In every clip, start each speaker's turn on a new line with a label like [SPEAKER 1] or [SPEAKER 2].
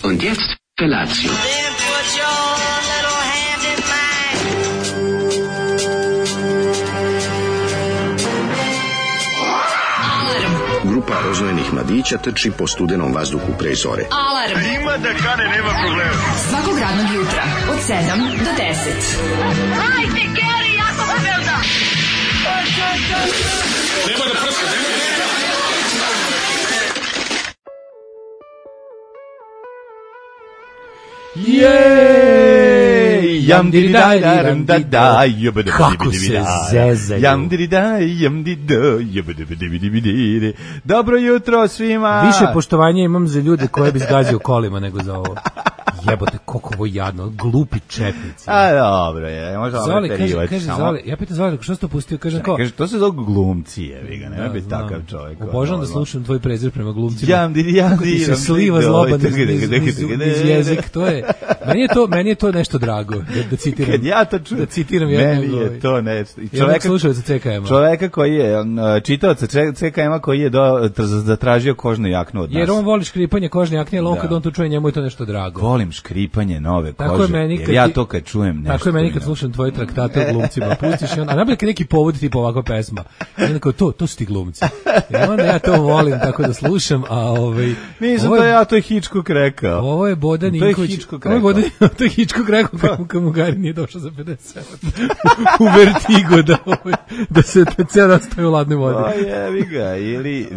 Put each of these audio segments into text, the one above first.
[SPEAKER 1] Und jetzt Felatio.
[SPEAKER 2] Then put your little hand in mine.
[SPEAKER 1] Grupa roznojenih mladića trči po studenom vazduhu pre zore.
[SPEAKER 3] Alarm!
[SPEAKER 4] Ima da kane, nema problema.
[SPEAKER 3] Svakog radnog jutra, od 7 do 10.
[SPEAKER 2] Hajde, Geri, jako se velda!
[SPEAKER 4] Nema da prska, nema da prska.
[SPEAKER 5] Jej! Jam diri daj ram da da jebede.
[SPEAKER 6] Kako se zezaju.
[SPEAKER 5] Jam diri daj jam di da jebede. Dobro jutro svima.
[SPEAKER 6] Više poštovanja imam za ljude koje bi zgazio kolima nego za ovo. Jebote, koliko ovo jadno, glupi četnici.
[SPEAKER 5] A dobro je, možda
[SPEAKER 6] Zoli, kaže Zoli, ja pitam Zoli, što si to pustio, kaže kao...
[SPEAKER 5] Kaže, to se zove glumci, jevi ga, nema biti takav čovjek.
[SPEAKER 6] Obožavam da slušam tvoj prezir prema glumcima.
[SPEAKER 5] Jam diri.
[SPEAKER 6] Kako ti se sliva zloban iz jezik, to je... Meni je to nešto drago, da citiram.
[SPEAKER 5] Kad ja to čujem,
[SPEAKER 6] da citiram
[SPEAKER 5] meni je to nešto.
[SPEAKER 6] Jednog slušalca CKM-a.
[SPEAKER 5] Čoveka koji je, čitaoca CKM-a koji je zatražio kožnu jaknu od nas.
[SPEAKER 6] Jer on voli škripanje kožne jakne, ali on kad on to čuje, njemu je to nešto drago.
[SPEAKER 5] Volim škripanje nove kože,
[SPEAKER 6] tako je meni
[SPEAKER 5] jer ja to kad čujem nešto...
[SPEAKER 6] Tako je meni kad slušam tvoje traktate o glumcima, pustiš i on, a nabili neki povod tipa ovakva pesma. I onda kao, to su ti glumci. I onda ja to volim tako da slušam, a
[SPEAKER 5] nisam to ja, to je Hitchcock rekao.
[SPEAKER 6] Ovo je Bodan Ninković. To je Hitchcock rekao kako mu Gari nije došao za 50 u Vertigo da se ceo dan stoji u ladnoj vodi.
[SPEAKER 5] Jevi ga, ili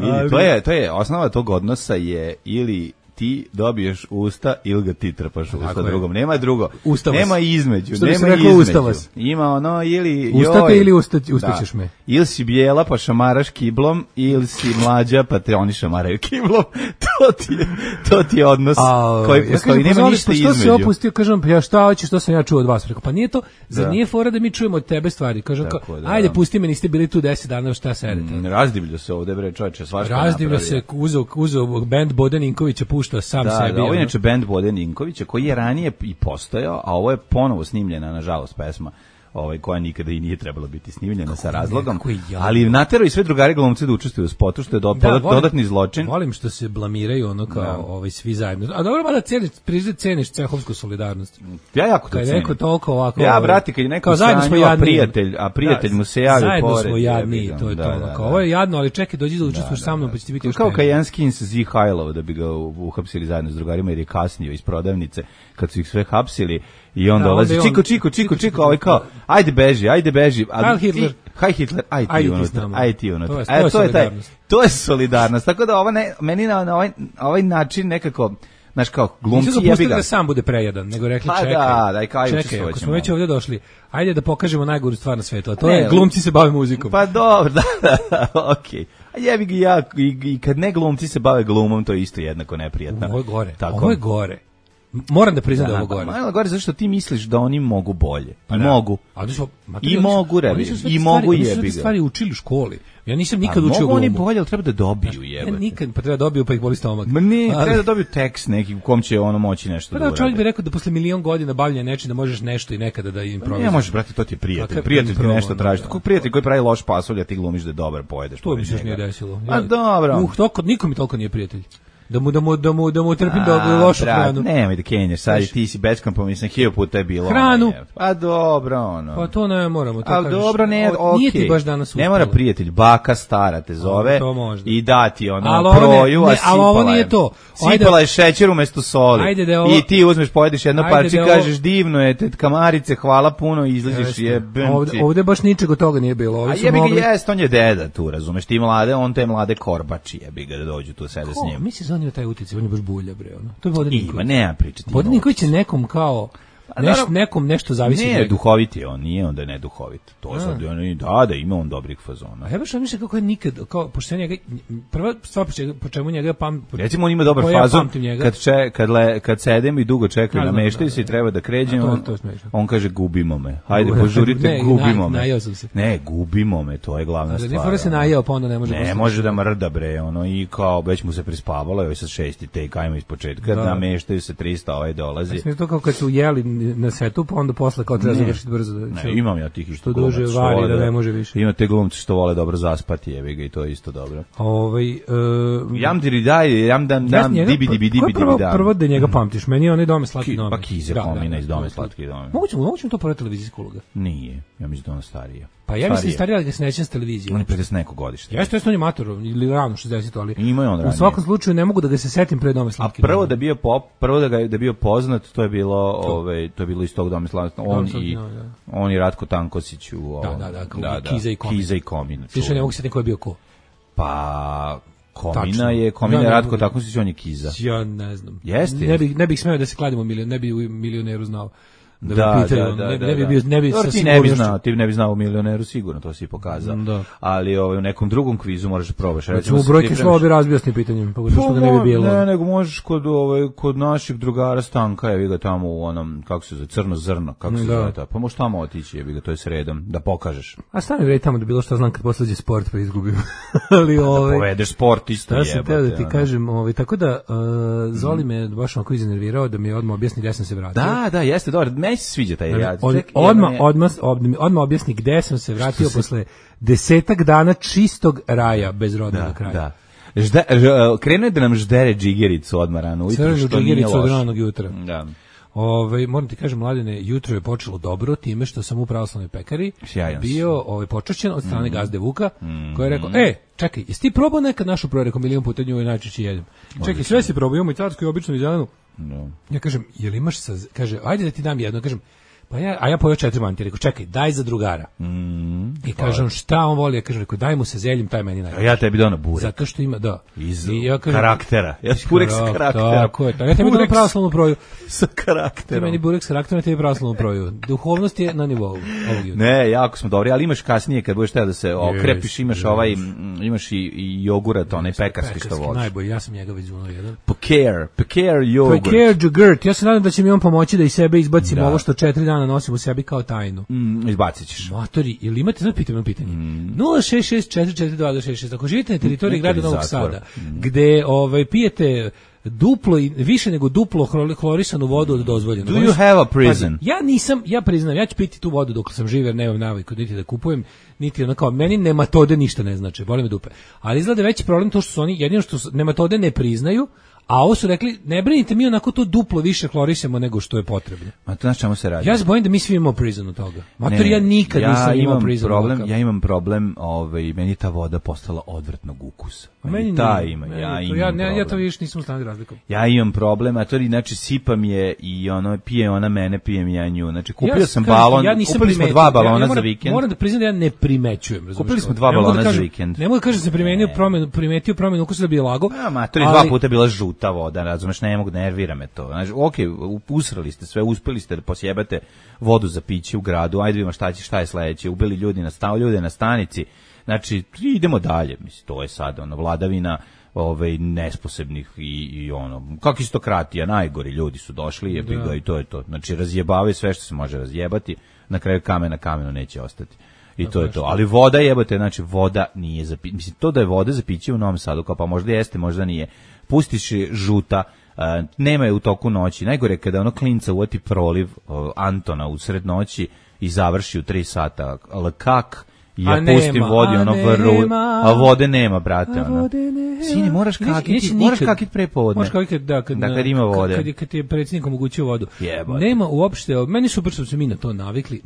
[SPEAKER 5] to je osnova tog odnosa je ili ti dobiješ usta ili ga ti trpaš usta drugom. Nema drugo.
[SPEAKER 6] Ustavas.
[SPEAKER 5] Nema između.
[SPEAKER 6] Što
[SPEAKER 5] nema
[SPEAKER 6] rekao,
[SPEAKER 5] između.
[SPEAKER 6] ustavas.
[SPEAKER 5] Ima ono ili...
[SPEAKER 6] Ustate ili ustaćeš me.
[SPEAKER 5] Ili si bijela pa šamaraš kiblom, ili si mlađa pa te oni šamaraju kiblom. To ti je odnos koji postoji. Nema ništa između.
[SPEAKER 6] Što se opustio, kažem, ja šta hoćeš, što sam ja čuo od vas? Rekao, pa nije to, zar nije fora da mi čujemo od tebe stvari? Kažem, ajde, pusti me, niste bili tu 10 dana, šta sedete?
[SPEAKER 5] Razdivlja se ovde, bre, čovječe, svašta napravio.
[SPEAKER 6] Razdivlja se, uzeo band Bodan Inkovića, pušta sam sebi.
[SPEAKER 5] Da, ovo je inače band Bodan Inkovića, koji je ranije i postojao, a ovo je ponovo snimljena, nažalost, pesma koja nikada i nije trebala biti snimljena sa razlogom, ali naterao i sve drugari glumci da učestvuju u spotu, što je dodatni zločin.
[SPEAKER 6] Volim što se blamiraju ono kao svi zajedno. A dobro, mada ceniš cehovsku solidarnost.
[SPEAKER 5] Ja jako to cenim.
[SPEAKER 6] Neko toliko ovako...
[SPEAKER 5] Ja, brati, kad je neko sanju, a prijatelj mu se javi pored.
[SPEAKER 6] Zajedno smo jadni, to je to. Ovo je jadno, ali čekaj, dođi da učestvuješ sa mnom, pa će ti biti još
[SPEAKER 5] kao Kajan Skins Zihajlov, da bi ga uhapsili zajedno s drugarima, jer je kasnio iz prodavnice, kad su ih sve hapsili. I on dolazi, čiko, ovaj kao, ajde beži. Haj Hitler, ajde ti unutra. To je solidarnost. Tako da meni na ovaj način nekako, znaš kao, glumci jebi ga.
[SPEAKER 6] Nisu ga da sam bude prejadan, nego rekli čekaj, ako smo već ovdje došli, ajde da pokažemo najgoru stvar na svijetu, a to je glumci se bave muzikom.
[SPEAKER 5] Pa dobro, da, okej. A jebi ga ja, i kad ne glumci se bave glumom, to je isto jednako neprijatno.
[SPEAKER 6] Ovo je gore. Moram da priznam da je ovo gore.
[SPEAKER 5] Malo gore zašto ti misliš da oni mogu bolje. Pa mogu. I mogu rebi. I mogu jebi ga.
[SPEAKER 6] Oni su stvari učili u školi. Ja nisam nikad učio glumu.
[SPEAKER 5] Mogu oni bolje, ali treba da dobiju jebote.
[SPEAKER 6] Ja nikad, pa treba da dobiju pa ih boli stomak.
[SPEAKER 5] Ma ne, treba da dobiju tekst neki u kom će ono moći nešto da uradi.
[SPEAKER 6] Čovjek bi rekao da posle milion godina bavljenja nečim da možeš nešto i nekada da improvizuješ.
[SPEAKER 5] Ne možeš, brate, to ti je prijatelj. Prijatelj ti nešto traži. Kako prijatelj koji pravi loš pasulj, a ti glumiš da je dobar, pojedeš.
[SPEAKER 6] To mi se još nije desilo.
[SPEAKER 5] A dobro.
[SPEAKER 6] Niko mi toliko nije prijatelj. Da mu trpim da lošu hranu.
[SPEAKER 5] Nemoj da kenješ, sad ti si beskompromisan, 1000 puta je bilo.
[SPEAKER 6] Hranu.
[SPEAKER 5] Pa dobro, ono.
[SPEAKER 6] Pa to ne moramo.
[SPEAKER 5] Ali dobro, ne, okej.
[SPEAKER 6] Nije ti baš danas uspjelo.
[SPEAKER 5] Ne mora prijatelj, baka stara te zove i dati ono proju, a
[SPEAKER 6] ali ovo nije to.
[SPEAKER 5] Sipala je šećer umjesto soli. I ti uzmeš, pojedeš jedno parče i kažeš divno je, kamarice, hvala puno i izlaziš jebemci.
[SPEAKER 6] Ovde baš ničeg od toga nije bilo.
[SPEAKER 5] A jebi ga jest, on je deda tu, razumeš, ti mlade, on te mlade korbači, jebi ga da dođu tu sede s njim.
[SPEAKER 6] On je taj uticaj, on je baš bulja, bre, ono. To je Bodan Ninković.
[SPEAKER 5] Ima, nema pričati.
[SPEAKER 6] Bodan Ninković je nekom kao, nekom nešto zavisi.
[SPEAKER 5] Ne, duhovit je on, nije onda ne duhovit. To sad, da, ima on dobrih fazona.
[SPEAKER 6] A ja baš mislim kako je nikad, kao, pošto njega, prva stvar po čemu njega
[SPEAKER 5] recimo on ima dobar fazon, kad sedem i dugo čekaju, nameštaju se i treba da kređemo, on kaže gubimo me. Hajde, požurite, gubimo me. Ne, gubimo me, to je glavna stvar.
[SPEAKER 6] Ne fora se najeo, pa onda ne može.
[SPEAKER 5] Ne može da mrda, bre, ono, i kao, već mu se prispavalo, evo sad 6. take, ajmo iz početka, nameštaju se 300, ovaj dolazi.
[SPEAKER 6] Mislim to kao kad su jeli na setu, pa onda posle kao treba završiti brzo.
[SPEAKER 5] Ne, imam ja tih
[SPEAKER 6] što duže vari da ne može više.
[SPEAKER 5] Ima te glumci što vole dobro zaspati, jebi ga, i to je isto dobro.
[SPEAKER 6] Jam
[SPEAKER 5] dam, dibi da.
[SPEAKER 6] Prvo da njega pamtiš, meni je onaj Dome slatki dome.
[SPEAKER 5] Pa Kize Komina iz Dome slatki dome.
[SPEAKER 6] Moguće to prva televizijska uloga?
[SPEAKER 5] Nije, ja mislim da ona starija.
[SPEAKER 6] Pa ja mislim starija, ali ga se nećem s televizije.
[SPEAKER 5] On je 50 neko godište.
[SPEAKER 6] Jeste, on je mator, ili rano 60, ali
[SPEAKER 5] ima on ranije.
[SPEAKER 6] U svakom slučaju ne mogu da ga se setim pre Dome slatki dome.
[SPEAKER 5] A prvo da je bio poznat, to je bilo iz tog Dome slatki dome. On i Ratko Tankosić u Kiza i Komina.
[SPEAKER 6] Slično ne mogu se setim ko je bio ko.
[SPEAKER 5] Pa Komina je Ratko Tankosić, on je Kiza.
[SPEAKER 6] Ja ne znam.
[SPEAKER 5] Jeste.
[SPEAKER 6] Ne bih smeo da se kladimo, ne bi u Milioneru znao.
[SPEAKER 5] Da. Ti ne bi znao u Milioneru sigurno, to si pokazao. Ali u nekom drugom kvizu možeš da probaš.
[SPEAKER 6] Recimo u brojke slova bi razbio s tim pitanjem, pošto ga ne bi bilo.
[SPEAKER 5] Ne, nego možeš kod naših drugara Stanka, jevi ga tamo u onom, kako se zove, Crno zrno, kako se zove ta. Pa možeš tamo otići, jevi ga, to je sredom, da pokažeš.
[SPEAKER 6] A stani vrej tamo da bilo što znam kad poslađe sport pa izgubim.
[SPEAKER 5] Ali da povedeš sport isto jebate.
[SPEAKER 6] Ja sam teo da ti kažem, tako da Zoli me baš onako iznervirao da mi odmah objasni gde sam se vratio.
[SPEAKER 5] Da, jeste, dobro. Meni se sviđa taj rad.
[SPEAKER 6] Odmah objasni gde sam se vratio posle 10 dana čistog raja bez rodnog kraja.
[SPEAKER 5] Krenuo je da nam ždere džigericu odmah rano ujutro, što nije loš.
[SPEAKER 6] Od ranog jutra.
[SPEAKER 5] Da.
[SPEAKER 6] Moram ti kažem, Mladene, jutro je počelo dobro time što sam u pravoslavnoj pekari bio počašćen od strane gazde Vuka, koji je rekao, čekaj, jesi ti probao nekad našu proju? Rekao, milion puta nju i najčešće jedem. Čekaj, sve si probao, imamo i carsku i običnu i zelenu. Ja kažem, jel imaš kaže, ajde da ti dam jedno, kažem, pa ja pojeo 4 mantije, rekao, čekaj, daj za drugara. I kažem šta on voli, ja kažem rekao daj mu sa zeljem, taj meni najbolji.
[SPEAKER 5] Ja tebi dono burek.
[SPEAKER 6] Zato što ima
[SPEAKER 5] iz
[SPEAKER 6] ja kažem,
[SPEAKER 5] karaktera. Ja burek sa karaktera.
[SPEAKER 6] Tako je. Ja tebi dono pravoslavnu proju
[SPEAKER 5] sa karakterom.
[SPEAKER 6] Ti meni burek sa karakterom, tebi pravoslavnu proju. Duhovnost je na nivou ovog jutra.
[SPEAKER 5] Ne, jako smo dobri, ali imaš kasnije kad budeš teo da se okrepiš, imaš imaš i jogurt, onaj pekarski što voliš.
[SPEAKER 6] Najbolji, ja sam njega već uno jedan.
[SPEAKER 5] Peker jogurt.
[SPEAKER 6] Peker jogurt. Ja se nadam da će mi on pomoći da iz sebe izbacim ovo što 4 dana nosim u sebi kao tajnu.
[SPEAKER 5] Izbacit ćeš.
[SPEAKER 6] Matori, ili imate sad pitanje? 066442266. Ako živite na teritoriji grada Novog Sada, gde pijete duplo i više nego duplo hlorisanu vodu od dozvoljenog.
[SPEAKER 5] Do you have a prison?
[SPEAKER 6] Ja priznam, ja ću piti tu vodu dok sam živ jer nemam naviku niti da kupujem, niti ono kao meni nematode ništa ne znači, boli me dupe. Ali izgleda veći problem to što su oni jedino što nematode ne priznaju. A ovo su rekli, ne brinite, mi onako to duplo više hlorisamo nego što je potrebno.
[SPEAKER 5] Ma to znaš čemu se radi?
[SPEAKER 6] Ja se bojim da mi svi imamo prizon od toga. Mater, ja nikad nisam imao prizon.
[SPEAKER 5] Ja imam problem, meni ta voda postala odvrtnog ukusa. Meni ta ima,
[SPEAKER 6] ja to više nisam u stanju razlikom.
[SPEAKER 5] Ja imam problem, a to znači sipam je i pije ona mene, pijem ja nju. Znači kupio sam balon, kupili smo 2 balona za vikend.
[SPEAKER 6] Moram da priznam da ja ne primećujem.
[SPEAKER 5] Kupili smo 2 balona za vikend.
[SPEAKER 6] Ne mogu da kažem da sam primetio promenu ukusa da bi je lago.
[SPEAKER 5] Mater, 2 puta bila žuta voda, razumeš, ne mogu, nervira me to. Znači, usrali ste sve, uspeli ste da posjebate vodu za piće u gradu, ajde vidimo šta je sledeće, ubili ljude na stanici, znači, idemo dalje, mislim, to je sad, vladavina nesposobnih i kakistokratija, najgori ljudi su došli, i to je to. Znači, razjebavaju sve što se može razjebati, na kraju kamen na kamenu neće ostati. I to je to. Ali voda jebote, znači voda nije za piće. Mislim, to da je voda za piće u Novom Sadu, kao pa možda jeste, možda nije. Pustiš je žuta, nema je u toku noći. Najgore kada klinca uvati proliv Antona u sred noći i završi u 3 sata. Ali kak? Ja pustim vodi, vrlu, a vode nema, brate. Sine, moraš kakiti prepodne.
[SPEAKER 6] Moraš kakiti, da, kad
[SPEAKER 5] ima vode.
[SPEAKER 6] Kad je predsjednik omogućio vodu. Nema uopšte, meni super što se mi na to navikli,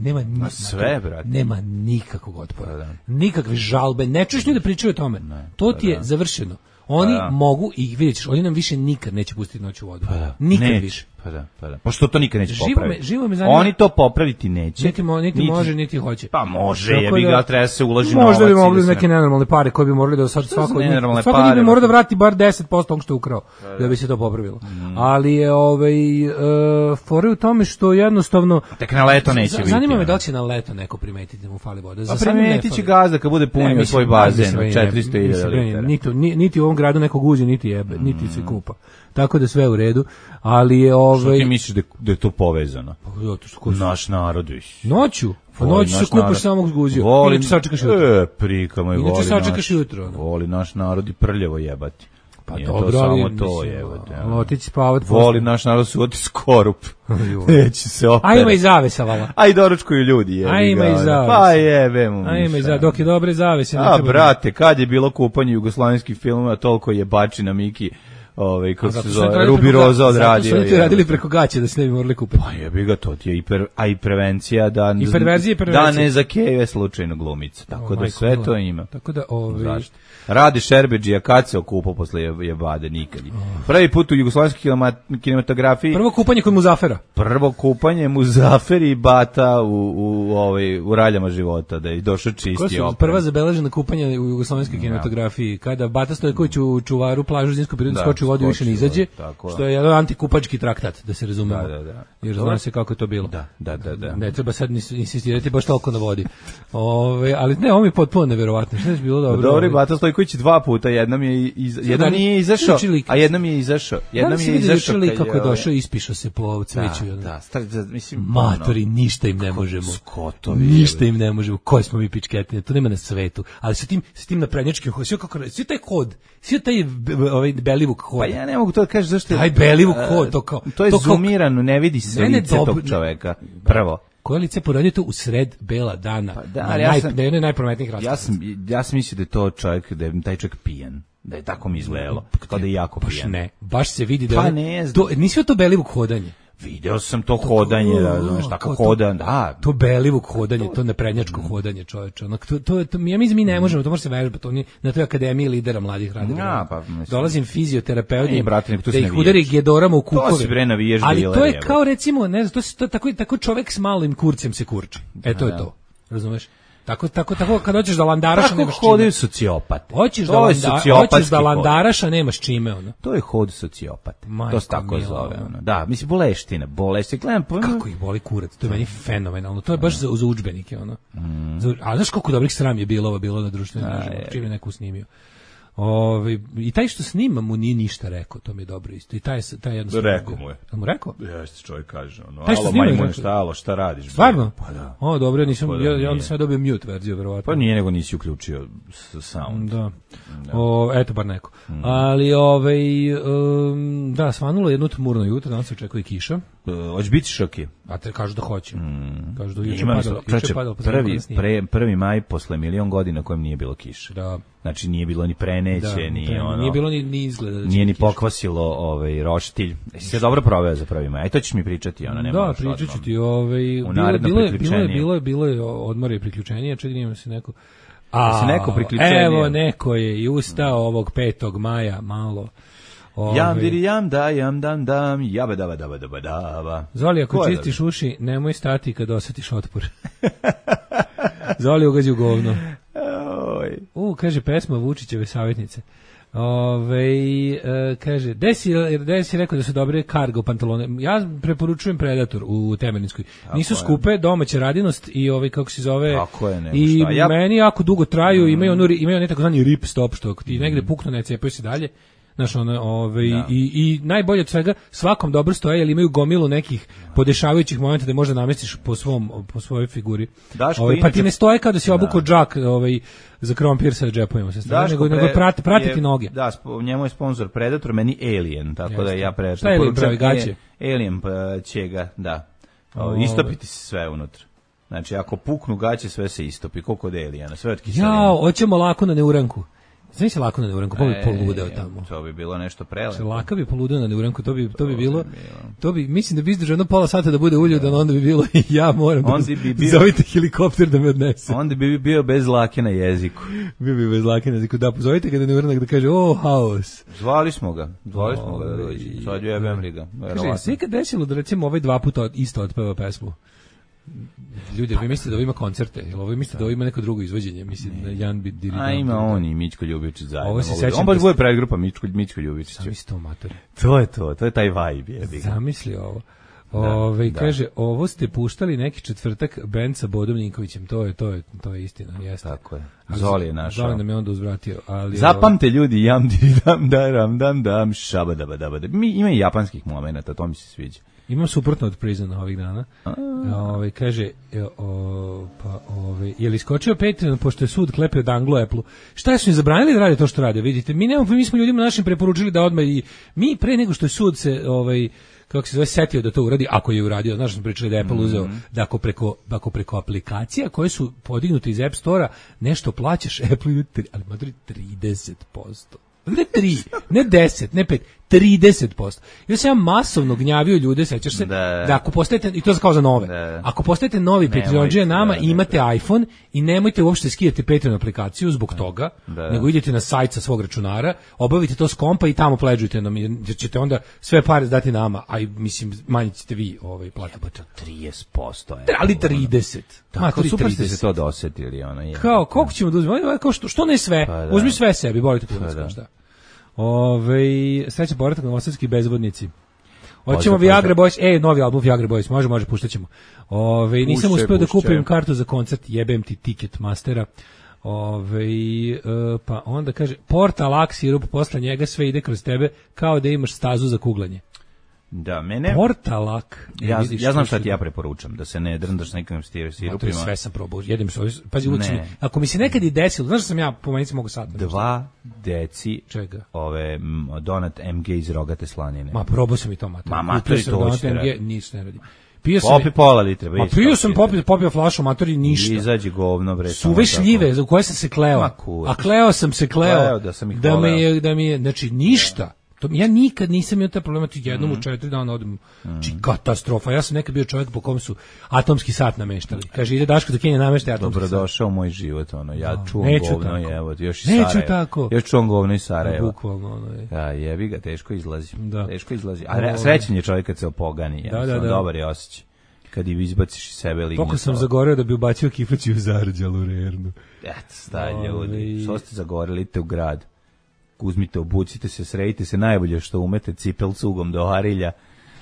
[SPEAKER 6] nema nikakvog otpora. Nikakve žalbe, ne čuješ ljudi da pričaju o tome. To ti je završeno. Oni mogu, i vidjet ćeš, oni nam više nikad neće pustiti noć u vodu. Nikad više.
[SPEAKER 5] Pa što to nikad neće popraviti? Oni to popraviti neće.
[SPEAKER 6] Niti može, niti hoće.
[SPEAKER 5] Pa može, jebi ga, treba se uloži novac.
[SPEAKER 6] Možda bi mogli neke nenormalne pare koje bi morali da sad svako bi morao da vrati bar 10% onog što je ukrao, da bi se to popravilo. Ali je fore u tome što jednostavno
[SPEAKER 5] tek na leto neće biti.
[SPEAKER 6] Zanima me da li će na leto neko primetiti da mu fali voda.
[SPEAKER 5] Pa primetit će gazda kad bude punio svoj bazen od 400.000 litara.
[SPEAKER 6] Niti u ovom gradu nekog uđe, niti jebe, niti se kupa. Tako da sve u redu, ali je
[SPEAKER 5] Što ti misliš da je to povezano? Naš narod više.
[SPEAKER 6] Noću se kupaš samog zguzio. Inače sačekaš jutro.
[SPEAKER 5] Prika moj,
[SPEAKER 6] inače sačekaš jutro.
[SPEAKER 5] Voli naš narod i prljavo jebati.
[SPEAKER 6] Pa dobro, samo
[SPEAKER 5] to jebati.
[SPEAKER 6] Otići spavat.
[SPEAKER 5] Voli naš narod su oti skorup. Neće se opere.
[SPEAKER 6] A ima i zavesa, vala.
[SPEAKER 5] A i doručkuju ljudi.
[SPEAKER 6] A ima i zavesa.
[SPEAKER 5] Pa jebe mu.
[SPEAKER 6] A ima i zavesa, dok je dobre zavese.
[SPEAKER 5] A brate, kad je bilo kupanje jugoslavenskih filmova, toliko jebači na Miki. Kako se zove, Rubi Roza odradio.
[SPEAKER 6] Zato su oni radili preko gaće da se ne bi morali kupati.
[SPEAKER 5] Pa jebi ga, to ti je i prevencija da ne zakeve slučajno glumica. Tako da sve to ima.
[SPEAKER 6] Tako da
[SPEAKER 5] Radi Šerbedžija kad se okupao posle jebade nikad. Prvi put u jugoslovenskoj kinematografiji.
[SPEAKER 6] Prvo kupanje kod Muzafera.
[SPEAKER 5] Prvo kupanje Muzaferi i Bata u raljama života, da je došao čisti opet.
[SPEAKER 6] Prva zabeležena kupanja u jugoslovenskoj kinematografiji, kada Bata Stojković u čuvaru plažu zimskog perioda skoči u vodu i više ne izađe, što je jedan antikupački traktat, da se razumemo. Jer zna se kako je to bilo.
[SPEAKER 5] Da.
[SPEAKER 6] Ne treba sad insistirati baš toliko na vodi. Ali ne, ovo mi je potpuno neverovatno. Što je bilo dobro?
[SPEAKER 5] Dobro, Bata Stojković 2 puta, jednom nije izašao, a jednom je izašao.
[SPEAKER 6] Jednom je izašao kako je došao, ispišao se po cveću.
[SPEAKER 5] Mislim,
[SPEAKER 6] matori, ništa im ne možemo. Ništa im ne možemo. Koji smo mi pičketine, to nema na svetu. Ali sa tim naprednjačkim, sve taj kod, sve taj Belivuk hod.
[SPEAKER 5] Pa ja ne mogu to da kažem zašto je...
[SPEAKER 6] Taj Belivuk hod, to kao...
[SPEAKER 5] To je zoomirano, ne vidi se lice tog čoveka. Prvo.
[SPEAKER 6] Koje lice poradio to u sred bela dana, na jednoj najprometnijih rasprava.
[SPEAKER 5] Ja sam mislio da je to čovjek, da je taj čovjek pijan. Da je tako mi izgledalo, kao da je jako pijan.
[SPEAKER 6] Baš ne, baš se vidi da je... Nisi to Belivuk hodanje?
[SPEAKER 5] Video sam to hodanje, razumeš, tako hodan, da.
[SPEAKER 6] To Belivuk hodanje, to neprednjačko hodanje, čoveče. Ja mislim mi ne možemo, to može se vežbati, oni na toj akademiji lidera mladih radi. Dolazim fizioterapeuti, da ih udari gedorama u kukove.
[SPEAKER 5] To si bre navijaš
[SPEAKER 6] ali to je kao recimo, ne znam, to tako čovek s malim kurcem se kurči. To je to. Razumeš? Tako kad hoćeš da landaraša nemaš čime.
[SPEAKER 5] Tako hodaju sociopate.
[SPEAKER 6] Hoćeš da landaraša nemaš čime, ono.
[SPEAKER 5] To je hod sociopate. To se tako zove, ono. Da, mislim, boleština. Gledam,
[SPEAKER 6] kako ih boli kurac, to je meni fenomenalno. To je baš za udžbenike, ono. A znaš koliko dobrih sram je bilo na društvenim mrežama, čim je neko snimio. I taj što snima mu nije ništa rekao, to mi je dobro isto. I taj jednostavno...
[SPEAKER 5] Rekao mu je.
[SPEAKER 6] Mu rekao?
[SPEAKER 5] Jeste, čovjek kaže.
[SPEAKER 6] Alo, majmun,
[SPEAKER 5] šta radiš?
[SPEAKER 6] Stvarno?
[SPEAKER 5] Pa da.
[SPEAKER 6] Dobro, nisam, ja onda sam ja dobio mute verziju, verovatno.
[SPEAKER 5] Pa nije, nego nisi uključio sound.
[SPEAKER 6] Da. Eto, bar neko. Ali, da, svanulo jedno tmurno jutro, danas se očekuje kiša.
[SPEAKER 5] Hoće biti šoki.
[SPEAKER 6] A te kažu da hoće. Kažu da juče padalo.
[SPEAKER 5] Prvi maj posle milion godina kojem nije bilo kiše.
[SPEAKER 6] Da.
[SPEAKER 5] Znači nije bilo ni preneće, ni ono.
[SPEAKER 6] Nije bilo ni izgleda.
[SPEAKER 5] Nije ni pokvasilo roštilj. Se dobro proveo za prvi maj. Aj to ćeš mi pričati, ona nema.
[SPEAKER 6] Da, pričat ću ti, bilo je odmor i priključenje, čekaj se neko.
[SPEAKER 5] Se neko priključenje.
[SPEAKER 6] Evo neko je i ustao ovog 5. maja malo.
[SPEAKER 5] Jam diri jam da jam dam jaba daba.
[SPEAKER 6] Zoli, ako čistiš uši, nemoj stati kad osjetiš otpor. Zoli ugađi u govno. Kaže pesma Vučićeve savjetnice. Kaže, gde si rekao da su dobre cargo pantalone? Ja preporučujem Predator u Temerinskoj. Nisu skupe, domaća radinost i kako se zove.
[SPEAKER 5] Tako je,
[SPEAKER 6] i meni jako dugo traju, imaju onaj takozvani rip stop, što ti negde puknu, ne cepaju se dalje. Znaš, i najbolje od svega, svakom dobro stoje, jer imaju gomilu nekih podešavajućih momenta da možda namestiš po svojoj figuri. Pa ti ne stoje kao da si obukao džak za krompir sa džepovima se stoje, nego pratiti noge.
[SPEAKER 5] Da, njemu je sponsor Predator, meni Alien, tako da ja Predator.
[SPEAKER 6] Šta je Alien pravi gaće?
[SPEAKER 5] Alien će ga, da, istopiti se sve unutra. Znači, ako puknu gaće, sve se istopi, koliko od Aliena, sve od kiselina.
[SPEAKER 6] Hoćemo lako na neuranku. Znaš se lako na neuranku, pa bi poludeo tamo.
[SPEAKER 5] To bi bilo nešto prelepo.
[SPEAKER 6] Laka bi poludeo na neuranku, to bi bilo. Mislim da bi izdržao jedno pola sata da bude uljudan, onda bi bilo i ja moram zovite helikopter da me odnese.
[SPEAKER 5] Onda bi bio bez lake na jeziku.
[SPEAKER 6] Bio bi bez lake na jeziku, da pozovite ga da neuranak da kaže, haos.
[SPEAKER 5] Zvali smo ga da dođi. Sad je jebem ga.
[SPEAKER 6] Kaže, sve kad desilo da recimo ovaj 2 puta isto otpeva pesmu. Ljudi, vi mislite da ovo ima koncerte, ili ovo mislite da ovo ima neko drugo izvođenje, mislim da Jan bi dirigent.
[SPEAKER 5] A ima on i Mićko Ljubičić zajedno.
[SPEAKER 6] On
[SPEAKER 5] baš bude predgrupa Mićko Ljubičić.
[SPEAKER 6] Zamisli to, mater.
[SPEAKER 5] To je taj vibe.
[SPEAKER 6] Zamisli ovo. Kaže, ovo ste puštali neki četvrtak bend sa Bodom Ninkovićem, to je istina, jeste.
[SPEAKER 5] Tako je. Zoli je našao.
[SPEAKER 6] Zoli nam je onda uzvratio.
[SPEAKER 5] Zapamte ljudi, jam diri dam šabadabadabada. Ima i japanskih momenata, to mi se sviđa.
[SPEAKER 6] Imam suprotno od Prisona ovih dana. Kaže, je li iskočio Patreon pošto je sud klepio danglo Apple-u? Šta su im zabranili da rade to što rade? Vidite, mi smo ljudima našim preporučili da odmah i mi pre nego što je sud se kako se zove setio da to uradi, ako je uradio, znaš, smo pričali da je Apple uzeo da ako preko aplikacija koje su podignute iz App Store-a nešto plaćaš Apple, ali madri 30%. Ne 3, ne 10, ne 5, 30%. Ja sam masovno gnjavio ljude, sećaš se, da ako postajete, i to kao za nove, ako postajete novi Patreonđe nama, imate iPhone i nemojte uopšte skidati Patreon aplikaciju zbog toga, nego idete na sajt sa svog računara, obavite to s kompa i tamo pleđujte nam, jer ćete onda sve pare dati nama, a mislim, manje ćete vi platiti.
[SPEAKER 5] 30%.
[SPEAKER 6] Ali 30.
[SPEAKER 5] Tako super ste se to dosetili.
[SPEAKER 6] Kao, koliko ćemo da uzmemo? Što ne sve? Uzmi sve sebi, bolite punac, šta? Sreća povratak na novosadski bezvodnici. Hoćemo Viagra Boys, novi album Viagra Boys, može, puštaćemo. Nisam uspeo da kupim kartu za koncert, jebem ti Ticketmastera. Pa onda kaže, Portalak sirup, posle njega sve ide kroz tebe, kao da imaš stazu za kuglanje.
[SPEAKER 5] Da, mene...
[SPEAKER 6] Portalak.
[SPEAKER 5] Ja znam šta ti ja preporučam, da se ne drndaš nekim sirupima.
[SPEAKER 6] Sve sam probao, jedem se, pazi, ako mi se nekad i desilo, znaš da sam ja po manici mogu sad.
[SPEAKER 5] 2 deci
[SPEAKER 6] čega?
[SPEAKER 5] donat MG iz rogate slanine.
[SPEAKER 6] Ma probao sam i to, mater.
[SPEAKER 5] Mater, to ćete
[SPEAKER 6] raditi. Ništa ne radim.
[SPEAKER 5] Popi pola litre.
[SPEAKER 6] Pio sam popio flašu, matori, ništa.
[SPEAKER 5] Izađi govno, bre.
[SPEAKER 6] Suve šljive, u koje sam se kleo. A kleo sam se da mi je, znači, ništa. Ja nikad nisam imao taj problem, jednom u 4 dana odem, katastrofa. Ja sam nekad bio čovjek po kom su atomski sat nameštali. Kaže, ide Daško za Kenija nameštaj atomski sat.
[SPEAKER 5] Dobrodošao u moj život, ja čuvam govno, evo, još iz
[SPEAKER 6] Sarajeva. Neću tako.
[SPEAKER 5] Još čuvam govno iz Sarajeva.
[SPEAKER 6] Bukvalno,
[SPEAKER 5] Ja, jebi ga, teško izlazi. A srećan je čovjek kad se opogani, dobar je osjećaj. kad ju izbaciš iz sebe lignje.
[SPEAKER 6] Toliko sam zagoreo da bi ubacio kifaću u zarđalu rernu.
[SPEAKER 5] Eto, staj ljudi, što ste zagoreli, idite u grad. Uzmite, obucite se, sredite se, najbolje što umete, cipel cugom do Arilja,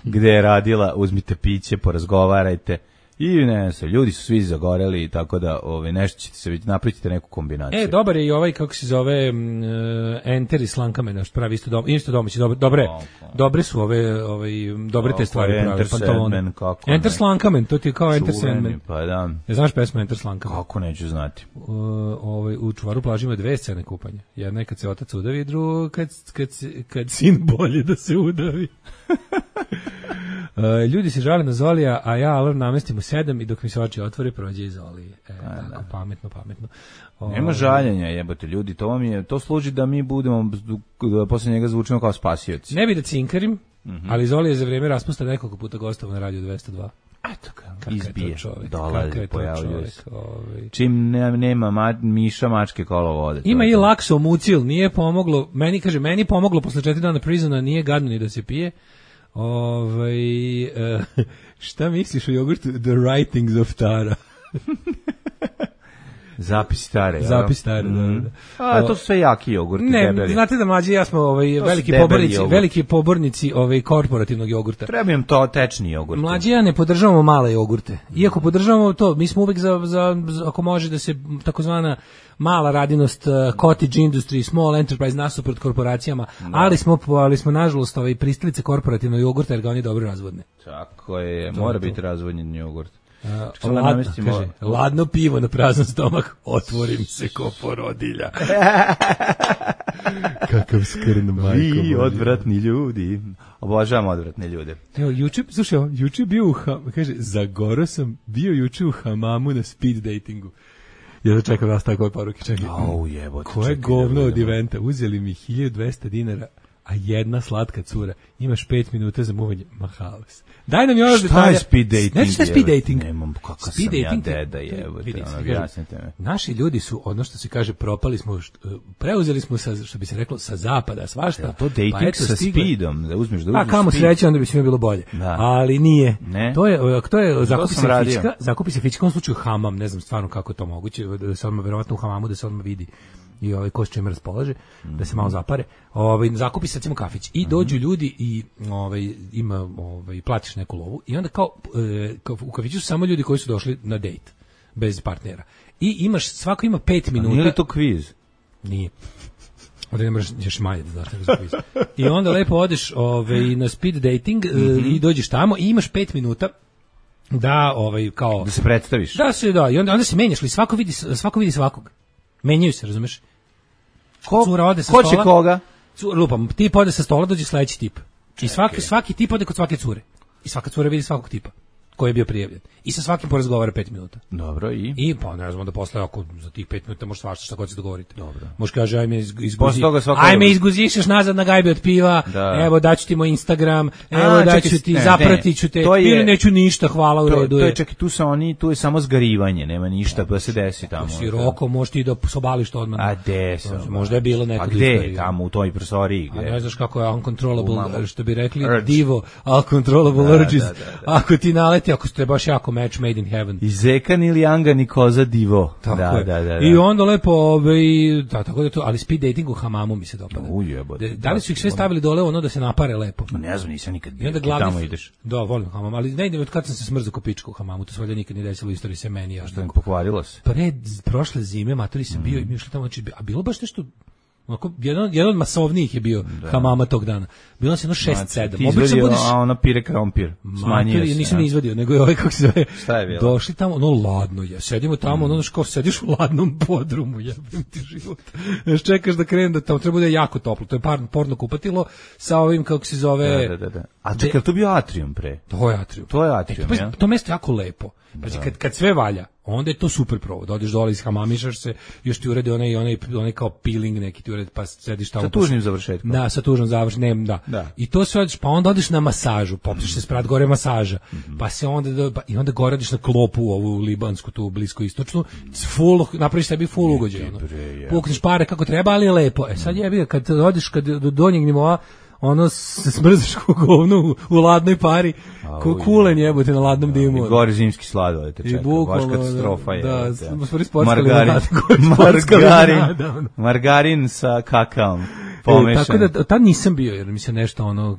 [SPEAKER 5] gde je radila, uzmite piće, porazgovarajte. I ne znam, ljudi su svi zagoreli, tako da nešto ćete se vidjeti, napravite neku kombinaciju.
[SPEAKER 6] Dobar je i ovaj, kako se zove, Enter i Slankamena, što pravi isto domaći, dobre su dobre te stvari pravi, pantalone. Enter Slankamen, to ti je kao Enter Sandman.
[SPEAKER 5] Pa da.
[SPEAKER 6] Ne znaš pesmu Enter Slankamen?
[SPEAKER 5] Kako neću znati.
[SPEAKER 6] U Čuvaru plaži ima 2 scene kupanja. Jedna je kad se otac udavi, druga kad sin bolje da se udavi. Ljudi se žale na Zolija, a ja alarm namestim u 7 i dok mi se oči otvore prođe iz Zolije. Tako, pametno.
[SPEAKER 5] Nema žaljenja, jebote, ljudi, to služi da mi budemo, da posle njega zvučimo kao spasioci.
[SPEAKER 6] Ne bi da cinkarim, ali Zolije je za vreme raspusta nekoliko puta gostovao na Radio 202.
[SPEAKER 5] Eto ga, izbije, dolazi, pojavljuje se. Čim nema miša, mačke kolo vode.
[SPEAKER 6] Ima i lakso mucil, nije pomoglo, meni pomoglo posle 4 dana prizona, nije gadno ni da se pije. Šta misliš o jogurtu The Writings of Tara?
[SPEAKER 5] Zapis Tare.
[SPEAKER 6] Zapis Tare, da.
[SPEAKER 5] To su sve jaki jogurti, debeli.
[SPEAKER 6] Znate da mlađi ja smo veliki pobornici korporativnog jogurta.
[SPEAKER 5] Treba im to tečni jogurt.
[SPEAKER 6] Mlađi ja ne podržavamo male jogurte. Iako podržavamo to, mi smo uvek za ako može da se takozvana mala radinost, cottage industry, small enterprise nasuprot korporacijama, ali smo nažalost pristalice korporativnog jogurta jer ga oni dobro razvodne.
[SPEAKER 5] Tako je, mora biti razvodnjen jogurt.
[SPEAKER 6] Ladno pivo na prazan stomak, otvorim se ko porodilja. Kakav skrn, majko.
[SPEAKER 5] Vi odvratni ljudi. Obožavam odvratne ljude.
[SPEAKER 6] Evo, juče bio zagoro sam bio juče u hamamu na speed datingu. Ja čekam vas takove poruke, čekaj. Koje govno od eventa, uzeli mi 1200 dinara, a jedna slatka cura, imaš 5 minuta za muvanje, mahales. Daj nam još detalja.
[SPEAKER 5] Šta je speed dating?
[SPEAKER 6] Znači šta je speed dating?
[SPEAKER 5] Nemam kakav sam ja deda, objasnite me.
[SPEAKER 6] Naši ljudi su, ono što se kaže, propali smo, preuzeli smo, što bi se reklo, sa zapada, svašta.
[SPEAKER 5] To dating sa speedom, da uzmeš
[SPEAKER 6] speed. A kamo sreće, onda bi svima bilo bolje. Ali nije. To je zakupi se fička, u slučaju hamam, ne znam stvarno kako je to moguće, da se odmah, verovatno u hamamu, da se odmah vidi i ko s čime raspolaže, da se malo zapare. Zakupi se recimo kafić i dođu ljudi i platiš neku lovu i onda kao u kafiću su samo ljudi koji su došli na dejt bez partnera. I svako ima 5 minuta.
[SPEAKER 5] Nije li to kviz?
[SPEAKER 6] Nije. Onda ne moraš još manje da znaš za kviz. I onda lepo odeš na speed dating i dođeš tamo i imaš 5 minuta da kao
[SPEAKER 5] da se predstaviš.
[SPEAKER 6] Da, i onda se menjaš, li svako vidi svakog. Menjaju se, razumeš? Cura ode sa stola.
[SPEAKER 5] Ko će koga?
[SPEAKER 6] Lupam, tip ode sa stola, dođe sledeći tip. I svaki tip ode kod svake cure. I svaka cura vidi svakog tipa koji je bio prijavljen. I sa svakim porazgovara 5 minuta.
[SPEAKER 5] Dobro,
[SPEAKER 6] i pa ne znam da posle ako za tih 5 minuta možeš svašta šta god se dogovorite. Dobro. Može kaže ajme izguzišeš nazad na gajbe od piva. Evo daću ti moj Instagram, evo daću ti zapratiću te. Ili neću ništa, hvala u redu.
[SPEAKER 5] To je čak i tu je samo zgarivanje, nema ništa da se desi tamo.
[SPEAKER 6] Široko možeš ti da sobališ to odmah.
[SPEAKER 5] A gde?
[SPEAKER 6] Možda je bilo neko.
[SPEAKER 5] A gde? Tamo u toj prostoriji.
[SPEAKER 6] A ne znaš kako je uncontrollable, što bi rekli divo, uncontrollable urges. Ako ti naleti, ako ste baš jako match made in heaven.
[SPEAKER 5] I zekan ili angan i koza divo. Da.
[SPEAKER 6] I onda lepo, tako da to, ali speed dating u hamamu mi se dopada. Da li su ih sve stavili dole ono da se napare lepo?
[SPEAKER 5] Ne znam, nisam nikad bio. Tamo ideš.
[SPEAKER 6] Da, volim hamam, ali ne idem od kad sam se smrzao ko pička u hamamu, to se valjda nikad nije desilo u istoriji se meni.
[SPEAKER 5] Što mi pokvarilo se?
[SPEAKER 6] Prošle zime, matori sam bio i mi išli tamo, a bilo baš nešto. Jedan od masovnijih je bio hamama tog dana. Bilo nas jedno 6-7.
[SPEAKER 5] Ti izvadio, a ona pire krompir. Smanjio se.
[SPEAKER 6] Nisam ni izvadio, nego je ovaj kako se zove.
[SPEAKER 5] Šta je bilo?
[SPEAKER 6] Došli tamo, ladno je. Sedimo tamo, kao sediš u ladnom podrumu, jebem ti život. Čekaš da krene, da tamo treba bude jako toplo. To je porno kupatilo sa ovim, kako se zove.
[SPEAKER 5] Da. A čekaj, to bio atrium pre?
[SPEAKER 6] To je atrium, ja. To mesto je jako lepo. Znači, kad sve valja, onda je to super provod. Odeš dole iz hamamišaš se, još ti urede onaj kao peeling neki ti urede, pa sediš tamo.
[SPEAKER 5] Sa tužnim završetkom.
[SPEAKER 6] Da, sa tužnim završetkom, da. I to sve odeš, pa onda odeš na masažu, popiš se sprat gore masaža, pa se onda gore odeš na klopu ovu libansku, tu blisko istočnu, napraviš sebi full ugođaj. Pukneš pare kako treba, ali je lepo. Sad jebi, kad odeš do donjeg nivoa, ono se smrzaš ko govno u ladnoj pari, ko kulen jebote na ladnom dimu.
[SPEAKER 5] I gore zimski sladoled te čeka, baš katastrofa je.
[SPEAKER 6] Da,
[SPEAKER 5] margarin sa kakaom pomešan.
[SPEAKER 6] Tako da tad nisam bio, jer mi se nešto ono,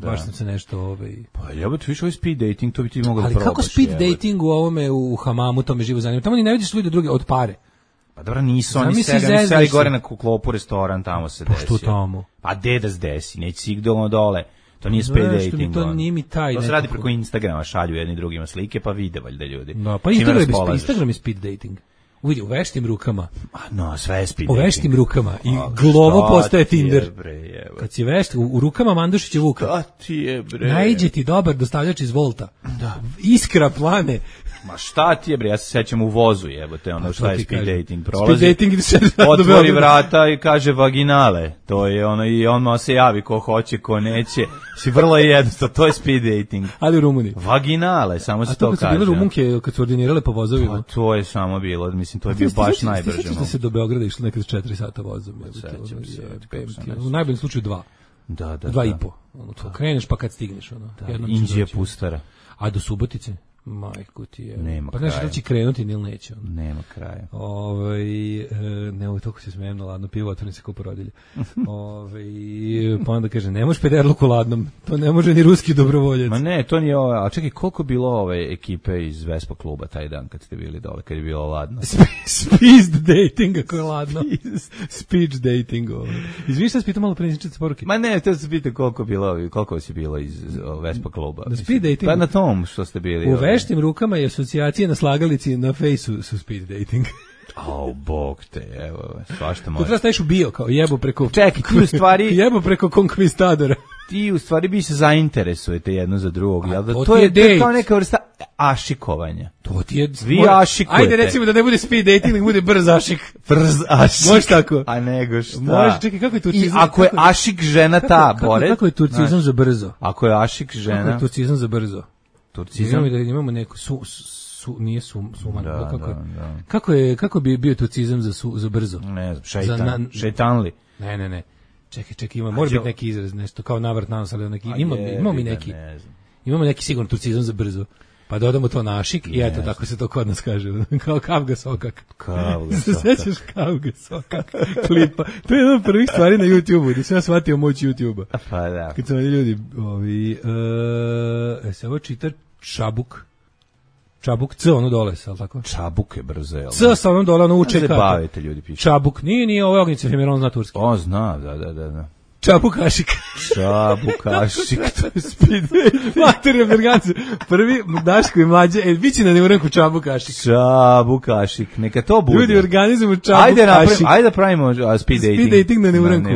[SPEAKER 6] baš sam se nešto...
[SPEAKER 5] Pa jebote, više ovaj speed dating, to bi ti mogao da probaš.
[SPEAKER 6] Ali kako speed dating u ovome, u hamamu, to me živo zanima. Tamo ni ne vidiš ljudi druge od pare.
[SPEAKER 5] Pa dobro, nisu oni seli gore na klopu restoran, tamo se desio.
[SPEAKER 6] Pa što tamo?
[SPEAKER 5] Pa gde da se desi, neće si dole. To nije speed dating.
[SPEAKER 6] To nije mi taj.
[SPEAKER 5] To se radi preko Instagrama, šalju jedni drugima slike, pa vide valjda ljudi.
[SPEAKER 6] Da, pa Instagram je speed dating. Uvidi, u veštim rukama.
[SPEAKER 5] No, sve je speed dating.
[SPEAKER 6] U veštim rukama. I glovo postaje Tinder. Kad si vešt, u rukama Mandušića Vuka.
[SPEAKER 5] Da ti je, bre.
[SPEAKER 6] Najđe ti dobar dostavljač iz Volta. Da. Iskra plane.
[SPEAKER 5] Ma šta ti je, bre, ja se sećam u vozu, jebote, ono šta je speed dating, prolazi,
[SPEAKER 6] speed dating
[SPEAKER 5] otvori vrata i kaže vaginale, to je ono, i on se javi ko hoće, ko neće, si vrlo jednostavno, to je speed dating.
[SPEAKER 6] Ali u Rumuniji.
[SPEAKER 5] Vaginale, samo se to kaže. A to kad su bile
[SPEAKER 6] Rumunke, kad su ordinirale po vozovima?
[SPEAKER 5] Pa to je samo bilo, mislim, to je bio baš najbrže.
[SPEAKER 6] Ti sećaš da se do Beograda išlo nekad 4 sata vozom? U najboljem slučaju 2.
[SPEAKER 5] Da.
[SPEAKER 6] 2,5. Kreneš pa kad stigneš.
[SPEAKER 5] Indija pustara.
[SPEAKER 6] A do Subotice? Majku ti je.
[SPEAKER 5] Nema
[SPEAKER 6] pa nešto da će krenuti ili neće.
[SPEAKER 5] Nema kraja.
[SPEAKER 6] Ne, toliko se smijem na ladno pivo, otvorim se ko porodilje. Pa onda kaže, ne možeš pederluku ladnom, to ne može ni ruski dobrovoljac.
[SPEAKER 5] Ma ne, to nije a čekaj, koliko bilo ove ekipe iz Vespa kluba taj dan kad ste bili dole, kad je bilo ladno?
[SPEAKER 6] Speed dating, ako je ladno. Speech dating. Izvini šta se pitam malo prenisničati poruke.
[SPEAKER 5] Ma ne, to se pita koliko si bilo iz Vespa kluba.
[SPEAKER 6] Na speed dating?
[SPEAKER 5] Pa na tom što ste bili.
[SPEAKER 6] U veštim rukama i asocijacije na slagalici na fejsu su speed dating.
[SPEAKER 5] Bog te, evo, svašta može.
[SPEAKER 6] To treba staviš u bio, kao jebo preko...
[SPEAKER 5] Čekaj, ti u stvari...
[SPEAKER 6] jebo preko konkvistadora.
[SPEAKER 5] Ti u stvari bi se zainteresujete jedno za drugog, jel da? To
[SPEAKER 6] je
[SPEAKER 5] kao neka vrsta ašikovanja.
[SPEAKER 6] To ti je...
[SPEAKER 5] Vi ašikujete.
[SPEAKER 6] Ajde recimo da ne bude speed dating, nego bude brz ašik.
[SPEAKER 5] Brz ašik.
[SPEAKER 6] Može tako?
[SPEAKER 5] A nego šta?
[SPEAKER 6] Može, čekaj, kako je turcizam?
[SPEAKER 5] I ako je ašik žena ta, Bored...
[SPEAKER 6] Kako je turcizam za brzo?
[SPEAKER 5] Ako je ašik žena...
[SPEAKER 6] Kako je turcizam za brzo?
[SPEAKER 5] Turcizam?
[SPEAKER 6] Imamo neku nije suman. Kako bi bio turcizam za brzo?
[SPEAKER 5] Ne znam, šejtanli.
[SPEAKER 6] Ne. Čekaj, mora biti neki izraz, nešto kao navrat nanos, ali neki, imamo neki sigurno turcizam za brzo. Pa dodamo to na ašik i eto, tako se to kod nas kaže. Kao kavga sokak. Se sećaš kavga sokak klipa? To je jedna od prvih stvari na YouTube-u, gdje sam ja shvatio moć YouTube-a.
[SPEAKER 5] Pa da.
[SPEAKER 6] Kad su oni ljudi, se ovo čita Čabuk. Čabuk, C, ono dole, ali tako?
[SPEAKER 5] Čabuk je brzo, jel?
[SPEAKER 6] C sa ono dole, ono uče kako.
[SPEAKER 5] Zabavite ljudi, piše.
[SPEAKER 6] Čabuk, nije ovo Ognjica Femir, on zna turski.
[SPEAKER 5] On zna, da.
[SPEAKER 6] Čabukašik.
[SPEAKER 5] Čabukašik, to je speed.
[SPEAKER 6] Materija Bergancu. Prvi Daško i Mlađe, biće na neuranku Čabukašik.
[SPEAKER 5] Čabukašik, neka to bude.
[SPEAKER 6] Ljudi, organizujemo Čabukašik.
[SPEAKER 5] Ajde da pravimo speed dating.
[SPEAKER 6] Speed dating na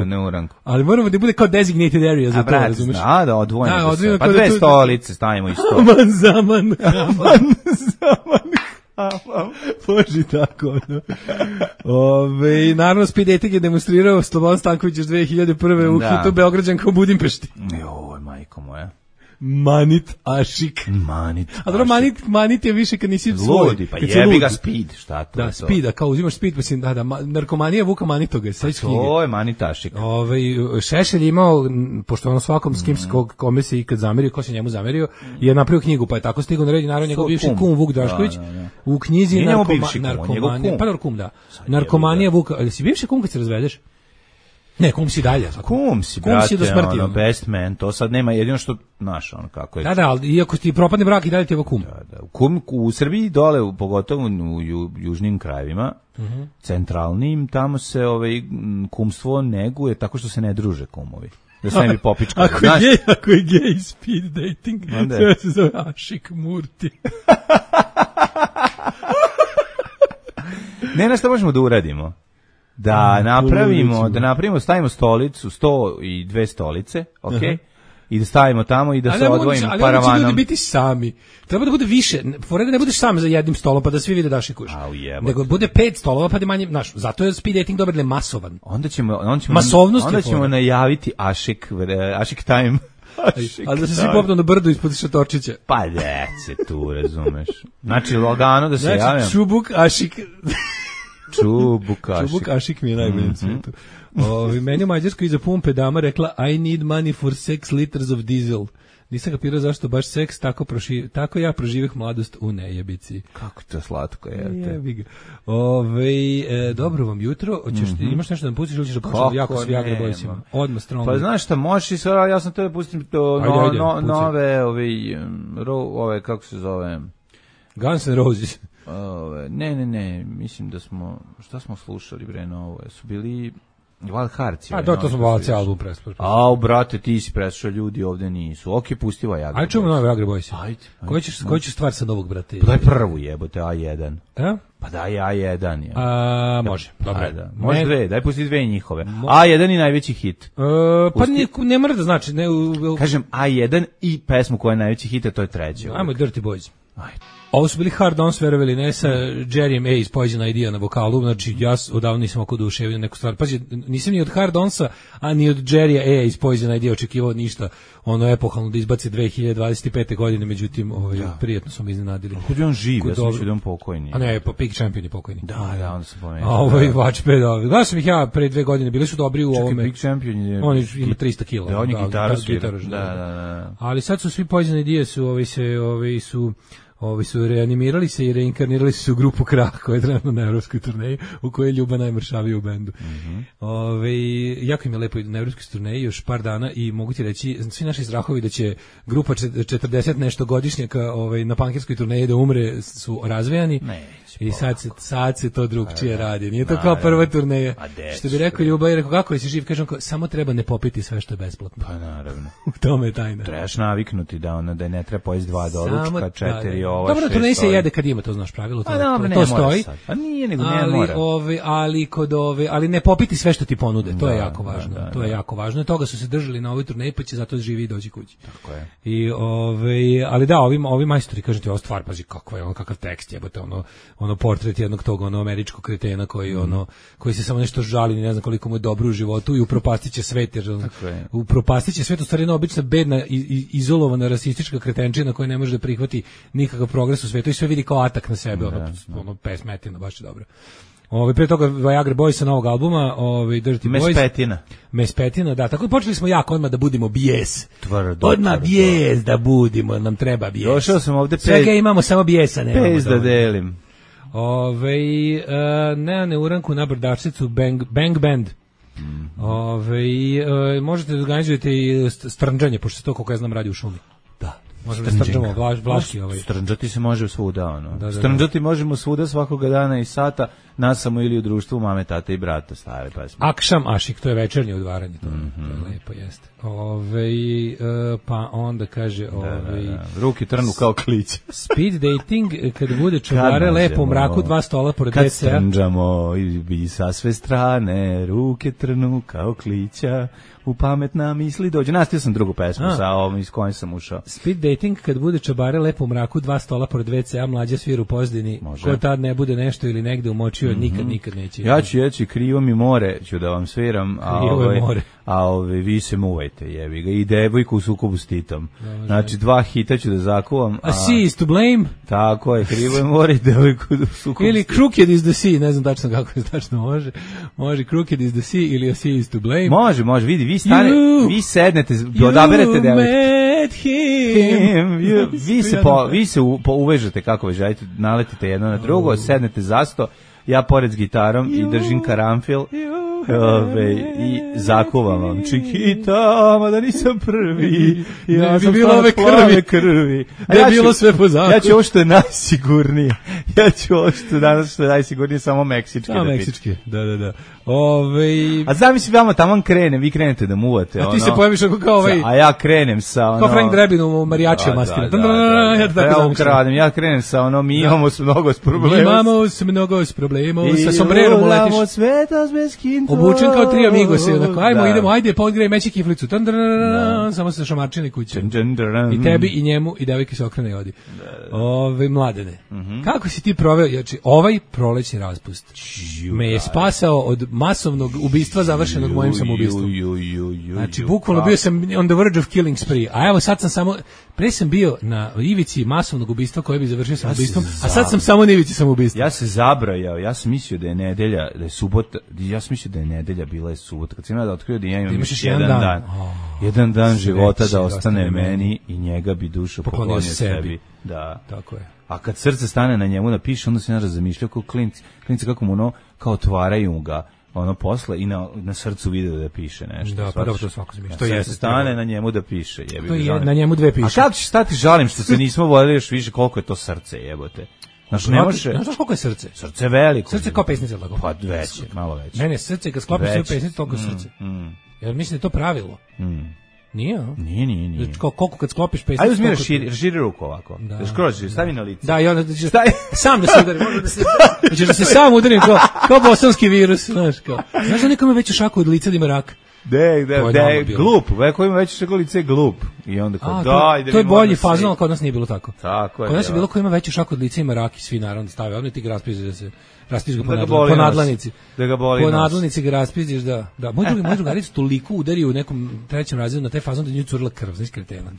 [SPEAKER 6] neuranku. Ali moramo da bude kao designated area za to, razumiješ?
[SPEAKER 5] Da, odvojeno. Pa 2 stolice stavimo isto.
[SPEAKER 6] Aman zaman. Boži tako, no. Naravno, speed dating je demonstrirao Slobodan Stanković još 2001. u hitu Beograđanka u Budimpešti.
[SPEAKER 5] Joj, majko moja.
[SPEAKER 6] Manit ašik. A dobro, manit je više kad nisi svoj.
[SPEAKER 5] Ludi, pa jebi ga speed, šta to?
[SPEAKER 6] Da, speed, a kao uzimaš speed, pa si, narkomanija Vuka Manitoga, sećaš knjige.
[SPEAKER 5] To je manit ašik.
[SPEAKER 6] Šešelj imao, pošto ono svakom s kim kome se ikad zamerio, ko se njemu zamerio, je napravio knjigu, pa je tako stigao na red, naravno njegov bivši kum Vuk Drašković, u knjizi narkomanija, pa dobro kum, da. Narkomanija Vuka, ali si bivši kum kad se razvedeš? Ne, kum si dalje.
[SPEAKER 5] Kum si, brate, do smrti, ono, best man, to sad nema jedino što, znaš, ono kako je.
[SPEAKER 6] Da, ali iako ti propadne brak i dalje ti je kum.
[SPEAKER 5] Da. Kum, u Srbiji dole, pogotovo u južnim krajevima, centralnim, tamo se kumstvo neguje tako što se ne druže kumovi. Da se ne bi popičkali.
[SPEAKER 6] Ako je gay speed dating, to se zove Ašik Murti.
[SPEAKER 5] Ne, što možemo da uradimo? Da napravimo, stavimo stolicu, 102 stolice, okej? I da stavimo tamo i da se odvojimo paravanom.
[SPEAKER 6] Ali ljudi biti sami. Treba da bude više. Fore da ne budeš sam za jednim stolom pa da svi vide da šikuješ. Nego bude 5 stolova pa da manje, znaš, zato je speed dating dobar, masovan.
[SPEAKER 5] Onda ćemo najaviti Ašik time.
[SPEAKER 6] Ali da se svi popnu na brdu ispod šatorčića.
[SPEAKER 5] Pa dece tu, razumeš. Znači, lagano da se javim.
[SPEAKER 6] Čubuk, Ašik...
[SPEAKER 5] Čubukašik.
[SPEAKER 6] Čubukašik mi je najbolji na svijetu. Meni u Mađarskoj iza pumpe dama rekla I need money for 6 liters of diesel. Nisam kapirao zašto baš seks, tako ja proživih mladost u nejebici.
[SPEAKER 5] Kako to slatko je.
[SPEAKER 6] Jebi ga. Dobro vam jutro. Imaš nešto da nam pustiš ili ćeš da pustiš jako s Viagra Boysima? Odmah strongly.
[SPEAKER 5] Pa znaš šta, možeš i sada, ja sam tebe pustim nove, kako se zove?
[SPEAKER 6] Guns N' Roses.
[SPEAKER 5] Ne, mislim da smo, šta smo slušali bre novo, su bili Wild Hearts.
[SPEAKER 6] To smo Valci album preslušali.
[SPEAKER 5] Brate, ti si preslušao, ljudi ovde nisu. Ok, pusti Viagra Boys.
[SPEAKER 6] Ajde čujemo nove Viagra Boys. Koji ćeš stvar sa novog, brate?
[SPEAKER 5] Pa daj prvu jebote, A1. Pa daj A1 je.
[SPEAKER 6] Može, dobro.
[SPEAKER 5] Može dve, daj pusti dve njihove. A1 i najveći hit.
[SPEAKER 6] Pa ne mora da znači.
[SPEAKER 5] Kažem A1 i pesmu koja je najveći hit, a to je treća.
[SPEAKER 6] Ajmo Dirty Boys. Ajde. Ovo su bili Hard Ons, verovali ne, sa Jerryem A iz Poison Idea na vokalu, znači ja odavno nisam oko duševio neku stvar. Pazi, nisam ni od Hard Onsa, a ni od Jerrya A iz Poison Idea očekivao ništa, ono epohalno da izbaci 2025. godine, međutim, prijatno smo iznenadili.
[SPEAKER 5] Kod je on živ, ja sam mislio da on pokojni.
[SPEAKER 6] A ne, Peak Champion je pokojni.
[SPEAKER 5] Da, onda sam pomenuo.
[SPEAKER 6] A ovo je Watchpad, gledao sam ih ja pre 2 godine, bili su dobri u ovome.
[SPEAKER 5] Peak Champion je...
[SPEAKER 6] On ima 300 kila.
[SPEAKER 5] Da, on je gitaraš.
[SPEAKER 6] Da. Ali sad su svi Poison Idea su reanimirali se i reinkarnirali se u grupu Krah, koja je trenutno na evropskoj turneji, u kojoj je Ljuba najmršavija u bendu. Jako im je lepo na evropskoj turneji još par dana i mogu ti reći, svi naši strahovi da će grupa 40 nešto godišnjaka na pankirskoj turneji da umre su razvejani. I sad se to drugčije radi. Nije to kao prva turneja. Što bi rekao Ljuba i rekao, kako je si živ? Kažem, samo treba ne popiti sve što je besplatno.
[SPEAKER 5] Pa naravno.
[SPEAKER 6] U tome je tajna.
[SPEAKER 5] Trebaš naviknuti da ne treba pojesti 2 doručka, 4 ova, 6.
[SPEAKER 6] Dobro, turneji se jede kad ima, to znaš pravilo.
[SPEAKER 5] To stoji. A nije, nego ne mora.
[SPEAKER 6] Ali ne popiti sve što ti ponude. To je jako važno. To je jako važno. Toga su se držali na ovoj turneji, pa će zato živi i doći kući.
[SPEAKER 5] Tako je.
[SPEAKER 6] Ali da, ovi majstori, kažem ti, ova stvar, pazi kakav tekst jebote, ono portret jednog tog američkog kretena koji se samo nešto žali, ne znam koliko mu je dobro u životu i upropastiće svet, jer upropastiće svet, u stvari jedna obična bedna izolovana rasistička kretenčina koja ne može da prihvati nikakav progres u svetu i sve vidi kao atak na sebe, pesmetina, baš je dobro. Pre toga Viagra Boysa novog albuma, Dirty Boys. Mespetina, da, tako počeli smo jako odmah da budimo bijes. Odmah bijes da budimo, nam treba bijes.
[SPEAKER 5] Došao sam ovde
[SPEAKER 6] svega imamo, samo bijesa nemamo.
[SPEAKER 5] Pes da delim.
[SPEAKER 6] Ne uranku na brdačicu Bang Band. Možete da organizujete i strnđanje, pošto se to, koliko ja znam, radi u šumi. Da. Možemo da strnđamo vlaški.
[SPEAKER 5] Strnđati se može svuda, Strnđati možemo svuda svakoga dana i sata, nas samo ili u društvu mame, tate i brata, stare pesme.
[SPEAKER 6] Akšam Ašik, to je večernje udvaranje, to je lepo, jeste. Pa onda kaže...
[SPEAKER 5] Ruke trnu kao kliće.
[SPEAKER 6] Speed dating, kada bude čubare lepo u mraku, 2 stola pored WC-a.
[SPEAKER 5] Kad strnđamo i sa sve strane, ruke trnu kao klića, u pametna misli dođe. Nastavio sam drugu pesmu sa ovom iz kojom sam ušao.
[SPEAKER 6] Speed dating, kad bude čabare lepo u mraku, 2 stola pored WC-a, mlađa svira u pozdini, ko tad ne bude nešto ili negde umočio, nikad neće.
[SPEAKER 5] Ja ću jeći krivo mi more, ću da vam sviram, a vi se muvajte, jebi ga. I devojku u sukobu s Titom. Znači 2 hita ću da zakuvam.
[SPEAKER 6] A sea is to blame.
[SPEAKER 5] Tako je, krivo je more i devojku u sukobu.
[SPEAKER 6] Ili crooked is the sea, ne znam tačno kako je tačno može. Može crooked is the sea ili a sea is to blame.
[SPEAKER 5] Može, vidi, vi sednete, odaberete devojku. Vi se uvežete kako želite, naletite jedno na drugo, sednete za sto, ja pored s gitarom i držim karamfil i zakuvam vam Čikita, ma da nisam prvi, ja sam stvarno plave krvi.
[SPEAKER 6] Da je bilo sve po zakonu.
[SPEAKER 5] Ja ću ovo što je najsigurnije, danas što je najsigurnije, samo meksički.
[SPEAKER 6] Samo meksički, da.
[SPEAKER 5] A zamisli vama taman krenem, vi krenete da muvate.
[SPEAKER 6] A ti se pojaviš kao
[SPEAKER 5] A ja krenem sa
[SPEAKER 6] kao Frank Drebin u marijačija maskira.
[SPEAKER 5] Ja krenem sa mi imamo mnogo s problemom.
[SPEAKER 6] Sa sombrerom uletiš.
[SPEAKER 5] Imamo sveta bez kinta.
[SPEAKER 6] obučen kao tri amigosi, onako, idemo, ajde, podgrej meći kiflicu, samo se šamarčini kuće. I tebi, i njemu, i devojke se okrene i odi. Mladene, kako si ti proveo, znači, ovaj prolećni raspust me je spasao od masovnog ubistva završenog mojim samoubistvom. Znači, bukvalno bio sam on the verge of killing spree, a evo sad sam samo, pre sam bio na ivici masovnog ubistva koje bi završio samoubistvom, a sad sam samo na ivici samoubistva.
[SPEAKER 5] Ja se zabrajao, ja sam mislio da je nedelja, da je subota, ja sam mislio da je nedelja, bila je subota, kad sam ja da otkrio da ja imam još jedan dan života da ostane meni i njega bi dušu poklonio sebi. Da.
[SPEAKER 6] Tako je.
[SPEAKER 5] A kad srce stane na njemu da piše, onda se ja razmišljao kao klinci kako mu ono, kao otvaraju ga, ono posle i na srcu vide da piše nešto.
[SPEAKER 6] Da, pa dobro, to svako zamišlja.
[SPEAKER 5] To je stane na njemu da piše, jebi.
[SPEAKER 6] To je na njemu dve piše.
[SPEAKER 5] A kako ćeš stati, žalim što se nismo vodili još više koliko je to srce, jebote. Znaš, ne može.
[SPEAKER 6] Znaš koliko je srce?
[SPEAKER 5] Srce je veliko.
[SPEAKER 6] Srce kao pesnica, tako.
[SPEAKER 5] Pa veće, malo veće.
[SPEAKER 6] Ne, srce kad sklopiš sve pesnice, toliko srce. Jer mislim da je to pravilo. Nije, a?
[SPEAKER 5] Nije.
[SPEAKER 6] Koliko kad sklopiš pesnicu...
[SPEAKER 5] Ajde uzmi raširi ruku ovako. Da skroz, stavi na lice.
[SPEAKER 6] Da, i onda sam da se udari. Hoćeš da se sam udarim kao bosanski virus, znaš kao. Znaš da nekome već u šaku od lica da ima rak?
[SPEAKER 5] Da, glup. Ko ima veće šaku od lice je glup. I onda kao,
[SPEAKER 6] to je bolji fazon, ali kod nas nije bilo tako.
[SPEAKER 5] Tako je.
[SPEAKER 6] Kod nas je bilo ko ima veću šaku od lica ima rak i svi naravno stave. Ovdje ti ga raspiš da se... Raspiš ga po nadlanici.
[SPEAKER 5] Da ga boli
[SPEAKER 6] po nadlanici ga raspiš, da. Moj drugarica toliko udario u nekom trećem razredu na taj fazon da nju curila krv, znaš kretena.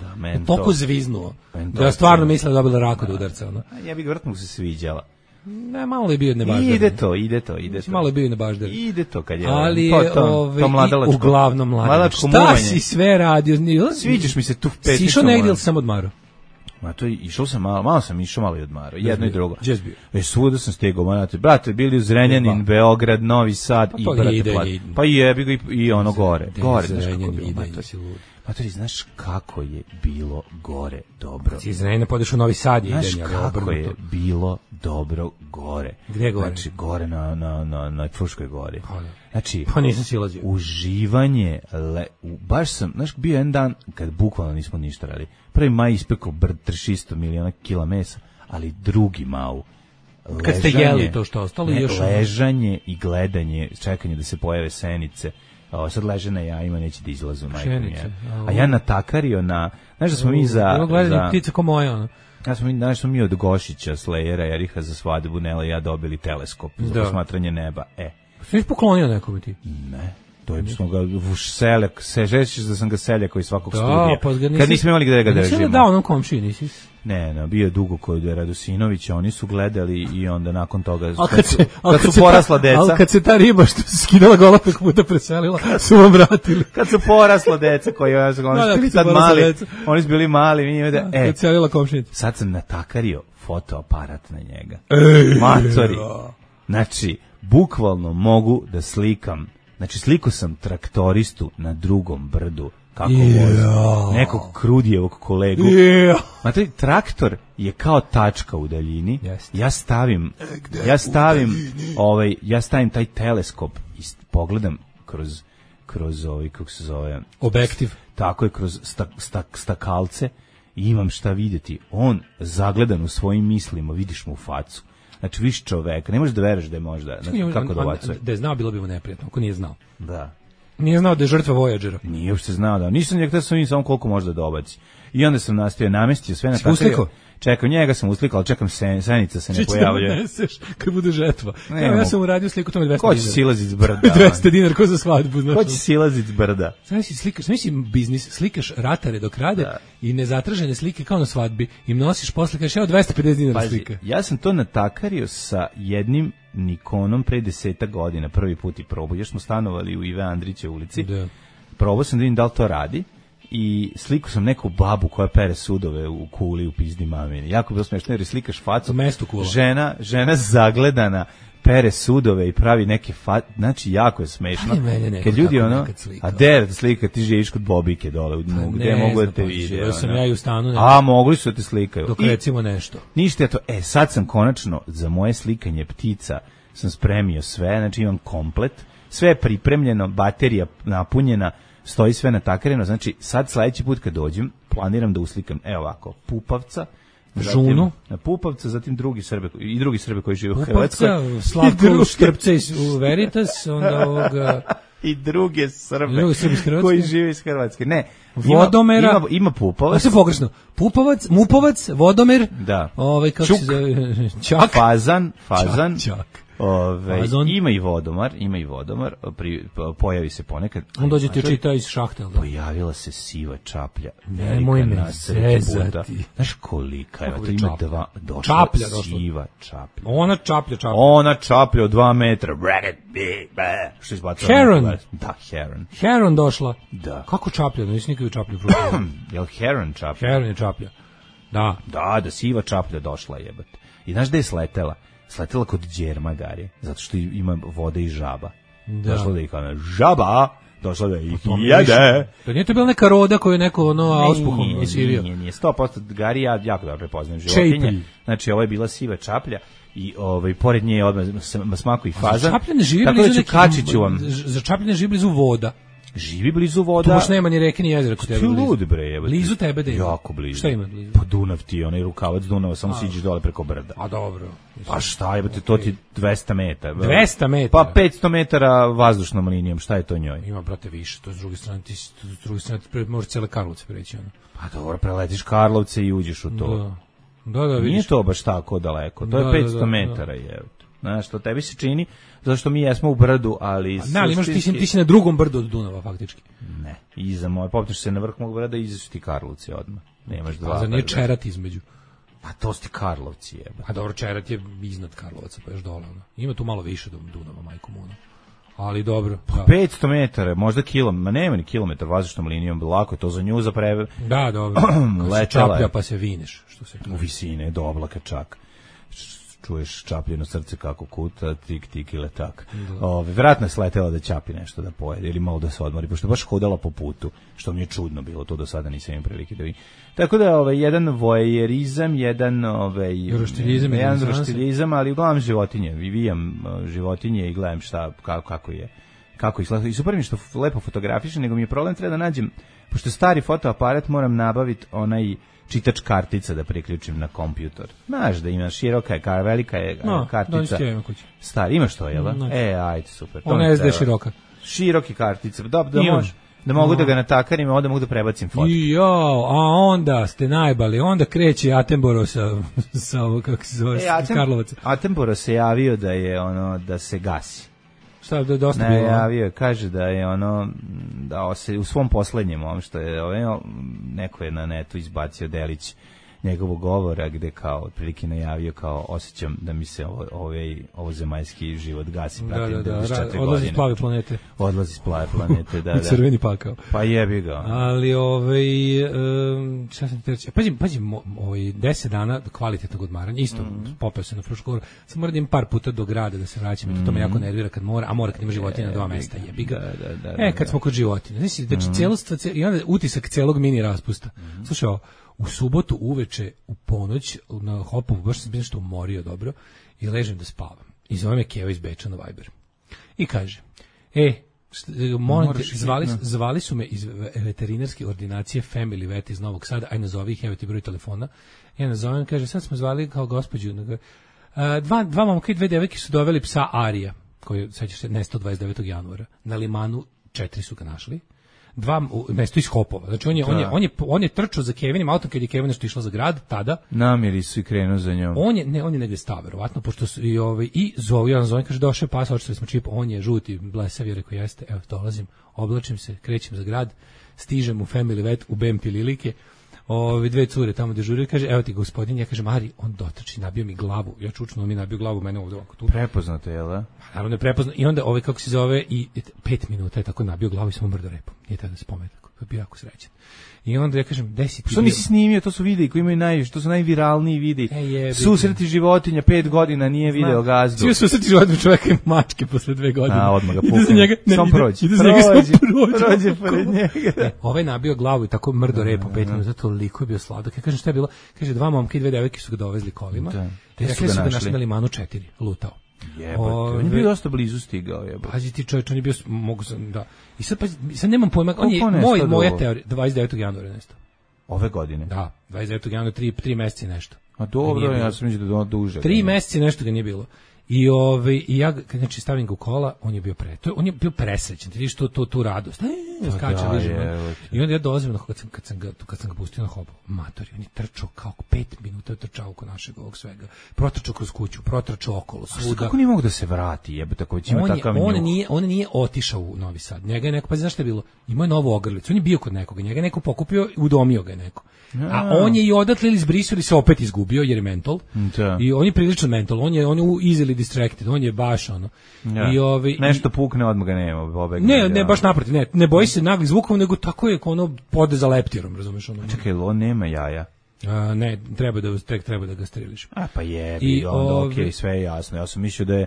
[SPEAKER 6] Toliko zviznuo. Da je stvarno mislila da dobila rak od udarca.
[SPEAKER 5] Ja bih vrtno se sviđala.
[SPEAKER 6] Ne, malo je bio nebažder.
[SPEAKER 5] Ide to.
[SPEAKER 6] Malo je bio nebažder.
[SPEAKER 5] Ide to kad je.
[SPEAKER 6] Ali to mladalačko. Uglavnom mladalačko. Šta si sve radio?
[SPEAKER 5] Sviđaš mi se tu pesnicu.
[SPEAKER 6] Si išao negdje ili sam odmarao?
[SPEAKER 5] Ma to išao sam malo sam išao malo i odmarao, jedno i drugo.
[SPEAKER 6] Gdje si bio?
[SPEAKER 5] Svuda sam stegao, brate, bili u Zrenjanin, Beograd, Novi Sad i brate, pa jebi ga i ono gore, znaš kako je bilo. Matori, znaš kako je bilo gore dobro.
[SPEAKER 6] Ti iz Zrenjanina podeš u Novi Sad i
[SPEAKER 5] znaš kako je bilo dobro gore.
[SPEAKER 6] Gdje gore?
[SPEAKER 5] Znači, gore na Fruškoj gori. Znači,
[SPEAKER 6] pa nisam silazio.
[SPEAKER 5] Uživanje, baš sam, znaš, bio jedan dan kad bukvalno nismo ništa radili. Prvi maj ispekao 300 miliona kila mesa, ali drugi mau.
[SPEAKER 6] Kad ste jeli to što ostalo još?
[SPEAKER 5] Ležanje i gledanje, čekanje da se pojave senice. Sad leže na jajima, neće da izlazu. A ja natakario na... Znaš da smo mi za...
[SPEAKER 6] Gledanje ptice ko moja, ono.
[SPEAKER 5] Znaš smo mi od Gošića, Slejera, Jeriha za svadbu, Nela i ja dobili teleskop za posmatranje neba.
[SPEAKER 6] Sve poklonio nekome ti?
[SPEAKER 5] Ne. To je smo ga u seljak, sežećeš da sam ga seljak koji svakog studija. Pa kad nismo imali gde ga držimo.
[SPEAKER 6] Nisi da onom komšiji, nisi?
[SPEAKER 5] Ne, bio je dugo kod Radosinovića, oni su gledali i onda nakon toga, kad su porasla deca.
[SPEAKER 6] Ali kad se ta riba što se skidala gola preko puta preselila, su vam vratili.
[SPEAKER 5] Kad su porasla deca koji oni su bili mali,
[SPEAKER 6] kad selila komšinica.
[SPEAKER 5] Sad sam natakario fotoaparat na njega. Matori. Znači, bukvalno mogu da slikam. Znači, sliko sam traktoristu na drugom brdu, kako vozi, nekog Krudijevog kolegu. Znači, traktor je kao tačka u daljini. Ja stavim taj teleskop i pogledam kroz kako se zove?
[SPEAKER 6] Objektiv.
[SPEAKER 5] Tako je, kroz stakalce i imam šta vidjeti. On zagledan u svojim mislima, vidiš mu u facu. Znači, viš čoveka, ne možeš da veruješ da je možda, kako dobacuje.
[SPEAKER 6] Da je znao, bilo bi mu neprijatno, ako nije znao.
[SPEAKER 5] Da.
[SPEAKER 6] Nije znao da je žrtva Voyagera.
[SPEAKER 5] Nije uopšte znao, da. Nisam njeg, sam vidim samo koliko može da dobaci. I onda sam nastavio, namestio sve na
[SPEAKER 6] uslikao?
[SPEAKER 5] Čekam, njega sam uslikao, ali čekam senica se ne pojavljuje.
[SPEAKER 6] Što neseš kad bude žetva. Ja sam uradio sliku, to me 200 dinara.
[SPEAKER 5] Ko će silazit s brda?
[SPEAKER 6] 200 dinara, ko za svadbu, znaš.
[SPEAKER 5] Ko će silazit s brda?
[SPEAKER 6] Znači biznis, slikaš ratare dok rade i nezatražene slike kao na svadbi i nosiš posle, kažeš, evo 250 dinara slika.
[SPEAKER 5] Ja sam to natakario sa jednim Nikonom pre 10 godina, prvi put i probao. Još smo stanovali u Ive Andrića ulici. Probao sam da vidim da li to radi. I sliku sam neku babu koja pere sudove u kuli u pizdi mamini. Jako bilo smiješno jer slikaš facu. Žena zagledana pere sudove i pravi neke znači jako je smešno. Kad ljudi a der slika ti živiš kod Bobike dole u dnu, gde mogu da te vide.
[SPEAKER 6] Sam ja i u stanu.
[SPEAKER 5] A mogli su da te slikaju.
[SPEAKER 6] Dok recimo nešto.
[SPEAKER 5] Ništa je to. Sad sam konačno za moje slikanje ptica sam spremio sve, znači imam komplet, sve je pripremljeno, baterija napunjena, stoji sve natakareno, znači sad sledeći put kad dođem planiram da uslikam, evo ovako, pupavca,
[SPEAKER 6] Žunu,
[SPEAKER 5] Pupovca, zatim drugi Srbe koji žive u Hrvatskoj.
[SPEAKER 6] Pupovca, Slavko Štrpca iz Veritas, onda ovoga
[SPEAKER 5] i druge Srbe koji žive iz Hrvatske. Ne,
[SPEAKER 6] Vodomera,
[SPEAKER 5] ima Pupovac.
[SPEAKER 6] Sve pogrešno. Pupovac, Mupovac, Vodomer,
[SPEAKER 5] da.
[SPEAKER 6] Kako se zove?
[SPEAKER 5] Čak. Fazan.
[SPEAKER 6] Čak.
[SPEAKER 5] Ima i Vodomar, pojavi se ponekad.
[SPEAKER 6] On dođe ti čita iz šahte.
[SPEAKER 5] Pojavila se siva čaplja.
[SPEAKER 6] Nemoj me zezati.
[SPEAKER 5] Znaš kolika je? To ima
[SPEAKER 6] čaplja
[SPEAKER 5] siva čaplja.
[SPEAKER 6] Ona
[SPEAKER 5] čaplja od 2 metra. Što izbacila?
[SPEAKER 6] Heron.
[SPEAKER 5] Da, Heron.
[SPEAKER 6] Heron došla.
[SPEAKER 5] Da.
[SPEAKER 6] Kako čaplja? Nisi nikad čaplju
[SPEAKER 5] probao. Jel Heron čaplja?
[SPEAKER 6] Heron je čaplja. Da.
[SPEAKER 5] Da, siva čaplja došla, jebate. I znaš gde je sletela? Sletela kod Đerma Gari, zato što ima vode i žaba. Došla da ih ona žaba, došla da ih jede.
[SPEAKER 6] To nije to bila neka roda koju je neko auspuhom isirio?
[SPEAKER 5] Nije, 100% Gari, ja jako dobro prepoznajem životinje. Znači, ovo je bila siva čaplja i pored nje je odmah smaku i fazan.
[SPEAKER 6] Čaplja ne živi blizu za čaplja ne živi blizu voda.
[SPEAKER 5] Živi blizu voda.
[SPEAKER 6] Tu baš nema ni reke ni jezera kod tebe.
[SPEAKER 5] Lud bre, jebote.
[SPEAKER 6] Blizu tebe da ima.
[SPEAKER 5] Jako blizu.
[SPEAKER 6] Šta ima blizu?
[SPEAKER 5] Pa Dunav ti, onaj rukavac Dunava, samo siđeš dole preko brda.
[SPEAKER 6] A dobro.
[SPEAKER 5] Pa šta, jebote, to ti 200 metara.
[SPEAKER 6] 200 metara?
[SPEAKER 5] Pa 500 metara vazdušnom linijom, šta je to njoj?
[SPEAKER 6] Ima, brate, više, to s druge strane, možeš cele Karlovce preći, ono.
[SPEAKER 5] Pa dobro, preletiš Karlovce i uđeš u to.
[SPEAKER 6] Da, vidiš.
[SPEAKER 5] Nije to baš tako daleko, to je 500 metara, jebote. Znaš, to tebi se čini, zato što mi jesmo u brdu, ali...
[SPEAKER 6] Ne, ali ti si na drugom brdu od Dunava, faktički.
[SPEAKER 5] Ne, iza moje, popneš se na vrh mog brda i iza su ti Karlovci odmah. Nemaš dva brda.
[SPEAKER 6] A za nije Čerat između?
[SPEAKER 5] Pa to su ti Karlovci, jebe.
[SPEAKER 6] A dobro, Čerat je iznad Karlovaca, pa još dole. Ima tu malo više do Dunava, majko mono. Ali dobro.
[SPEAKER 5] Pa 500 metara, možda ma nema ni kilometar vazdušnom linijom, lako je to za nju za preve.
[SPEAKER 6] Da, dobro. Čaplja pa se vineš. Što se
[SPEAKER 5] u visine, do oblaka čak. Čuješ čapljeno srce kako kuta, tik i letak. Vjerojatno je sletela da ćapi nešto da pojede ili malo da se odmori, pošto je baš hodala po putu, što mi je čudno bilo, to do sada nisam imao prilike da vidim. Tako da jedan vojerizam, jedan roštilizam, ali uglavnom životinje, vijam životinje i gledam šta, kako izgleda. I super mi što lepo fotografišem, nego mi je problem, treba da nađem, pošto stari fotoaparat, moram nabaviti onaj čitač kartica da priključim na kompjutor. Znaš da ima široka je, velika je kartica. Stari, imaš to, jel? Ajde, super.
[SPEAKER 6] Ona je SD široka.
[SPEAKER 5] Široki kartica. Da mogu da ga natakarim, onda mogu da prebacim fotku.
[SPEAKER 6] A onda ste najbali, onda kreće Attenborough sa kako se zove, Karlovaca.
[SPEAKER 5] Attenborough se javio da je da se gasi.
[SPEAKER 6] Šta da dosta bilo?
[SPEAKER 5] Javio, kaže da je da se u svom poslednjem, što je neko je na netu izbacio delić njegovog govora gde kao otprilike najavio kao osjećam da mi se ovo zemaljski život gasi, pratim 94 godine.
[SPEAKER 6] Odlazi s plave planete.
[SPEAKER 5] Odlazi s plave planete, da.
[SPEAKER 6] Crveni pakao.
[SPEAKER 5] Pa jebi ga.
[SPEAKER 6] Ali šta sam ti reći? Pazi, 10 dana kvalitetnog odmaranja, isto popeo se na Fruškoru, sam moram da im par puta do grada da se vraćam, i to me jako nervira kad mora, a mora kad ima životinja na 2 mesta, jebi ga. Kad smo kod životinja, znači i onda utisak celog mini raspusta. Slušaj, u subotu uveče, u ponoć, na Hopovu, baš sam nešto umorio dobro, i ležem da spavam. I zove me Keva iz Beča na Viber. I kaže, molim te, zvali su me iz veterinarske ordinacije Family Vet iz Novog Sada, aj nazovi ih, evo ti broj telefona. Ja nazovem, kaže, sad smo zvali kao gospođu. Dva momka i 2 devojke su doveli psa Arija, koji, sećaš se, nestao 29. januara. Na Limanu 4 su ga našli. 2 mesto iz Hopova. Znači on je trčao za Kevinim autom kad je Kevin nešto išla za grad tada.
[SPEAKER 5] Namjeri su i krenuo za njom.
[SPEAKER 6] On je negde stao verovatno, pošto su i zove, kaže došao pas, očito smo čip, on je žuti, blesav, je rekao jeste, evo dolazim, oblačim se, krećem za grad, stižem u Family Vet u BM Pililike. 2 cure tamo dežuraju, kaže, evo ti gospodin, ja kažem, Ari, on dotrči, nabio mi glavu, ja čučno, on mi nabio glavu, mene ovdje ovako tu.
[SPEAKER 5] Prepoznato, jel da?
[SPEAKER 6] Naravno je prepoznato, i onda kako se zove, i 5 minuta je tako nabio glavu i sam umrdo repom, nije tada spomen, tako, bio jako srećan. I onda ja kažem, 10
[SPEAKER 5] što nisi snimio, to su videi koji imaju to su najviralniji videi. Susreti životinja, 5 godina nije video gazdu.
[SPEAKER 6] Svi susreti životinja čoveka i mačke posle 2 godine.
[SPEAKER 5] Odmah ga pukne. Sam prođe. Prođe pored njega.
[SPEAKER 6] Ovaj nabio glavu i tako mrdo repom 5 minuta, toliko je bio sladak. Ja kažem, šta je bilo? Kaže, 2 momka i 2 devojke su ga dovezli kolima. Rekli su ga našli na Limanu 4, lutao.
[SPEAKER 5] Jebote, on je bio dosta blizu stigao, jebote.
[SPEAKER 6] Pazi ti čovječ, on je bio, mogu sam, da. I sad nemam pojma, on je, moja teorija, 29. januara nestao.
[SPEAKER 5] Ove godine?
[SPEAKER 6] Da, 29. januara, 3 meseca nešto.
[SPEAKER 5] A dobro, ja sam mislio da je duže.
[SPEAKER 6] 3 meseca nešto ga nije bilo. I ja znači stavim ga u kola, on je bio presrećan, ti vidiš tu radost. Skače i onda ja dolazim kad sam ga pustio na hopu. Matori, on je trčao kao 5 minuta trčao oko našeg ovog svega. Protrčao kroz kuću, protrčao okolo svuda.
[SPEAKER 5] Kako nije mogu da se vrati? Jebote, ako već ima takav
[SPEAKER 6] on nije otišao u Novi Sad. Njega je neko, pa znaš šta je bilo? Imao je novu ogrlicu. On je bio kod nekoga, njega je neko pokupio, udomio ga je neko. A on je i odatle izbrisao ili se opet izgubio jer je mental. I on je prilično mental. On je easily distracted. On je baš ono.
[SPEAKER 5] Ja. Nešto pukne, odmah ga nema.
[SPEAKER 6] Ne, baš naprotiv. Ne boji se naglih zvukova, nego tako je ono pode za leptirom, razumeš ono.
[SPEAKER 5] Čekaj, on nema jaja.
[SPEAKER 6] Ne, treba da ga steriliš.
[SPEAKER 5] Pa jebi, onda okej, sve je jasno. Ja sam mislio da je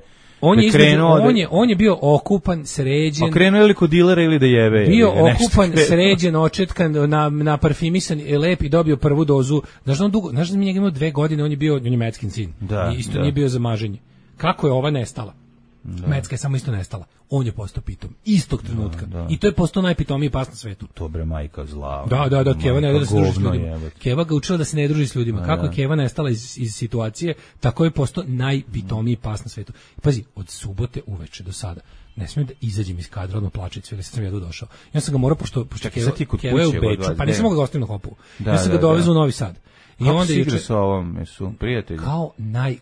[SPEAKER 6] on je bio okupan, sređen.
[SPEAKER 5] A krenuo ili kod dilera ili da jebe?
[SPEAKER 6] Bio okupan, sređen, očetkan, na parfimisan i lep i dobio prvu dozu. Znaš da mi njega imao 2 godine, on je Meckin sin. Isto nije bio za maženje. Kako je ova nestala? Mecka je samo isto nestala. On je postao pitom. Istog trenutka. I to je postao najpitomiji pas na svetu.
[SPEAKER 5] To bre majka zla.
[SPEAKER 6] Da, Keva ne da se druži s ljudima. Keva ga učila da se ne druži s ljudima. Kako je Keva nestala iz situacije, tako je postao najpitomiji pas na svetu. Pazi, od subote uveče do sada ne smijem da izađem iz kadra, odmah plače cvili, sad sam jedu došao. Ja sam ga morao, pošto Keva je u Beču, pa nisam mogao ga ostaviti na hopu. Ja sam ga dovezao u Novi Sad.
[SPEAKER 5] I kako onda juče sa ovom, su prijatelji?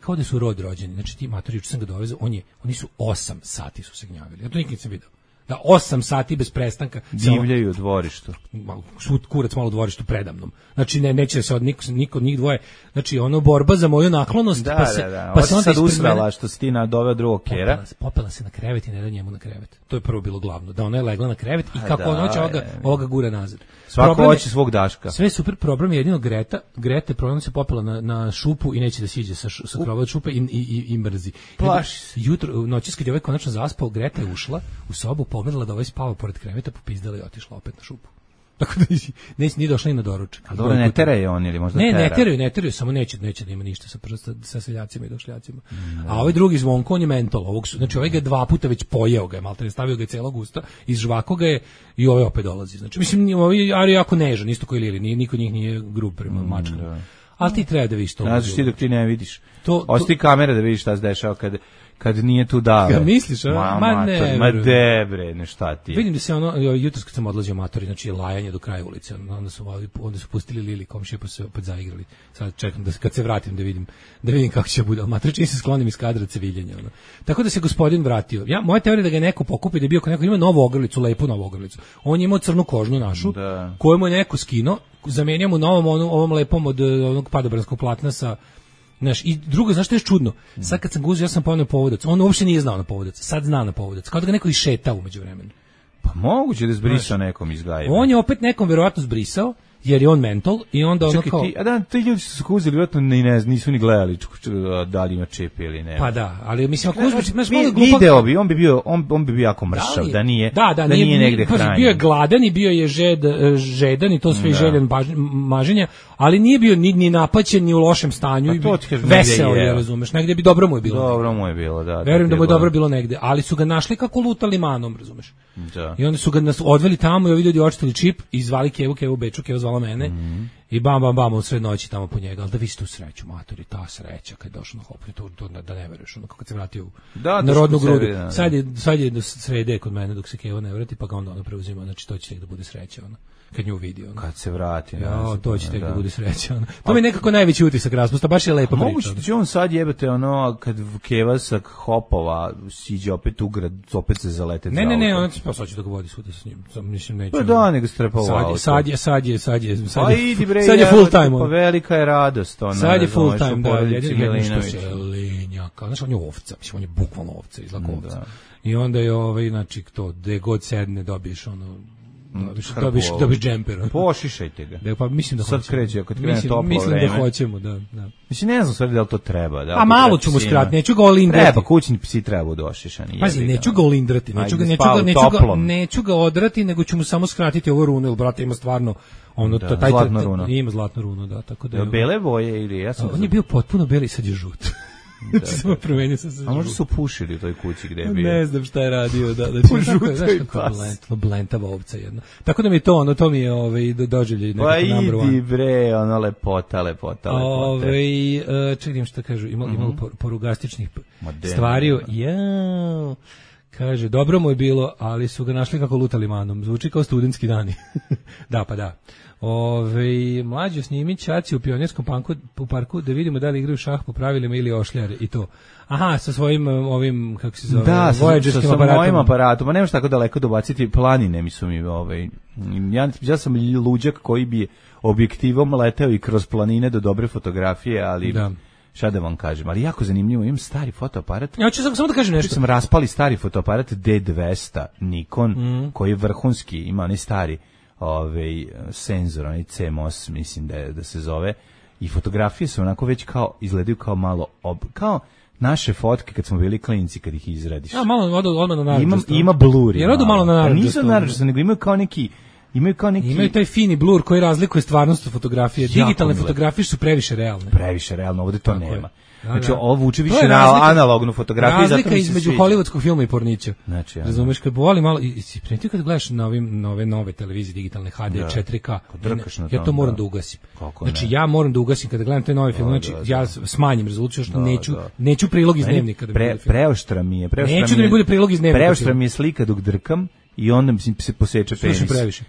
[SPEAKER 6] Kao da su rod rođeni. Znači ti matori, juče sam ga dovezao, oni su 8 sati su se gnjavili. Ja to nikad nisam vidio. Da 8 sati bez prestanka
[SPEAKER 5] divljaju u dvorištu.
[SPEAKER 6] Šut kurac malo u dvorištu predamnom. Znači neće se od niko njih dvoje. Znači ono borba za moju naklonost,
[SPEAKER 5] pa se onda sad usrala što si ti doveo drugog kera.
[SPEAKER 6] Popela se na krevet i ne da njemu na krevet. To je prvo bilo glavno. Da ona je legla na krevet i kako ona hoće ovoga gura nazad.
[SPEAKER 5] Svako hoće svog Daška.
[SPEAKER 6] Sve super, problem je jedino Grete problem se popela na šupu i neće da siđe sa krova od šupe i mrzi.
[SPEAKER 5] Plaši se.
[SPEAKER 6] Jutro noći kad je ovaj konačno zaspao, Greta je ušla u sobu, pogledala da ovaj spava pored kreveta, popizdala i otišla opet na šupu. Tako da nije došla i na doručak.
[SPEAKER 5] A dobro, ne teraju on ili možda tera?
[SPEAKER 6] Ne teraju, samo neće da ima ništa sa seljacima i došljacima. A ovaj drugi Zvonko, on je mentol. Znači ovaj ga 2 puta već pojeo ga je, maltene stavio ga je celog usta, izžvako ga je i ovaj opet dolazi. Znači, mislim, ovaj Ari jako nežan, isto koji Lili, niko njih nije grub prema mačkama. Ali ti treba da vidiš to.
[SPEAKER 5] Znaš ti dok ti ne vidiš. Osti kamere da vidiš šta se dešava kad nije tu dale.
[SPEAKER 6] Ja misliš,
[SPEAKER 5] ma debre, ne šta ti.
[SPEAKER 6] Vidim da se jutros kad sam odlazio matori, znači lajanje do kraja ulice, onda su pustili Lili komšije pa se opet zaigrali. Sad čekam da kad se vratim da vidim kako će bude. Matori čini se sklonim iz kadra ceviljenja. Tako da se gospodin vratio. Moja teorija da ga neko pokupi, da je bio neko ima novu ogrlicu, lepu novu ogrlicu. On je imao crnu kožnu našu, koju mu je neko skinuo, zamenio mu novom ovom lepom od onog padobranskog platna sa. Znaš, i drugo, znaš što je čudno? Sad kad sam ga uzeo, ja sam poneo povodac. On uopšte nije znao na povodac. Sad zna na povodac. Kao da ga neko išetao umeđu vremenu.
[SPEAKER 5] Pa moguće da je zbrisao nekom iz gajeva.
[SPEAKER 6] On je opet nekom verovatno zbrisao, jer je on mental i onda ono kao...
[SPEAKER 5] ti ljudi su se uzeli, vjerojatno nisu ni gledali da li ima čip ili ne.
[SPEAKER 6] Pa da, ali mislim ako uzmeš...
[SPEAKER 5] Video bi, on bi bio jako mršav, da nije negde hranjen.
[SPEAKER 6] Bio je gladan i bio je žedan i to sve željen maženja, ali nije bio ni napaćen, ni u lošem stanju i veseo je, razumeš, negde bi dobro mu je bilo.
[SPEAKER 5] Dobro mu je bilo, da.
[SPEAKER 6] Verujem da mu je dobro bilo negde, ali su ga našli kako lutali manom, razumeš. I onda su ga odveli tamo i ovi ljudi očitali čip i zvali Kevu Beču, Kevu zvala mene i bam u sred noći tamo po njega, ali da vidiš tu sreću, matori, ta sreća kad je došao na hopu, to da ne veruješ, ono kako se vratio na rodnu grudu. Sad je do srede kod mene dok se Keva ne vrati, pa ga onda preuzima, znači to će tek da bude sreća, ono. Kad nju vidi.
[SPEAKER 5] Kad se vrati.
[SPEAKER 6] To će tek da bude sreća. To mi je nekako najveći utisak raspusta, baš je lepa priča.
[SPEAKER 5] Moguće da će on sad jebate kad Keva sa hopova siđe opet u grad, opet se zalete.
[SPEAKER 6] Ne, on pa sad će da ga vodi svuda sa njim. Mislim neće.
[SPEAKER 5] Pa da, nego strepa u auto. Sad
[SPEAKER 6] je
[SPEAKER 5] full time. Pa velika je radost.
[SPEAKER 6] Sad je full time, da. Jedino što se lenjaka. Znaš, on je ovca, mislim, on je bukvalno ovca, izlako ovca. I onda je znači to, gde god sedne dobiješ dobiš džemper.
[SPEAKER 5] Pošišajte ga.
[SPEAKER 6] Pa mislim da
[SPEAKER 5] sad kreće, kad krene toplo vreme.
[SPEAKER 6] Mislim da hoćemo, da.
[SPEAKER 5] Mislim, ne znam sve da li to treba.
[SPEAKER 6] A malo ću mu skratiti, neću ga olindrati.
[SPEAKER 5] Treba, kućni psi treba budu ošišani.
[SPEAKER 6] Pazi, neću ga olindrati, neću ga odrati, nego ću mu samo skratiti ovo runo, jer brate ima stvarno
[SPEAKER 5] zlatno runo.
[SPEAKER 6] Ima zlatno runo, da, tako da.
[SPEAKER 5] Bele boje ili ja sam.
[SPEAKER 6] On je bio potpuno beli, sad je žut. Samo promenio sam se.
[SPEAKER 5] A možda su pušili u toj kući gde je bio.
[SPEAKER 6] Ne znam šta je radio, da
[SPEAKER 5] Pužutoj pas.
[SPEAKER 6] Blentava ovca jedna. Tako da mi to, to mi je doživljaj nekako number one.
[SPEAKER 5] Pa idi bre, ono lepota.
[SPEAKER 6] Čekaj šta kažu, imalo porugastičnih stvari. Kaže, dobro mu je bilo, ali su ga našli kako lutali manom. Zvuči kao studentski dani. Da, pa da. Mlađo snimi ćaci u Pionirskom parku da vidimo da li igraju šah po pravilima ili ošljare i to. Aha, sa svojim ovim, kako se zove, Voyagerskim aparatom. Da, sa mojim aparatom, ma nemaš tako daleko dobaciti, planine mi su mi, ja sam luđak koji bi objektivom leteo i kroz planine do dobre fotografije, ali... Da. Šta da vam kažem, ali jako zanimljivo, imam stari fotoaparat. Ja ću samo da kažem nešto.
[SPEAKER 5] Sam raspali stari fotoaparat D200 Nikon, koji je vrhunski, ima onaj stari senzor, onaj CMOS, mislim da se zove, i fotografije su onako već kao, izgledaju kao malo, kao naše fotke kad smo bili klinci, kad ih izradiš.
[SPEAKER 6] Ja, malo odmah na naranđasto.
[SPEAKER 5] Ima blur.
[SPEAKER 6] Jer odu malo na naranđasto.
[SPEAKER 5] Nisu naranđasto, nego imaju
[SPEAKER 6] Imaju taj fini blur koji razlikuje stvarnost od fotografije. Digitalne fotografije su previše realne. Ovdje to nema. Znači, ovo uči više na analognu fotografiju. Razlika između hollywoodskog filma i pornića. Znači, razumeš, kad povoli malo, i primetio kad gledaš na ove nove televizije digitalne HD, 4K, ja to moram da ugasim. Znači, ja moram da ugasim kada gledam te nove filme, znači, ja smanjim rezoluciju, što neću prilog iz dnevnika.
[SPEAKER 5] Preoštra mi je.
[SPEAKER 6] Neću da mi bude prilog iz dnevnika.
[SPEAKER 5] Preoštra mi je slika dok drkam, i onda mi se poseče penis.
[SPEAKER 6] Slušaj previše.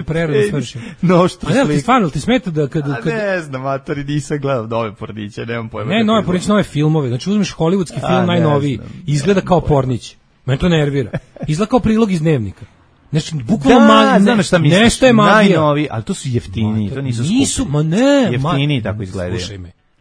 [SPEAKER 6] Prerano svršim.
[SPEAKER 5] No što slika.
[SPEAKER 6] Ali stvarno, ti smeta da kada...
[SPEAKER 5] Ne znam, matori, nisam gledao nove porniće, nemam pojma.
[SPEAKER 6] Ne, nove porniće, nove filmove. Znači, uzmeš hollywoodski film, najnoviji, izgleda kao pornić. Mene to nervira. Izgleda kao prilog iz dnevnika. Znači, bukvalno nešto je magija.
[SPEAKER 5] Najnovi, ali to su jeftini, to nisu skupi.
[SPEAKER 6] Nisu, ma ne.
[SPEAKER 5] Jeftini tako izgledaju.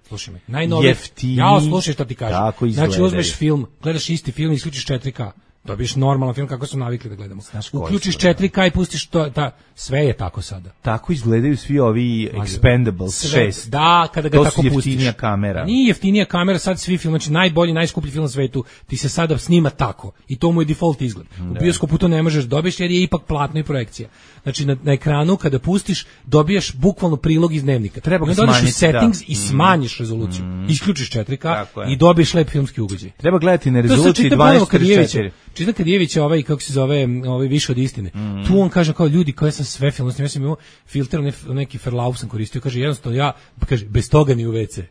[SPEAKER 6] Slušaj me. Najnovi.
[SPEAKER 5] Jeftini.
[SPEAKER 6] Ja slušaj što ti kažem. Znači, uzmeš film, gledaš isti film i isključiš 4K. Dobiješ normalan film kako smo navikli da gledamo. Uključiš 4K i pustiš to, sve je tako sada.
[SPEAKER 5] Tako izgledaju svi ovi Expendables 6.
[SPEAKER 6] Da, kada ga
[SPEAKER 5] to
[SPEAKER 6] tako pustiš.
[SPEAKER 5] To su jeftinija kamera.
[SPEAKER 6] Nije jeftinija kamera, sad svi film, znači najbolji, najskuplji film na svetu, ti se sada snima tako. I to mu je default izgled. U bioskopu to ne možeš dobiješ jer je ipak platno i projekcija. Znači na ekranu kada pustiš dobijaš bukvalno prilog iz dnevnika. Treba ga smanjiti u settings i smanjiš rezoluciju. Isključiš 4K i dobiješ lep filmski ugođaj.
[SPEAKER 5] Treba gledati na rezoluciji 12:4.
[SPEAKER 6] Čita Kadijević kako se zove, više od istine. Tu on kaže kao ljudi, kao ja sam sve film, ja sam imao filter, neki Verlauf sam koristio, kaže jednostavno kaže, bez toga ni u WC.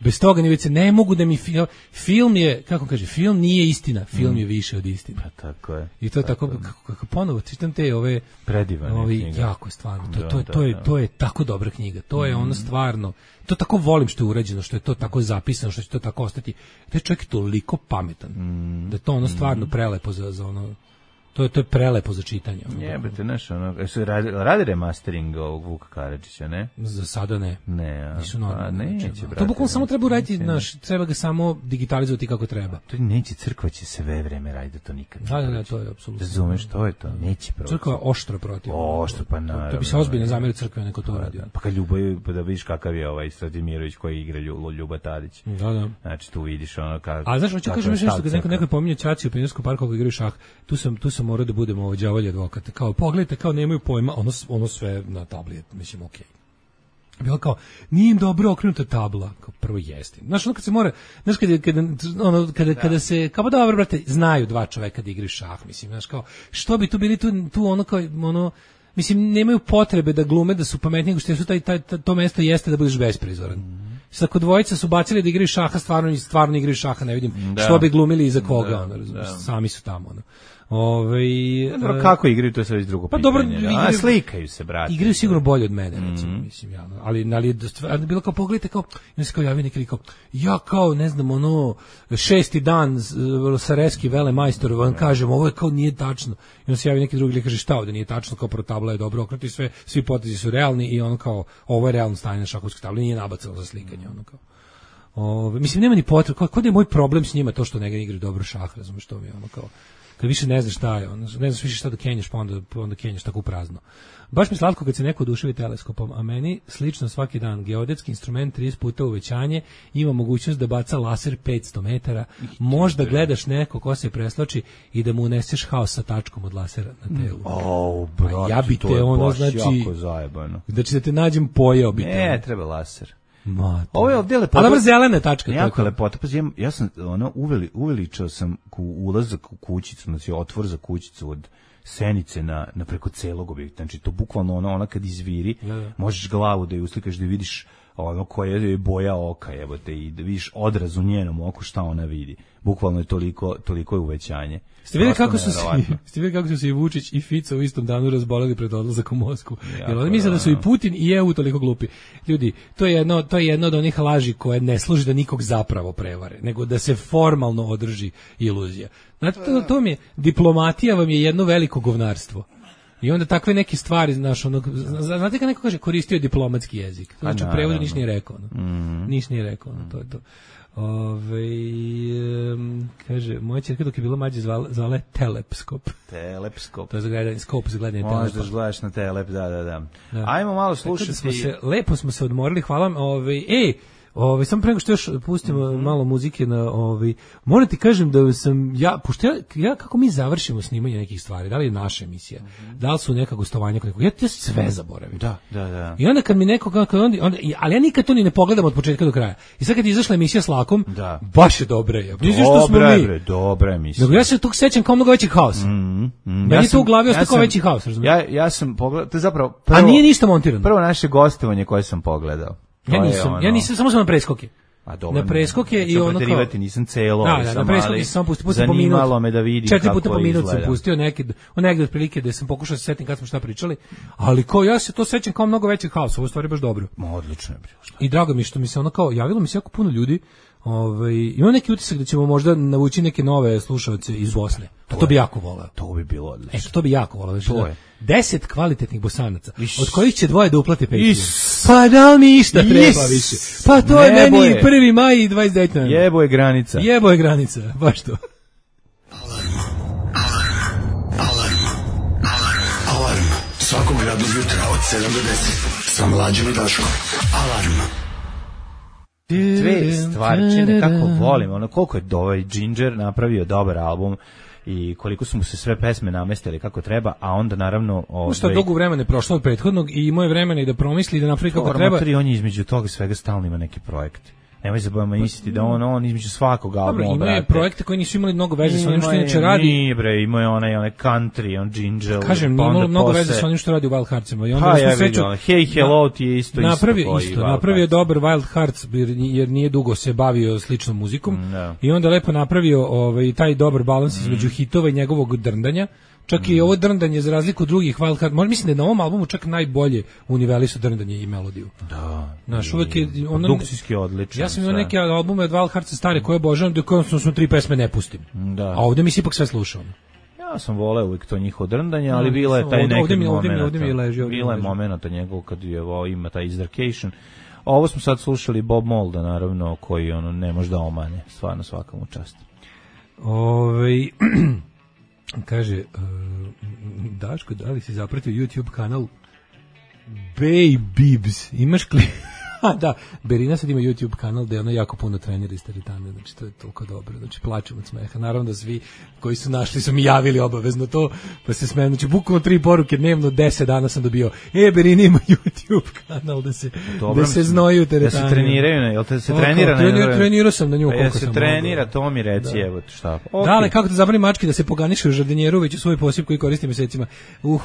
[SPEAKER 6] Bez toga ni u WC, ne mogu da mi film je, kako kaže, film nije istina, film je više od istine.
[SPEAKER 5] Pa tako je.
[SPEAKER 6] I to je tako, kako ponovo, čitam te ove...
[SPEAKER 5] Predivane knjige.
[SPEAKER 6] Jako stvarno, to je tako dobra knjiga, to je ono stvarno, to tako volim što je urađeno, što je to tako zapisano, što će to tako ostati. Taj čovjek je toliko pametan, da je to ono stvarno prelepo za ono... To je prelepo za čitanje.
[SPEAKER 5] Jebate, znaš, radi remastering ovog Vuka Karadžića, ne?
[SPEAKER 6] Za sada ne.
[SPEAKER 5] Ne,
[SPEAKER 6] nisu normalno.
[SPEAKER 5] Neće, brate.
[SPEAKER 6] To bukvalno samo treba uraditi, treba ga samo digitalizovati kako treba.
[SPEAKER 5] To neće, crkva će sve vreme raditi, to nikad.
[SPEAKER 6] Da, to je apsolutno.
[SPEAKER 5] Razumeš, to je to, neće protiv.
[SPEAKER 6] Crkva je oštro protiv.
[SPEAKER 5] Oštro, pa naravno.
[SPEAKER 6] To bi se ozbiljno zamerio crkve neko to radi.
[SPEAKER 5] Pa kad Ljubav, da vidiš kakav je ovaj Stratimirović koji igra Ljuba Tadić.
[SPEAKER 6] Da.
[SPEAKER 5] Znači, tu vidiš ono kako...
[SPEAKER 6] A znaš, hoću kažem nešto, kad neko pominje ćaci u Pionirskom parku kako igraju šah, tu sam morao da budemo đavolji advokata. Kao, pogledajte, kao nemaju pojma, ono sve na tabli, mislim, okej. Bilo kao, nije im dobro okrenuta tabla, kao prvo jeste. Znaš, ono kad se mora, znaš, kada se, kao pa dobro, brate, znaju dva čoveka da igraju šah, mislim, znaš, kao, što bi tu bili tu ono kao, ono, mislim, nemaju potrebe da glume, da su pametni, nego što su to mesto jeste da budeš besprizoran. Sad kod dvojica su bacili da igraju šaha, stvarno igraju šaha, ne vidim što bi glumili iza koga, ono, razumiješ, sami su tamo, ono.
[SPEAKER 5] Dobro, kako igraju, to je sve iz drugog pitanja.
[SPEAKER 6] Dobro,
[SPEAKER 5] slikaju se, brate.
[SPEAKER 6] Igraju sigurno bolje od mene, recimo, mislim, javno. Ali bilo kao, pogledajte, kao, i se kao javi neki kao, ja kao, ne znam, ono, 6. dan Sareski velemajstor, vam kažem, ovo je kao nije tačno. I on se javi neki drugi lik, kaže, šta ovde nije tačno, kao prvo tabla je dobro okrenuta i svi potezi su realni i ono kao, ovo je realno stanje na šahovskoj tabli, nije nabacano za slikanje, ono kao. Mislim, nema ni potrebe, kod je moj problem s njima to što ne igraju dobro šah, razumiješ, to mi je ono kao, kad više ne znaš šta je, ne znaš više šta da kenjaš, pa onda kenjaš tako u prazno. Baš mi slatko kad se neko oduševi teleskopom, a meni slično svaki dan. Geodetski instrument 30 puta uvećanje, ima mogućnost da baca laser 500 metara, možda gledaš neko ko se preslači i da mu uneseš haos sa tačkom od lasera na telu.
[SPEAKER 5] Brate,
[SPEAKER 6] ja bi te ono, znači,
[SPEAKER 5] jako zajebano.
[SPEAKER 6] Znači da te nađem pojeo bi te.
[SPEAKER 5] Ne, treba laser. Ovo je ovdje lepota.
[SPEAKER 6] Ali dobro, zelena tačka.
[SPEAKER 5] Jako je lepota. Pa ja sam uveličao sam ulazak u kućicu, znači otvor za kućicu od Senice na preko celog objekta. Znači to bukvalno ona kad izviri, možeš glavu da je uslikaš, da vidiš ono koja je boja oka, jebote, i da vidiš odraz u njenom oku šta ona vidi. Bukvalno je toliko je uvećanje.
[SPEAKER 6] Ste vidjeli kako su se i Vučić i Fico u istom danu razboleli pred odlazak u Moskvu? Jer oni misle da su i Putin i EU toliko glupi. Ljudi, to je jedno od onih laži koje ne služi da nikog zapravo prevare, nego da se formalno održi iluzija. Znate, to mi je, diplomatija vam je jedno veliko govnarstvo. I onda takve neke stvari, znate kad neko kaže koristio je diplomatski jezik. Znači u prevodu niš nije rekao. Niš nije rekao, to je to. Kaže, moja ćerka dok je bila mlađa zvala Telepskop.
[SPEAKER 5] Telepskop.
[SPEAKER 6] To je za gledanje, skop za gledanje telepa.
[SPEAKER 5] Možda gledaš na Telep, da. Ajmo malo slušati.
[SPEAKER 6] Lepo smo se odmorili, hvala vam. Samo pre nego što još pustimo malo muzike na moram ti kažem da sam pošto ja kako mi završimo snimanje nekih stvari, da li je naša emisija, da li su neka gostovanja kod nekog, ja to sve zaboravim.
[SPEAKER 5] Da.
[SPEAKER 6] I onda kad mi neko ali ja nikad to ni ne pogledam od početka do kraja. I sad kad je izašla emisija s Lakom, baš je dobra je.
[SPEAKER 5] Dobra emisija.
[SPEAKER 6] Nego ja se tog sećam kao mnogo veći haos. Meni to u glavi ostao kao veći haos, razumiješ?
[SPEAKER 5] Ja sam pogledao, to je zapravo
[SPEAKER 6] a nije ništa montirano.
[SPEAKER 5] Prvo naše gostovanje koje sam pogledao.
[SPEAKER 6] Ja nisam, samo sam na preskoke.
[SPEAKER 5] A dobro.
[SPEAKER 6] Na preskoke i ono kao...
[SPEAKER 5] nisam celo,
[SPEAKER 6] na preskoke sam samo pustio po minut.
[SPEAKER 5] Zanimalo me da vidim kako
[SPEAKER 6] 4 puta po minut
[SPEAKER 5] izgleda.
[SPEAKER 6] Sam pustio negde otprilike da sam pokušao se setim kad smo šta pričali, ali kao ja se to sećam kao mnogo većih haosa, ovo stvari baš dobro.
[SPEAKER 5] Odlično je bilo.
[SPEAKER 6] I drago mi što mi se ono kao, javilo mi se jako puno ljudi, ima neki utisak da ćemo možda navući neke nove slušalce iz Bosne. To bi jako voleo.
[SPEAKER 5] To bi bilo odlično.
[SPEAKER 6] To bi jako voleo.
[SPEAKER 5] To je.
[SPEAKER 6] 10 kvalitetnih Bosanaca, od kojih će 2 da uplate Patreon. Pa da li mi išta treba više? Pa to je meni 1. maj i 29.
[SPEAKER 5] Jebo je granica.
[SPEAKER 6] Baš to.
[SPEAKER 7] Alarm. Svakog radnog jutra od 7 do 10. Sa Mlađom i Daškom. Alarm.
[SPEAKER 5] Dve stvarčine, kako volim, koliko je ovaj Ginger napravio dobar album i koliko su mu se sve pesme namestili kako treba, a onda naravno...
[SPEAKER 6] Šta dugo vremena je prošlo od prethodnog i imao je vremena i da promisli i da napravi kako treba.
[SPEAKER 5] On je između toga svega stalno ima neki projekt. Nemoj se bojama misliti da on između svakog albuma,
[SPEAKER 6] brate. Dobro, ima je projekte koji nisu imali mnogo veze sa onim što inače radi.
[SPEAKER 5] Nije, bre, ima je onaj country, on Ginger.
[SPEAKER 6] Kažem, nije imalo mnogo veze sa onim što radi u Wild Heartsima.
[SPEAKER 5] Hey Hello ti je isto.
[SPEAKER 6] Napravio dobar Wild Hearts, jer nije dugo se bavio sličnom muzikom. I onda lepo napravio taj dobar balans između hitova i njegovog drndanja. Čak i ovo drndanje, za razliku od drugih Wild Hearts, možda mislim da je na ovom albumu čak najbolje univelisu drndanje i melodiju.
[SPEAKER 5] Da.
[SPEAKER 6] Znaš, uvek je...
[SPEAKER 5] Produkcijski odličan.
[SPEAKER 6] Ja sam imao neke albume od Wild Heartsa stare koje obožavam, da konstantno 3 pesme ne pustim.
[SPEAKER 5] Da.
[SPEAKER 6] A ovdje mi se ipak sve slušao.
[SPEAKER 5] Ja sam voleo uvijek to njihovo drndanje, ali bila je taj neki moment.
[SPEAKER 6] Ovdje mi leži.
[SPEAKER 5] Bila je momenta njegov kad je ima taj Izdarcation. Ovo smo sad slušali Bob Molda, naravno, koji ne može da omane. Stvarno svaka mu čast.
[SPEAKER 6] Kaže, Daško, da li si zapratio YouTube kanal Baybibs? Imaš da, Berina sad ima YouTube kanal gde ona jako puno trenira iz teretane, znači to je toliko dobro, znači plačem od smeha. Naravno da svi koji su našli su mi javili obavezno to, pa se smejem, znači bukvalno 3 poruke dnevno, 10 dana sam dobio, Berina ima YouTube kanal da se znoju u teretane.
[SPEAKER 5] Da se treniraju, jel te se trenira?
[SPEAKER 6] Trenirao sam na nju koliko sam
[SPEAKER 5] se trenira, to mi reci, evo šta.
[SPEAKER 6] Da, ali kako te zabrani mački da se poganiše u žardinjeru, već u svoj posip koji koristi mesecima.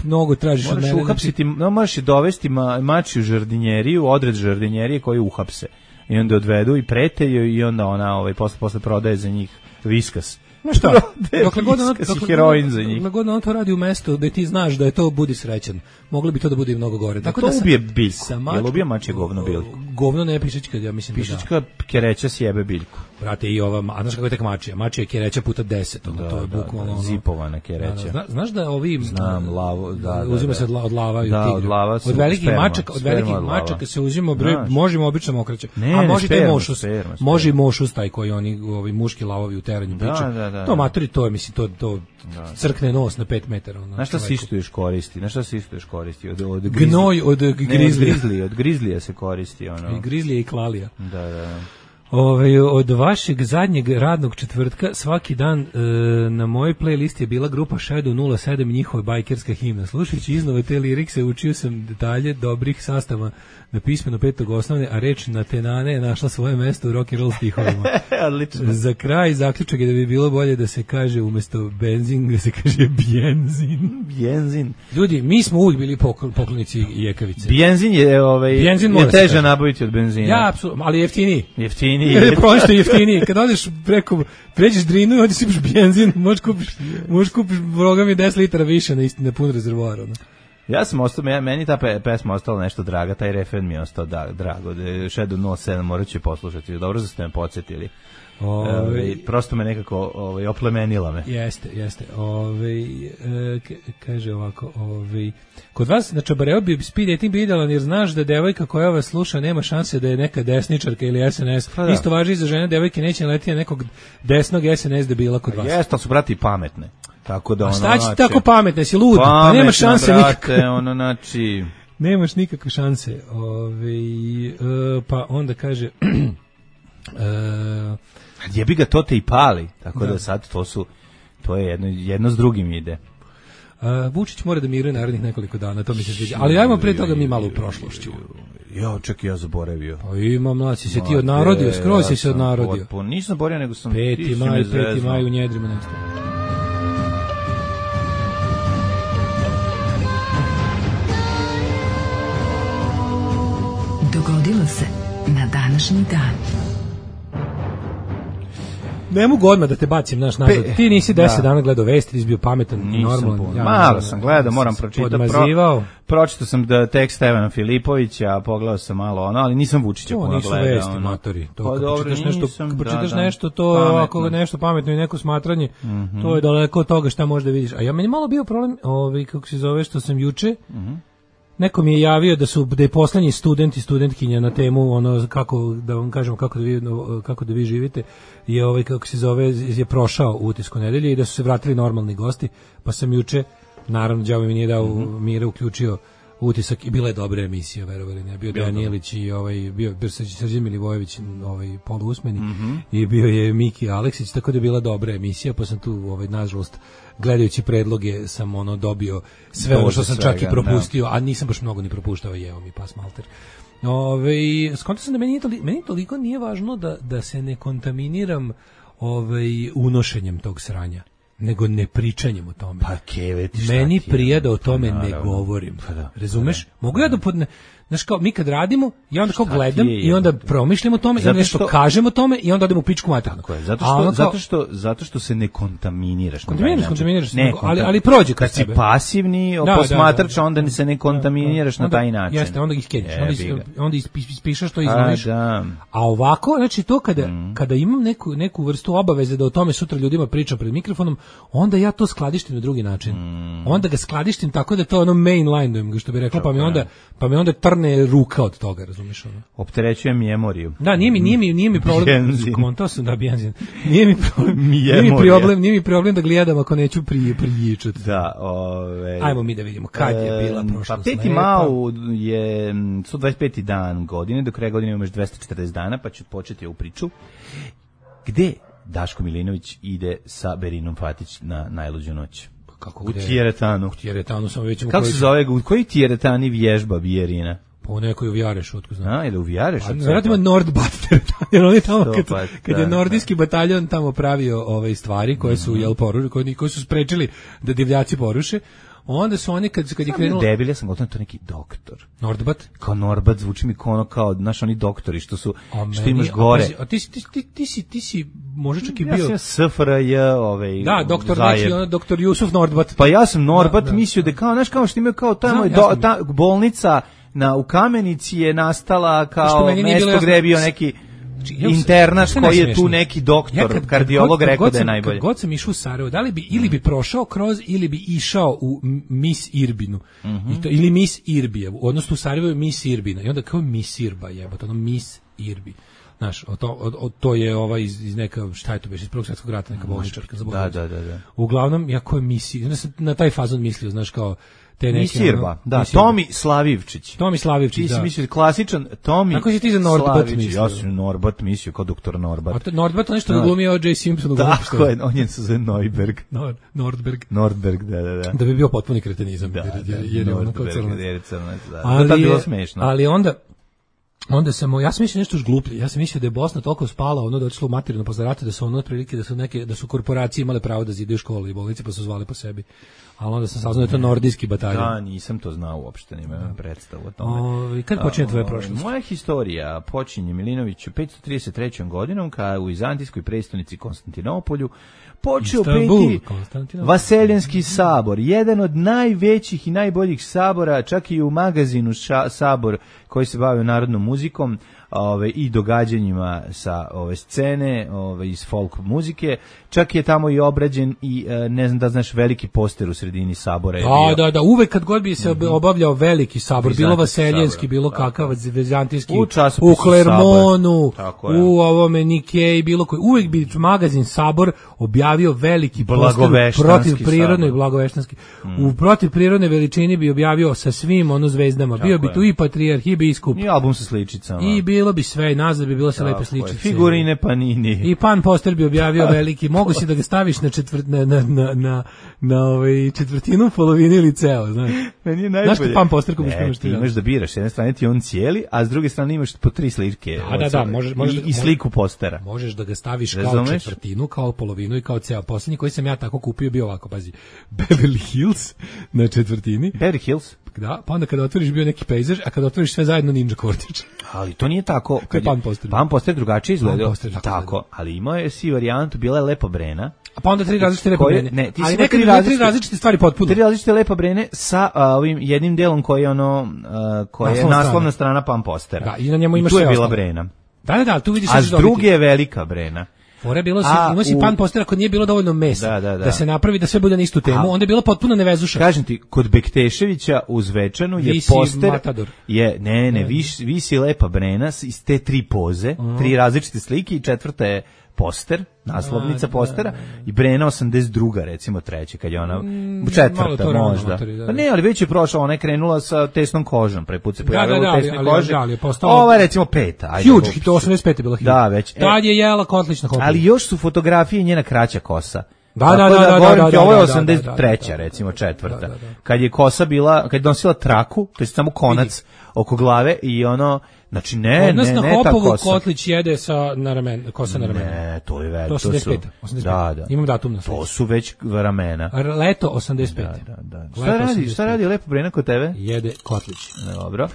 [SPEAKER 6] Mnogo tražiš od mene.
[SPEAKER 5] Možeš dovesti mači u žardinjeriju, odred žardinjerije koji uhapse. I onda odvedu i preteju i onda ona posle prodaje za njih viskas.
[SPEAKER 6] No šta? Dokle god on to radi u mestu da ti znaš da je to budi srećan. Moglo bi to da bude i mnogo gore.
[SPEAKER 5] Tako da ubije biljku. Jel ubije mačje govno biljku?
[SPEAKER 6] Govno ne je pišačka, ja mislim da da.
[SPEAKER 5] Pišačka kereća sjebe biljku.
[SPEAKER 6] Brate, i ova, a znaš kako je tek mačija? Mačija je kereća puta 10. To je bukvalno
[SPEAKER 5] zipovana kereća.
[SPEAKER 6] Znaš da ovi...
[SPEAKER 5] Znam, lavo, da.
[SPEAKER 6] Uzima se od lava i
[SPEAKER 5] od lava su
[SPEAKER 6] od velikih mačaka se uzima broj, možemo obično mokraće. A možete i mošus. Može i mošus taj koji oni muški lavovi u teranju piču. To matori, to je, mislim, to crkne nos na 5 metara.
[SPEAKER 5] Znaš šta se isto još koristi?
[SPEAKER 6] Gnoj od grizlija.
[SPEAKER 5] Od grizlija se koristi.
[SPEAKER 6] I grizlija i klalija.
[SPEAKER 5] Da.
[SPEAKER 6] Od vašeg zadnjeg radnog četvrtka svaki dan na mojoj playlisti je bila grupa Shadow 07 njihova bajkerska himna. Slušajući iznove te lirikse učio sam detalje dobrih sastava na pismeno 5. osnovne, a reč na tenane je našla svoje mesto u rock and roll stihovima.
[SPEAKER 5] Odlično.
[SPEAKER 6] Za kraj zaključak je da bi bilo bolje da se kaže umesto benzin, da se kaže bjenzin.
[SPEAKER 5] Bjenzin.
[SPEAKER 6] Ljudi, mi smo uvijek bili poklonici jekavice.
[SPEAKER 5] Bjenzin je
[SPEAKER 6] bjenzin
[SPEAKER 5] je teže nabaviti od benzina.
[SPEAKER 6] Ja, apsolutno, ali jeftiniji.
[SPEAKER 5] Jeftiniji.
[SPEAKER 6] Prosto jeftiniji. Kad odeš pređeš Drinu i ovdje sipaš benzin, možeš kupiš Boga mi 10 litara više na pun rezervoar.
[SPEAKER 5] Ja sam ostao, meni ta pesma ostala nešto draga, taj refren mi je ostao drago. Shadow 07 morat ću poslušati. Dobro da ste me podsjetili. Prosto me nekako oplemenila me.
[SPEAKER 6] Jeste. Kaže ovako, kod vas na Čabareu bi speed dating bio idealan jer znaš da devojka koja vas sluša nema šanse da je neka desničarka ili SNS. Isto važi i za žene, devojke neće letiti na nekog desnog SNS debila kod vas.
[SPEAKER 5] Jeste, ali su brati pametne. Tako da
[SPEAKER 6] a šta će tako pametne, si lud? Pa nema šanse nikakve.
[SPEAKER 5] Znači...
[SPEAKER 6] Nemaš nikakve šanse. Pa onda kaže...
[SPEAKER 5] Jebi ga, to te i pali. Tako da sad to je jedno s drugim ide.
[SPEAKER 6] Vučić mora da miruje narednih nekoliko dana, to mi se sviđa. Ali ajmo pre toga mi malo u prošlošću.
[SPEAKER 5] Čekaj, ja zaboravio.
[SPEAKER 6] Pa ima, mlaci, se ti odnarodio, skroz si se odnarodio.
[SPEAKER 5] Nisam zaboravio, nego sam...
[SPEAKER 6] 5. maj u njedrima nestao.
[SPEAKER 3] Dogodilo se na današnji dan.
[SPEAKER 6] Ne mogu odmah da te bacim naš nazad. Ti nisi 10 dana gledao vesti, nisi bio pametan, normalan.
[SPEAKER 5] Malo sam gledao, moram pročitati. Pročitao sam da tekst Stevana Filipovića, pogledao sam malo ali nisam Vučića puno gledao.
[SPEAKER 6] To nisu vesti, matori. Kad pročitaš nešto, to ako nešto pametno i neko smatranje, to je daleko od toga šta možda vidiš. A ja meni malo bio problem, kako se zove, što sam juče, neko mi je javio da je poslednji student i studentkinja na temu kako da vam kažemo kako da vi živite je kako se zove je prošao utisku nedelje i da su se vratili normalni gosti, pa sam juče naravno đavo mi nije dao mire uključio utisak i bila je dobra emisija, verovali ne, bio Danijelić i bio Srđan Milivojević poluusmeni i bio je Miki Aleksić, tako da je bila dobra emisija, pa sam tu nažalost gledajući predloge sam dobio sve ono što sam čak i propustio, a nisam baš mnogo ni propuštao, jeo mi pas malter. Skontao sam da meni toliko nije važno da se ne kontaminiram unošenjem tog sranja, nego ne pričanjem o tome.
[SPEAKER 5] Pa keveti,
[SPEAKER 6] meni prija da o tome ne govorim. Razumeš? Mogu ja da znaš kao, mi kad radimo, ja onda kao gledam i onda promišljam o tome i onda nešto kažem o tome i onda odem u pičku maternu.
[SPEAKER 5] Zato što se ne kontaminiraš.
[SPEAKER 6] Kontaminiraš, ali prođe kad
[SPEAKER 5] si pasivni posmatrač, onda se ne kontaminiraš na taj način.
[SPEAKER 6] Jeste, onda ih skenjaš, onda ispišaš to i izlomiš. A ovako, znači to kada imam neku vrstu obaveze da o tome sutra ljudima pričam pred mikrofonom, onda ja to skladištim na drugi način. Onda ga skladištim tako da to mainline, što bi rekla, pa mi onda trne ruka od toga, razumiješ ono?
[SPEAKER 5] Opterećujem memoriju.
[SPEAKER 6] Da, nije mi problem. Kontao sam da benzin. Nije mi problem da gledam ako neću prijičati.
[SPEAKER 5] Da,
[SPEAKER 6] ajmo mi da vidimo kad je bila prošlost.
[SPEAKER 5] Pa 5. maj je 125. dan godine, do kraja godine imaš 240 dana, pa ću početi ovu priču. Gde Daško Milinović ide sa Berinom Fatić na najluđu noć? U Tijeretanu.
[SPEAKER 6] U Tijeretanu sam već...
[SPEAKER 5] Kako se zove? U koji Tijeretani vježba Bijerina?
[SPEAKER 6] Po nekoj u Vjarešutku, znam.
[SPEAKER 5] Ili u Vjarešutku?
[SPEAKER 6] Vjerojatno Nordbat Tijeretan, jer on je tamo, kad je nordijski bataljon tamo pravio ove stvari koje su, koji su sprečili da divljaci poruše, onda su oni kad je krenulo...
[SPEAKER 5] Debil, ja sam gotovo to neki doktor.
[SPEAKER 6] Nordbat?
[SPEAKER 5] Kao Nordbat, zvuči mi kao, znaš, oni doktori što imaš gore.
[SPEAKER 6] A ti si možda čak i bio...
[SPEAKER 5] Ja sam SFRJ,
[SPEAKER 6] Da, doktor Jusuf Nordbat.
[SPEAKER 5] Pa ja sam Nordbat mislio da kao, znaš, kao što imaju kao tamo ta bolnica u Kamenici je nastala kao mesto gde je bio neki... internaš koji je tu neki doktor, kardiolog rekao da je najbolje.
[SPEAKER 6] Kad god sam išao u Sarajevo, da li bi ili bi prošao kroz ili bi išao u Miss Irbinu. Ili Miss Irbijevu, odnosno u Sarajevu je Miss Irbina. I onda kao Miss Irba jebote, Miss Irbi. Znaš, to je iz neka, šta je to iz Prvog svjetskog rata, neka bolničarka za bolnicu.
[SPEAKER 5] Da.
[SPEAKER 6] Uglavnom, jako je misli, na taj fazon mislio, znaš, kao te neke...
[SPEAKER 5] Misirba, da, Tomi Slavivčić.
[SPEAKER 6] Tomi Slavivčić, da.
[SPEAKER 5] Ti si mislio klasičan Tomi
[SPEAKER 6] Kako si ti za Nordbat mislio?
[SPEAKER 5] Ja sam Nordbat mislio, kao doktor Nordbat.
[SPEAKER 6] A Nordbat je nešto da glumio O.J. Simpson.
[SPEAKER 5] Tako je, on je se zove Neuberg.
[SPEAKER 6] Nordberg,
[SPEAKER 5] da.
[SPEAKER 6] Da bi bio potpuni kretenizam, jer je ono kao crnac.
[SPEAKER 5] Da, to je bilo smešno.
[SPEAKER 6] Ali onda ja sam mislio nešto još gluplje. Ja sam mislio da je Bosna toliko spala, ono da otišlo u materinu posle rata, da su ono otprilike da su korporacije imale pravo da zidaju škole i bolnice, pa su zvali po sebi. Ali onda sam saznao da je to nordijski bataljon.
[SPEAKER 5] Da, nisam to znao uopšte, nemam predstavu o tome.
[SPEAKER 6] Kad počinje tvoja prošlost?
[SPEAKER 5] Moja historija počinje Milinoviću 533. godinom, kada u vizantijskoj prestonici Konstantinopolju počeo peti Vaseljenski sabor, jedan od najvećih i najboljih sabora, čak i u magazinu Sabor koji se bavio narodnom muzikom, i događanjima sa ove scene, iz folk muzike. Čak je tamo i obrađen i ne znam da znaš, veliki poster u sredini sabora je bio.
[SPEAKER 6] Da, uvek kad god bi se obavljao veliki sabor, bilo vaseljenski, bilo kakav vizantijski, u Klermonu, u ovome Nikeji, bilo koji, uvek bi magazin Sabor objavio veliki poster protiv prirodnoj blagoveštanski. U protiv prirodne veličini bi objavio sa svim zvezdama. Bio bi tu i patrijarh, i biskup.
[SPEAKER 5] I album sa sličicama.
[SPEAKER 6] I bilo bi sve, nazad bi bilo se lepe sličice.
[SPEAKER 5] Figurine Panini.
[SPEAKER 6] I pan poster bi objavio veliki. Mogu si da ga staviš na četvrtinu, polovinu ili ceo, znaš.
[SPEAKER 5] Meni je najbolje.
[SPEAKER 6] Znaš pan poster ko biš imaš ti?
[SPEAKER 5] Imaš da biraš, s jedne strane ti on cijeli, a s druge strane imaš po 3 slike.
[SPEAKER 6] Da,
[SPEAKER 5] i sliku postera.
[SPEAKER 6] Možeš da ga staviš kao četvrtinu, kao polovinu i kao ceo. Poslednji koji sam ja tako kupio bio ovako, pazi, Beverly Hills na četvrtini.
[SPEAKER 5] Beverly Hills?
[SPEAKER 6] Da, pa onda kada otvoriš bio neki pejzaž, a kada otvoriš sve zajedno Ninja Kortić.
[SPEAKER 5] Ali to nije tako.
[SPEAKER 6] Pan
[SPEAKER 5] poster drugačije izgledao. Tako, ali imao je si varijantu, bila je Lepa Brena.
[SPEAKER 6] A pa onda 3 različite Lepa Brene. Ali nekad 3 različite stvari potpuno.
[SPEAKER 5] 3 različite Lepa Brene sa ovim jednim delom koji je koja je naslovna strana pan postera.
[SPEAKER 6] Da, i na njemu imaš sve.
[SPEAKER 5] Tu je bila Brena.
[SPEAKER 6] Da, tu vidiš.
[SPEAKER 5] A s druge je Velika Brena.
[SPEAKER 6] Fore bilo ima si pan postera ako nije bilo dovoljno mesa da se napravi da sve bude na istu temu, onda je bilo potpuno nevezuša.
[SPEAKER 5] Kažem ti, kod Bekteševića uz Večanu je
[SPEAKER 6] visi
[SPEAKER 5] poster
[SPEAKER 6] Matador.
[SPEAKER 5] Visi Lepa Brena iz te 3 poze, 3 različite slike i četvrta je poster, naslovnica postera i Brena 82. recimo treće, kad je ona četvrta možda. Pa ne, ali već je prošla, ona je krenula sa tesnom kožom, prvi put se pojavila u tesnoj koži. Ova je recimo 5.
[SPEAKER 6] Huge, to 85 je bila huge.
[SPEAKER 5] Da, već.
[SPEAKER 6] Tad je jela kotlić na kopu.
[SPEAKER 5] Ali još su fotografije njena kraća kosa.
[SPEAKER 6] Da,
[SPEAKER 5] ovo je 83. recimo četvrta. Kad je kosa bila, kad je nosila traku, to je samo konac oko glave i znači ne
[SPEAKER 6] na
[SPEAKER 5] ta
[SPEAKER 6] Hopovu
[SPEAKER 5] kosa.
[SPEAKER 6] Kotlić jede kosa na ramenu.
[SPEAKER 5] Ne, to je već.
[SPEAKER 6] To 85.
[SPEAKER 5] Da.
[SPEAKER 6] Imam datum na
[SPEAKER 5] to su već ramena.
[SPEAKER 6] Leto 85.
[SPEAKER 5] Da. Šta radi Lepa Brena kod tebe?
[SPEAKER 6] Jede Kotlić.
[SPEAKER 5] Dobro.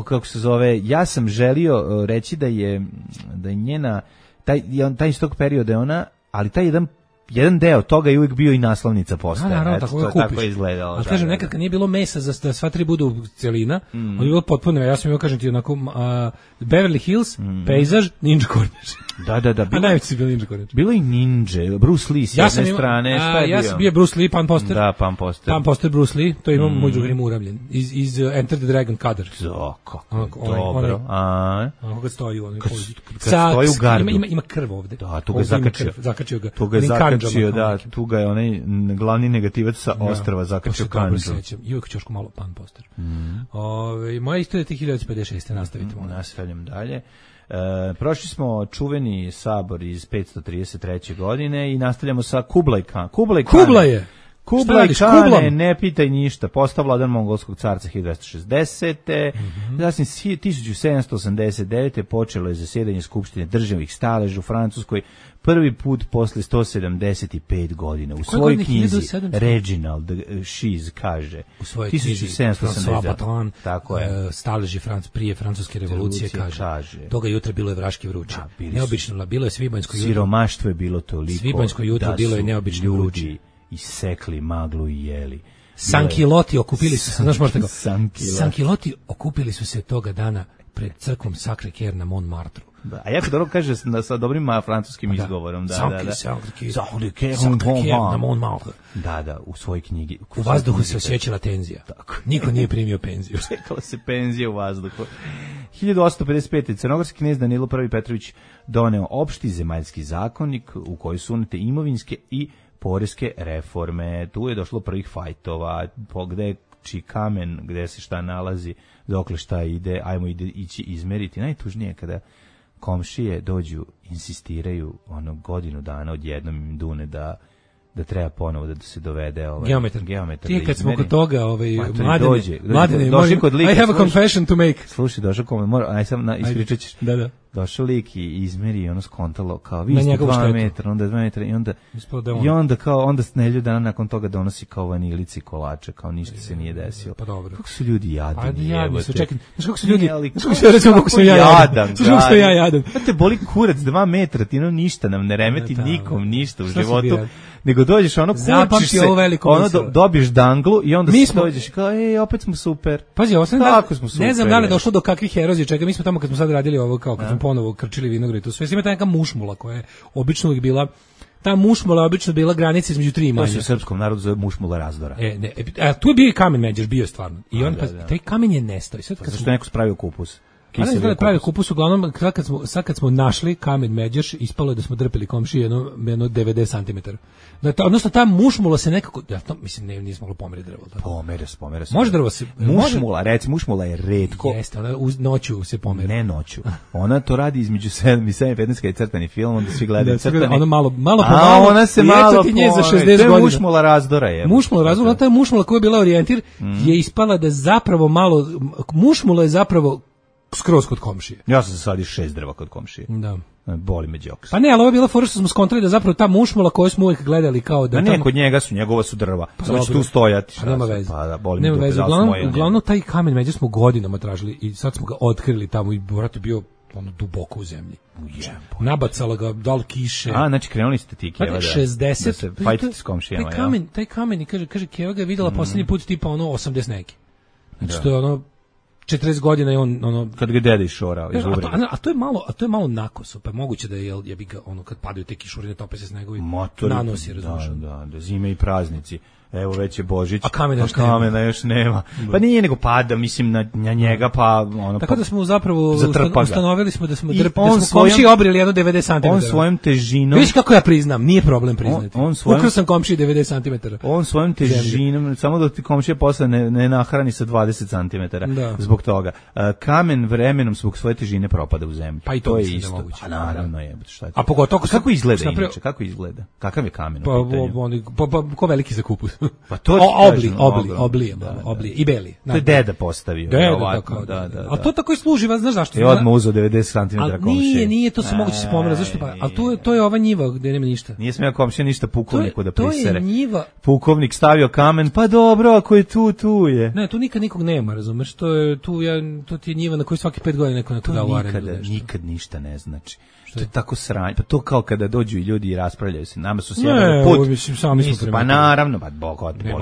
[SPEAKER 5] Kako se zove, ja sam želio reći da je njena taj iz tog perioda je ona, ali taj jedan deo toga je uvijek bio i naslovnica postera. Tako je izgledalo.
[SPEAKER 6] Ali kažem, nekad kad nije bilo mesa da sva 3 budu celina, on je bilo potpuno, ja sam imao, kažem ti, onako, Beverly Hills, pejzaž, Ninja Korniš.
[SPEAKER 5] Da.
[SPEAKER 6] A najveći bio Ninja Korniš.
[SPEAKER 5] Bilo i Ninja, Bruce Lee s jedne strane, šta je bio? Ja sam bio Bruce Lee, pan poster. Da, pan poster. Pan poster Bruce Lee, to imam moj drugar ima uravljen. Iz Enter the Dragon Kadar. Kako dobro.
[SPEAKER 6] Ono kad stoji u onoj pozi.
[SPEAKER 5] Kad stoji u gardu.
[SPEAKER 6] Ima krv ovde.
[SPEAKER 5] Da, tu ga zakačio.
[SPEAKER 6] Zakačio ga.
[SPEAKER 5] Tu ga je onaj glavni negativac sa ostrva zakačio kanđu.
[SPEAKER 6] I uvijek ćošku malo pan poster. Moja istorija je 1956. Nastavite.
[SPEAKER 5] Nastavljam dalje. Prošli smo čuveni sabor iz 533. godine i nastavljamo sa Kublai Khan. Kublai Khan, ne pitaj ništa, postao vladan mongolskog carca 1260. Zatim 1789. počelo je zasjedanje Skupštine državnih staleža u Francuskoj, prvi put posle 175 godina. U svojoj knjizi Reginald Šiz kaže
[SPEAKER 6] u svojoj knjizi
[SPEAKER 5] 1789.
[SPEAKER 6] Tako je. Staleži prije francuske revolucije kaže. Toga jutra bilo je vraški vruće. Neobično, bilo je svibanjsko jutro.
[SPEAKER 5] Siromaštvo je bilo toliko.
[SPEAKER 6] Svibanjsko jutro bilo je neobično vruće.
[SPEAKER 5] Isekli maglu i jeli.
[SPEAKER 6] Sankiloti okupili su se, znaš možda tako. Sankiloti okupili su se toga dana pred crkvom Sacré Cœur na Montmartru.
[SPEAKER 5] Da, a jako dobro kaže sa dobrim francuskim izgovorom. Da. Da, u svojoj knjigi.
[SPEAKER 6] U vazduhu se osjećala tenzija.
[SPEAKER 5] Tako.
[SPEAKER 6] Niko nije primio penziju.
[SPEAKER 5] Čekala se penzija u vazduhu. 1855. Crnogorski knez Danilo I. Petrović doneo opšti zemaljski zakonik u koji su unete imovinske i poreske reforme. Tu je došlo prvih fajtova, gde je kamen, gde se šta nalazi, dokle šta ide, ajmo ići izmeriti. Najtužnije je kada komšije dođu, insistiraju godinu dana odjednom im dune da treba ponovo da se dovede geometar.
[SPEAKER 6] Ti kad smo kod toga, Mladene, I have a confession to make.
[SPEAKER 5] Slušaj, došao ispričat ćeš.
[SPEAKER 6] Da.
[SPEAKER 5] Došao lik i izmeri ono skontalo kao vi ste 2 metra, onda 2 metra i onda Snelju dana nakon toga donosi kao vanilici kolače, kao ništa se nije desilo.
[SPEAKER 6] Pa dobro.
[SPEAKER 5] Kako su ljudi jadni.
[SPEAKER 6] Jadni su, čekaj. Znaš kako su ljudi, kako sam ja jadan. Znaš što ja jadan.
[SPEAKER 5] Te boli kurac 2 metra, ti ništa nam ne remeti nikom ništa u životu. Nego dođeš kurčiš se, dobiješ danglu i onda se dođeš kao, opet smo super.
[SPEAKER 6] Pazi, ne znam da li je došlo do kakvih erozija, čega mi smo tamo kad smo sad radili ovo, kao kad smo ponovo krčili vinograd, to sve ima ta neka mušmula koja je obično uvijek bila, ta mušmula je obično bila granica između 3 imanja.
[SPEAKER 5] To se u srpskom narodu zove mušmula razdora.
[SPEAKER 6] Tu je bio i kamen međer, bio je stvarno. I on, taj kamen je nestao.
[SPEAKER 5] Zato što neko spravio kupus.
[SPEAKER 6] Pravi kupus, uglavnom, kad smo našli kamen međeš, ispalo je da smo drpili komšije jedno 90 cm. Odnosno, ta mušmula se nekako, mislim, nismo mogli pomeriti drvo.
[SPEAKER 5] Pomere se.
[SPEAKER 6] Može drvo se...
[SPEAKER 5] Mušmula je retko.
[SPEAKER 6] Jeste, ona noću se pomeri.
[SPEAKER 5] Ne noću. Ona to radi između 7 i 7:15 kad je crtani film, onda svi gledaju crtani.
[SPEAKER 6] Ona malo pomalo.
[SPEAKER 5] Ona se malo
[SPEAKER 6] pomeri.
[SPEAKER 5] To je mušmula razdora.
[SPEAKER 6] Mušmula razdora, ta mušmula koja je bila orijentir, je ispala da zapravo malo... Mušmula je zapravo skroz kod komšije.
[SPEAKER 5] Ja sam sadio 6 drva kod komšije.
[SPEAKER 6] Da.
[SPEAKER 5] Boli me džoks.
[SPEAKER 6] Pa ne, ali ovo je bila fora što smo skontrali da zapravo ta mušmula koju smo uvijek gledali kao da...
[SPEAKER 5] Ne, kod njegova su drva. Samo će tu stojati.
[SPEAKER 6] Pa nema veze.
[SPEAKER 5] Pa da, boli me
[SPEAKER 6] veze. Uglavnom taj kamen među smo godinama tražili i sad smo ga otkrili tamo i vrat je bio duboko u zemlji. Nabacala ga, dal kiše.
[SPEAKER 5] Znači krenuli ste ti Keva da
[SPEAKER 6] 60.
[SPEAKER 5] Da se fajtite s komšijama.
[SPEAKER 6] Taj kamen, kaže Keva ga je videla posljednji put tipa 80 neki. Znači to je 40 godina je on
[SPEAKER 5] kad ga deda išorao iz uvrede.
[SPEAKER 6] A to je malo nakoso, pa moguće da je bi ga kad padaju te kišurine, tope se snegovi. Nanosi, razumiješ.
[SPEAKER 5] Da, zime i praznici. Evo već je Božić,
[SPEAKER 6] a kamena
[SPEAKER 5] još nema. Pa nije nego pada, mislim na njega, pa
[SPEAKER 6] tako da smo zapravo ustanovili smo da smo komšiji obrili jedno 90 cm.
[SPEAKER 5] On svojom težinom.
[SPEAKER 6] Vidiš kako ja priznam, nije problem priznati. Ukrao sam komšiji 90 cm.
[SPEAKER 5] On svojom težinom, samo da ti komšija posle ne nahrani sa 20 cm. Zbog toga. Kamen vremenom zbog svoje težine propada u zemlju.
[SPEAKER 6] Pa i to
[SPEAKER 5] je isto. Pa naravno je.
[SPEAKER 6] A pogotovo
[SPEAKER 5] kako izgleda inače? Kako izgleda? Kakav je kamen?
[SPEAKER 6] Pa ko veliki za kupus.
[SPEAKER 5] Pa to
[SPEAKER 6] oblije i beli.
[SPEAKER 5] To je deda postavio.
[SPEAKER 6] Da. A to tako i služi, znaš zašto?
[SPEAKER 5] Je odmah uzeo 90 cm komšije.
[SPEAKER 6] Nije, to se moguće se pomera. Zašto pa? Ali to je ova njiva gde nema ništa.
[SPEAKER 5] Nije smeo komšija ništa pukovniku da prisere.
[SPEAKER 6] To je njiva.
[SPEAKER 5] Pukovnik stavio kamen, pa dobro, ako je tu je.
[SPEAKER 6] Ne, tu nikog nema, razumeš? To ti je njiva na kojoj svaki 5 godina neko na to da u arendu.
[SPEAKER 5] Nikad ništa ne znači. To je tako sranje. Pa to kao kada dođu i ljudi i raspravljaju se. Nama su sjebali put. Pa naravno,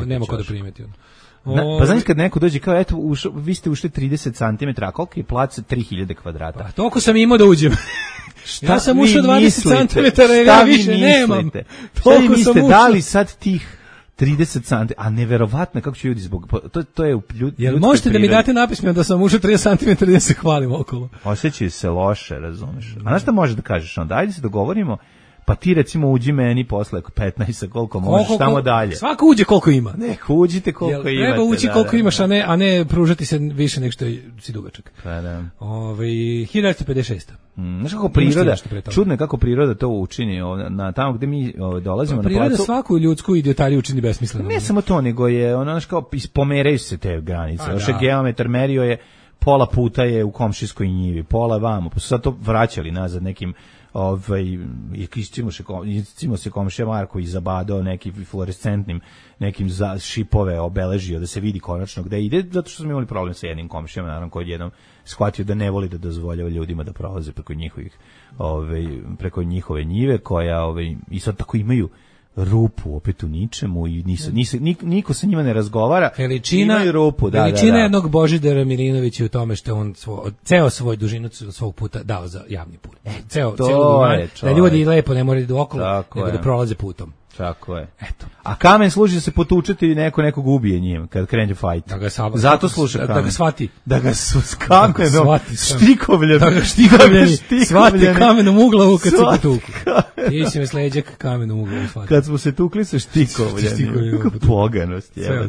[SPEAKER 6] nema ko da primeti.
[SPEAKER 5] Pa znaš kad neko dođe kao, eto, vi ste ušli 30 cm, a koliko je plac? 3000 kvadrata.
[SPEAKER 6] Pa toliko sam imao da uđem. Ja sam ušao 20 cm, ja više nemam.
[SPEAKER 5] Šta vi mislite, da li sad tih 30 cm, a neverovatno kako će ljudi zbog to je
[SPEAKER 6] jel možete da mi date napismeno da sam ušao 30 cm da se hvalim okolo.
[SPEAKER 5] Osjećaju se loše, razumeš. A znaš šta možeš da kažeš onda? Ajde se dogovorimo, pa ti recimo uđi meni posle 15 koliko možeš tamo dalje.
[SPEAKER 6] Svako uđe koliko ima.
[SPEAKER 5] Neko uđite koliko imate.
[SPEAKER 6] Treba ući koliko imaš, a ne pružati se više nego što si dugačak.
[SPEAKER 5] Pa da.
[SPEAKER 6] 1956.
[SPEAKER 5] Znaš kako priroda, čudno je kako priroda to učini na tamo gde mi dolazimo na placu.
[SPEAKER 6] Priroda svaku ljudsku idiotariju učini besmisleno.
[SPEAKER 5] Ne samo to, nego je ono kao pomeraju se te granice. Još je geometar merio je pola puta je u komšijskoj njivi, pola vamo, pa su sad to vraćali nazad nekim iscimo se komšija Marko i zabadao neki fluorescentnim nekim šipove obeležio da se vidi konačno gde ide, zato što smo imali problem sa jednim komšijama, naravno koji jednom shvatio da ne voli da dozvoljava ljudima da prolaze preko njihove njive koja i sad tako imaju rupu opet u ničemu i niko sa njima ne razgovara.
[SPEAKER 6] Veličina
[SPEAKER 5] rupu,
[SPEAKER 6] veličina jednog Božidara Milinovića u tome što je on ceo svoj dužinu svog puta dao za javni put. Ceo da ljudi lepo ne moraju da idu okolo, nego da prolaze putom.
[SPEAKER 5] Tako je. Eto. A kamen služi da se potučeti i nekog ubije njim kad krene fight. Zato sluša kamen.
[SPEAKER 6] Da ga shvati.
[SPEAKER 5] Da ga s kamenom štikovljen.
[SPEAKER 6] Da ga štikovljen. Shvati kamenom u glavu kad se potuku. Ti si me sleđak kamenom u glavu shvati.
[SPEAKER 5] Kad smo se tukli sa štikovljenim. Kako poganost je.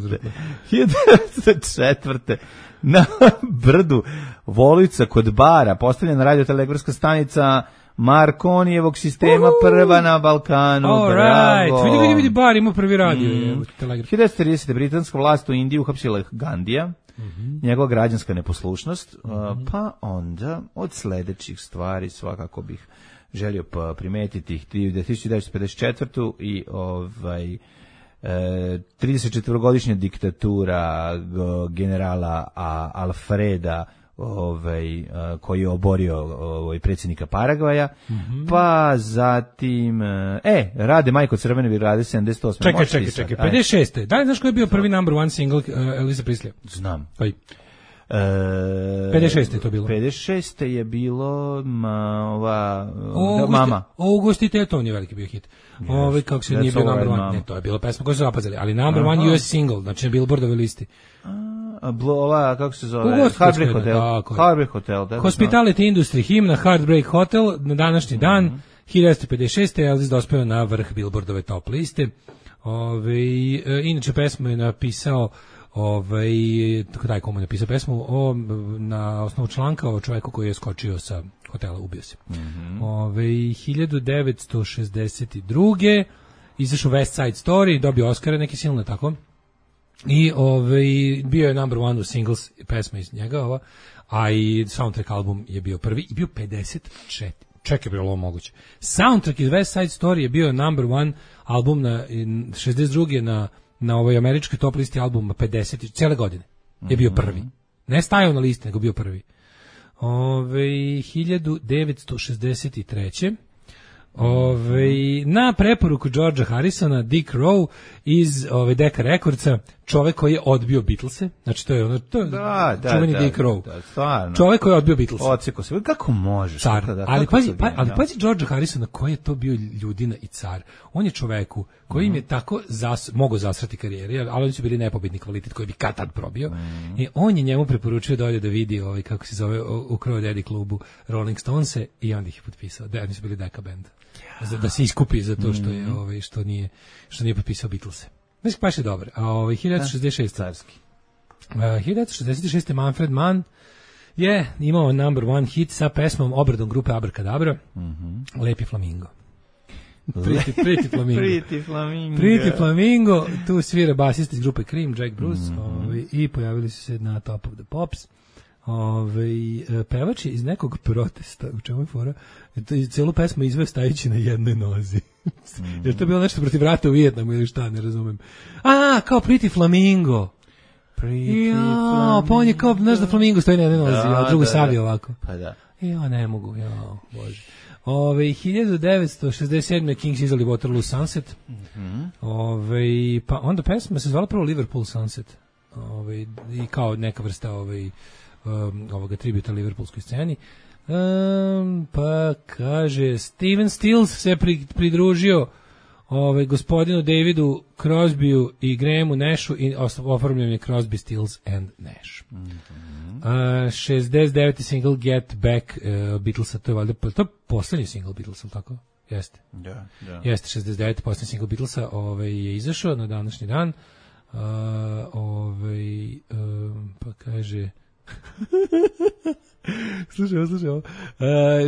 [SPEAKER 5] 1904. Na brdu Volica kod bara postavljena radiotelegrafska stanica Markonijevog sistema, prva na Balkanu.
[SPEAKER 6] Bravo. Vidi, bar ima prvi radio.
[SPEAKER 5] 1930. britanska vlast u Indiji uhapsila Gandija, njegova građanska neposlušnost, pa onda od sledećih stvari svakako bih želio primetiti 1954. i 34-godišnja diktatura generala Alfreda koji je oborio predsjednika Paragvaja, pa zatim Rade Majko Crvene Virade 78.
[SPEAKER 6] Čekaj, 56. Da li znaš koji je bio prvi number one single Elvisa Preslija?
[SPEAKER 5] Znam.
[SPEAKER 6] Koji? 56. je to bilo.
[SPEAKER 5] 56. je bilo Mama.
[SPEAKER 6] Ugostitelj, to nije veliki bio hit. Kako se nije bio number one. Ne, to je bilo pesma koju su zapazili, ali number one US single, znači na Billboardove listi.
[SPEAKER 5] Kako se zove? Heartbreak Hotel.
[SPEAKER 6] Hospitality Industry, himna Heartbreak Hotel na današnji dan, 1956. Elvis dospeo na vrh Billboardove top liste. Inače pesmu je napisao komu je napisao pesmu na osnovu članka o čovjeku koji je skočio sa hotela, ubio se. 1962. izašao West Side Story, dobio Oscara, neki silno tako. I bio je number one u singles pesma iz njega, a i soundtrack album je bio prvi i bio 54. Čekaj, bilo ovo moguće. Soundtrack iz West Side Story je bio number one album na 62. na ovoj američkoj top listi albuma 50, cijele godine je bio prvi. Ne stajao na listi, nego bio prvi. 1963. Na preporuku Georgea Harrisona, Dick Rowe iz Decca Recordsa, čovek koji je odbio Beatlese, znači to je čuveni Dick Rowe. Čovek koji je odbio Beatlese.
[SPEAKER 5] Oceko se, kako možeš?
[SPEAKER 6] Ali pazi Georgea Harrisona koji je to bio ljudina i car. On je čoveku koji im je tako mogao zasrati karijeri, ali oni su bili nepobitni kvalitet koji bi kad tad probio. I on je njemu preporučio da ode da vidi kako se zove u Crow Daddy klubu Rolling Stonese i onda ih je potpisao. Oni su bili Decca band. Da se iskupi za to što je što nije potpisao Beatlese. Mislim, baš je dobar. A 1966. carski. 1966. Manfred Mann je imao number one hit sa pesmom obradom grupe Abracadabra, Lepi Flamingo. Pretty Flamingo. Pretty Flamingo, tu svira basist iz grupe Cream, Jack Bruce, i pojavili su se na Top of the Pops. Pevač je iz nekog protesta, u čemu je fora, celu pesmu izveo stajući na jednoj nozi. Jer to je bilo nešto protiv rata u Vijetnamu ili šta, ne razumem. Kao Pretty Flamingo. Pa on je kao, znaš da Flamingo stoji na jednoj nozi, a drugo savio ovako.
[SPEAKER 5] Pa da.
[SPEAKER 6] Ne mogu, bože. 1967. Kings izdali Waterloo Sunset. Pa onda pesma se zvala prvo Liverpool Sunset. I kao neka vrsta ovoga tributa liverpoolskoj sceni. Pa kaže Steven Stills se pridružio gospodinu Davidu Crosbyu i Grahamu Nashu i oformljen je Crosby, Stills and Nash. 69. single Get Back Beatlesa, to je valjda poslednji single Beatlesa, tako? Jeste. Jeste 69. poslednji single Beatlesa je izašao na današnji dan. Pa kaže Slušaj ovo.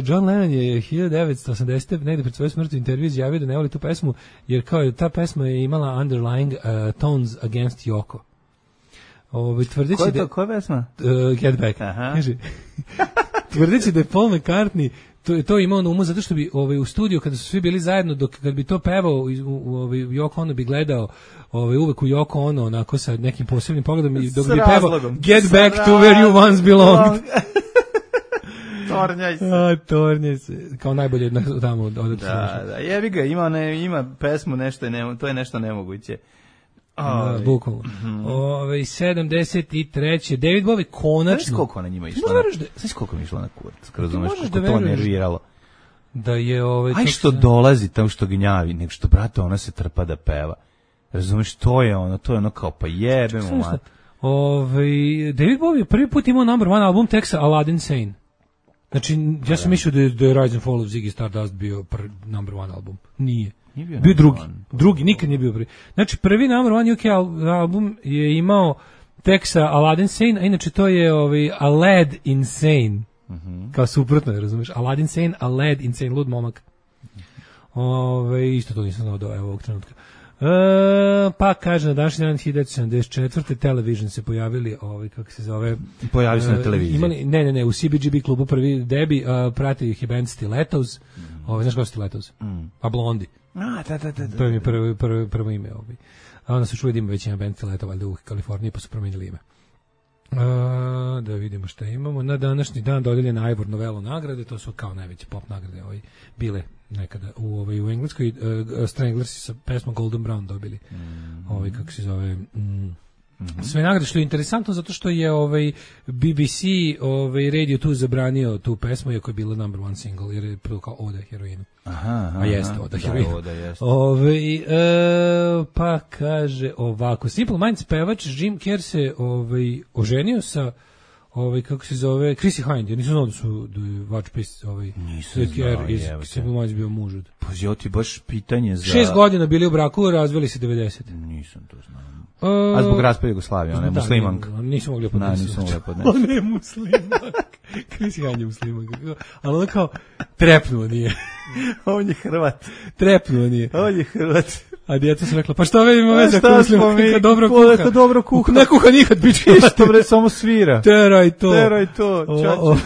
[SPEAKER 6] John Lennon je 1980. negde pred svoju smrti u intervju izjavio da ne voli tu pesmu, jer kao je ta pesma je imala underlying tones against Yoko.
[SPEAKER 5] Koja pesma?
[SPEAKER 6] Get Back. Tvrdeći da je Paul McCartney to imao na umu zato što bi u studiju kada su svi bili zajedno, kad bi to pevao Yoko Ono bi gledao uvek u Yoko Ono onako sa nekim posebnim pogledom i dok bi pevao Get Back to Where You Once Belonged. Tornjaj se. Kao najbolje tamo od
[SPEAKER 5] Da, jebi ga, ima pesmu nešto, to je nešto nemoguće.
[SPEAKER 6] Bukvalno. 73. David Bowie konačno.
[SPEAKER 5] Znaš koliko ona njima išla? Znaš koliko mi išla na kurac? Razumeš kako to nerviralo?
[SPEAKER 6] Da je
[SPEAKER 5] aj što dolazi tamo što gnjavi, nego što brate ona se trpa da peva. Razumeš, to je ono kao pa jebemo mat.
[SPEAKER 6] David Bowie prvi put imao number one album teksta Aladdin Sane. Znači, ja sam mislio da je Rise and Fall of Ziggy Stardust bio number one album. Nije. Bio drugi, nikad nije bio prvi. Znači, prvi number one UK album je imao teksta Aladdin Sane, a inače to je Aladdin Insane. Kao suprotno, razumiješ? Aladdin Sane, Aladdin Insane, lud momak. Isto to nisam znao do ovog trenutka. Pa kaže na današnji dan 1974. Television se pojavili, kako se zove,
[SPEAKER 5] pojavili se na televiziji.
[SPEAKER 6] Ne, u CBGB klubu prvi debi, pratio ih je band Stilettos. Znaš kao Stilettos? A Blondi.
[SPEAKER 5] Da.
[SPEAKER 6] To je mi prvo ime. A onda su čuli da ima već jedan band Stiletto, valjda u Kaliforniji, pa su promenili ime. Da vidimo šta imamo. Na današnji dan dodeljena Ivor Novello nagrade, to su kao najveće pop nagrade bile nekada u Engleskoj. Stranglersi sa pesmom Golden Brown dobili kako se zove sve nagrade, što je interesantno zato što je BBC Radio 2 zabranio tu pesmu iako je bila number one single jer je kao Oda heroinu. A jeste Oda heroinu. Pa kaže ovako, Simple Minds pevač Jim Kerr se oženio sa kako se zove Chrissy Hind. Ja nisam znao da su Watch Kerr iz Simple Minds bio muž.
[SPEAKER 5] Pa ja ti baš pitanje za
[SPEAKER 6] 6 godina bili u braku, razveli se 90.
[SPEAKER 5] Nisam to znao. A zbog raspada Jugoslavije, ona je muslimanka.
[SPEAKER 6] Nisam mogla podnesti. Ona je muslimanka. Chrissy Hind je muslimanka. Ali ona kao trepnuo nije.
[SPEAKER 5] On je Hrvat.
[SPEAKER 6] Trepnuo nije.
[SPEAKER 5] On je Hrvat.
[SPEAKER 6] A djeca su rekla, pa šta ve ima veze ako muslimanka dobro kuha. Ne kuha nikad, bička.
[SPEAKER 5] Što bre, samo svira.
[SPEAKER 6] Teraj to.
[SPEAKER 5] Čači.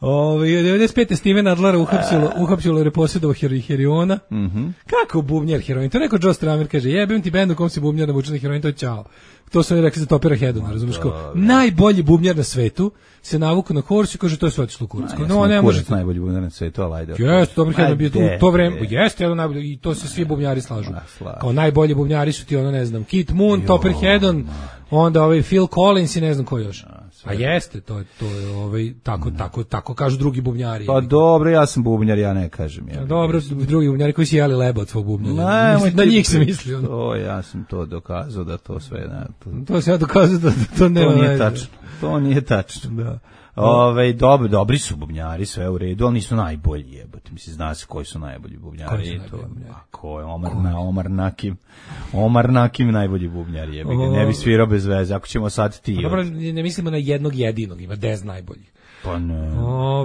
[SPEAKER 6] 95. Steven Adler uhapsilo jer je posjedovao heroina. Kako bubnjar heroin? To je rekao Joe Stramer, kaže, jebim ti bend u kom se bubnjar navuče na heroin, to je ćao. To su oni rekli za Topera Hedona, razumiješ ko? Najbolji bubnjar na svetu se navuku na korsu i kaže, to je sve otišlo u kurac.
[SPEAKER 5] No, ne može. Najbolji bubnjar na svetu, ali ajde.
[SPEAKER 6] Jeste, Toper Hedon bio u to vreme. Jeste, jedan najbolji, i to se svi bubnjari slažu. Kao najbolji bubnjari su ti, ne znam, Keith Moon, Topper Hedon, onda Phil Collins i ne znam ko još. A jeste, to je tako kažu drugi bubnjari.
[SPEAKER 5] Pa dobro, ja sam bubnjar, ja ne kažem.
[SPEAKER 6] Dobro, drugi bubnjari koji si jeli leba od svog bubnjara. Na njih se mislio.
[SPEAKER 5] Ja sam to dokazao da to sve...
[SPEAKER 6] To se ja dokazao da to nema
[SPEAKER 5] veze. To nije tačno. Da. Dobri su bubnjari, sve u redu, ali nisu najbolji, jebote. Mislim, zna se koji su najbolji bubnjari. Ko je Omar Nakim najbolji bubnjari, jebote. Ne bi svirao bez veze, ako ćemo sad ti.
[SPEAKER 6] Dobro, ne mislimo na jednog jedinog, ima 10 najboljih.
[SPEAKER 5] Pa ne.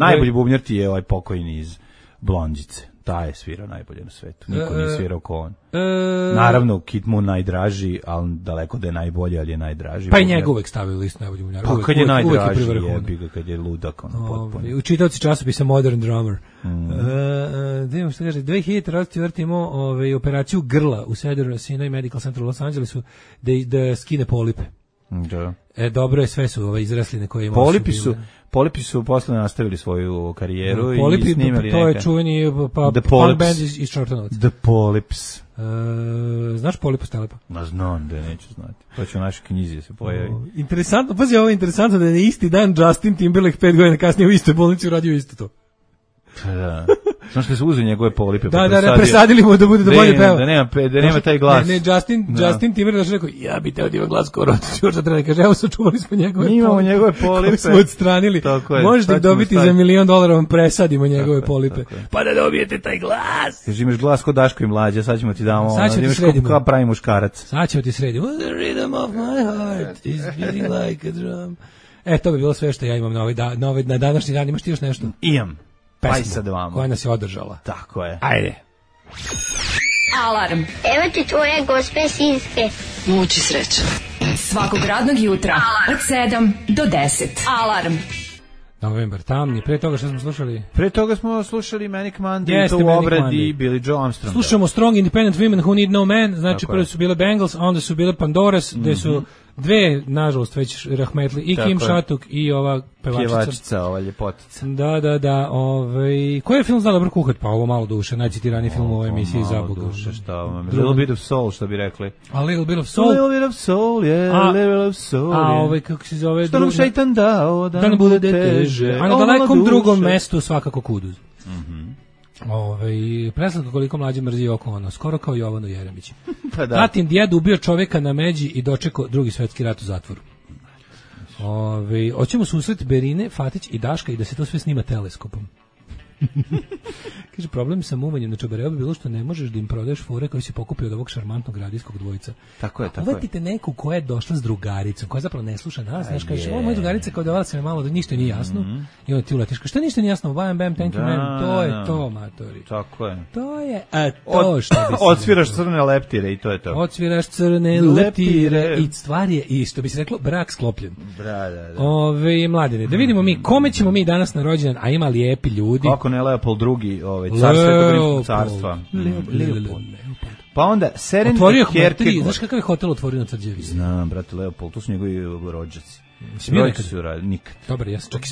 [SPEAKER 5] Najbolji bubnjar ti je pokojni iz Blondjice. Taj je svirao najbolje na svetu. Niko nije svirao ko on. Naravno, Keith Moon najdraži, ali daleko da je najbolji, ali je najdraži.
[SPEAKER 6] Pa i njega uvek stavili listu najboljih bubnjara.
[SPEAKER 5] Pa kad je najdraži, jebi ga, kad je ludak, potpuno.
[SPEAKER 6] U čitaoci časopisa Modern Drummer. Da imamo što kaže, 2004. imao operaciju grla u Cedar Sinai Medical Center u Los Angelesu da skine polipe.
[SPEAKER 5] Da.
[SPEAKER 6] Dobro je, sve su izrasline koje imao.
[SPEAKER 5] Polipi su posle nastavili svoju karijeru
[SPEAKER 6] i
[SPEAKER 5] snimali
[SPEAKER 6] to je čuveni punk band iz Čortanovaca.
[SPEAKER 5] The Polyps.
[SPEAKER 6] Znaš Polipa Stelepa?
[SPEAKER 5] Znam da neću znati. To će u našoj knjizi se pojavi.
[SPEAKER 6] Interesantno, pazi, ovo je interesantno da je isti dan Justin Timberlake 5 godina kasnije u istoj bolnici uradio isto to.
[SPEAKER 5] Da. Znaš da su uzeli njegove polipe.
[SPEAKER 6] Da, presadili mu da bude da bolje peva.
[SPEAKER 5] Da nema taj glas.
[SPEAKER 6] Ne, Justin Timberlake rekao, ja bi teo da ima glas kao Rod Stewart, treba kaže, evo sačuvali smo njegove polipe.
[SPEAKER 5] Imamo njegove polipe.
[SPEAKER 6] Koje smo odstranili. Možete ih dobiti za $1 milion, vam presadimo njegove polipe. Pa da dobijete taj glas.
[SPEAKER 5] Kaže, imaš glas kod Daško i Mlađa, sad ćemo ti damo.
[SPEAKER 6] Sad ćemo ti sredimo.
[SPEAKER 5] Kao pravi muškarac.
[SPEAKER 6] Sad ćemo ti sredimo. The rhythm of my heart is beating like a drum. To bi bilo sve što ja imam na današnji dan. Imaš ti još nešto?
[SPEAKER 5] Imam.
[SPEAKER 6] Pesmu koja nas je održala.
[SPEAKER 5] Tako je.
[SPEAKER 6] Ajde.
[SPEAKER 3] Alarm.
[SPEAKER 8] Evo ti tvoje gospe sinske.
[SPEAKER 3] Muči sreća. Svakog radnog jutra od 7 do 10. Alarm.
[SPEAKER 6] Novembar tamni. Pre toga što smo slušali?
[SPEAKER 5] Pre toga smo slušali Manic Monday, to u obradi Billy Joe Armstrong.
[SPEAKER 6] Slušamo Strong Independent Women Who Need No Man. Znači prvo su bile Bangles, a onda su bile Pandoras, gde su Dve, nažalost, već rahmetli, i Kim Šatuk i ova
[SPEAKER 5] pevačica, ova ljepotica.
[SPEAKER 6] Da. Koji je film zna dobro kuhat? Pa ovo malo duše, najcitiraniji film u ovoj emisiji za Boga.
[SPEAKER 5] Malo duše, šta vam? Little bit of soul, što bi rekli.
[SPEAKER 6] A Little bit of soul?
[SPEAKER 5] Little bit of soul, yeah, little of soul.
[SPEAKER 6] A kako se zove?
[SPEAKER 5] Što nam šeitan dao, da nam bude teže.
[SPEAKER 6] A na dalekom drugom mestu svakako Kuduz. Preslika koliko mlađe mrzi oko ono, skoro kao Jovanu Jeremić. Pa da. Tatin djed ubio čoveka na međi i dočekao Drugi svjetski rat u zatvoru. Hoćemo susret Berine, Fatić i Daška i da se to sve snima teleskopom. Kaže, problem sa muvanjem na Čabareo bi bilo što ne možeš da im prodaješ fore koji se pokupi od ovog šarmantnog radijskog dvojca.
[SPEAKER 5] Tako je.
[SPEAKER 6] Uvatite neku koja je došla s drugaricom, koja zapravo ne sluša nas, znaš, kaže, ovo moja drugarica kao davala se me malo da ništa nije jasno, i onda ti uletiš, šta ništa nije jasno, bam, thank you man, to je to, matori.
[SPEAKER 5] Tako je.
[SPEAKER 6] To je, to što bi se...
[SPEAKER 5] Odsviraš crne leptire i to je to.
[SPEAKER 6] Odsviraš crne leptire i stvar je, i što bi se reklo, brak sklopljen.
[SPEAKER 5] Da.
[SPEAKER 6] Mladine, da vidimo mi, kome ćemo mi danas na rođendan, a ima lijepi ljudi.
[SPEAKER 5] Kako ne Leopold II, car Svetog rimskog carstva.
[SPEAKER 6] Leopold.
[SPEAKER 5] Pa onda Serenity Kierkegaard.
[SPEAKER 6] Znaš kakav je hotel otvorio na Tvrđevi?
[SPEAKER 5] Znam, brate, Leopold, tu su njegovi rođaci.
[SPEAKER 6] Rođaci
[SPEAKER 5] su radili, nikad.
[SPEAKER 6] Dobar, ja sam čak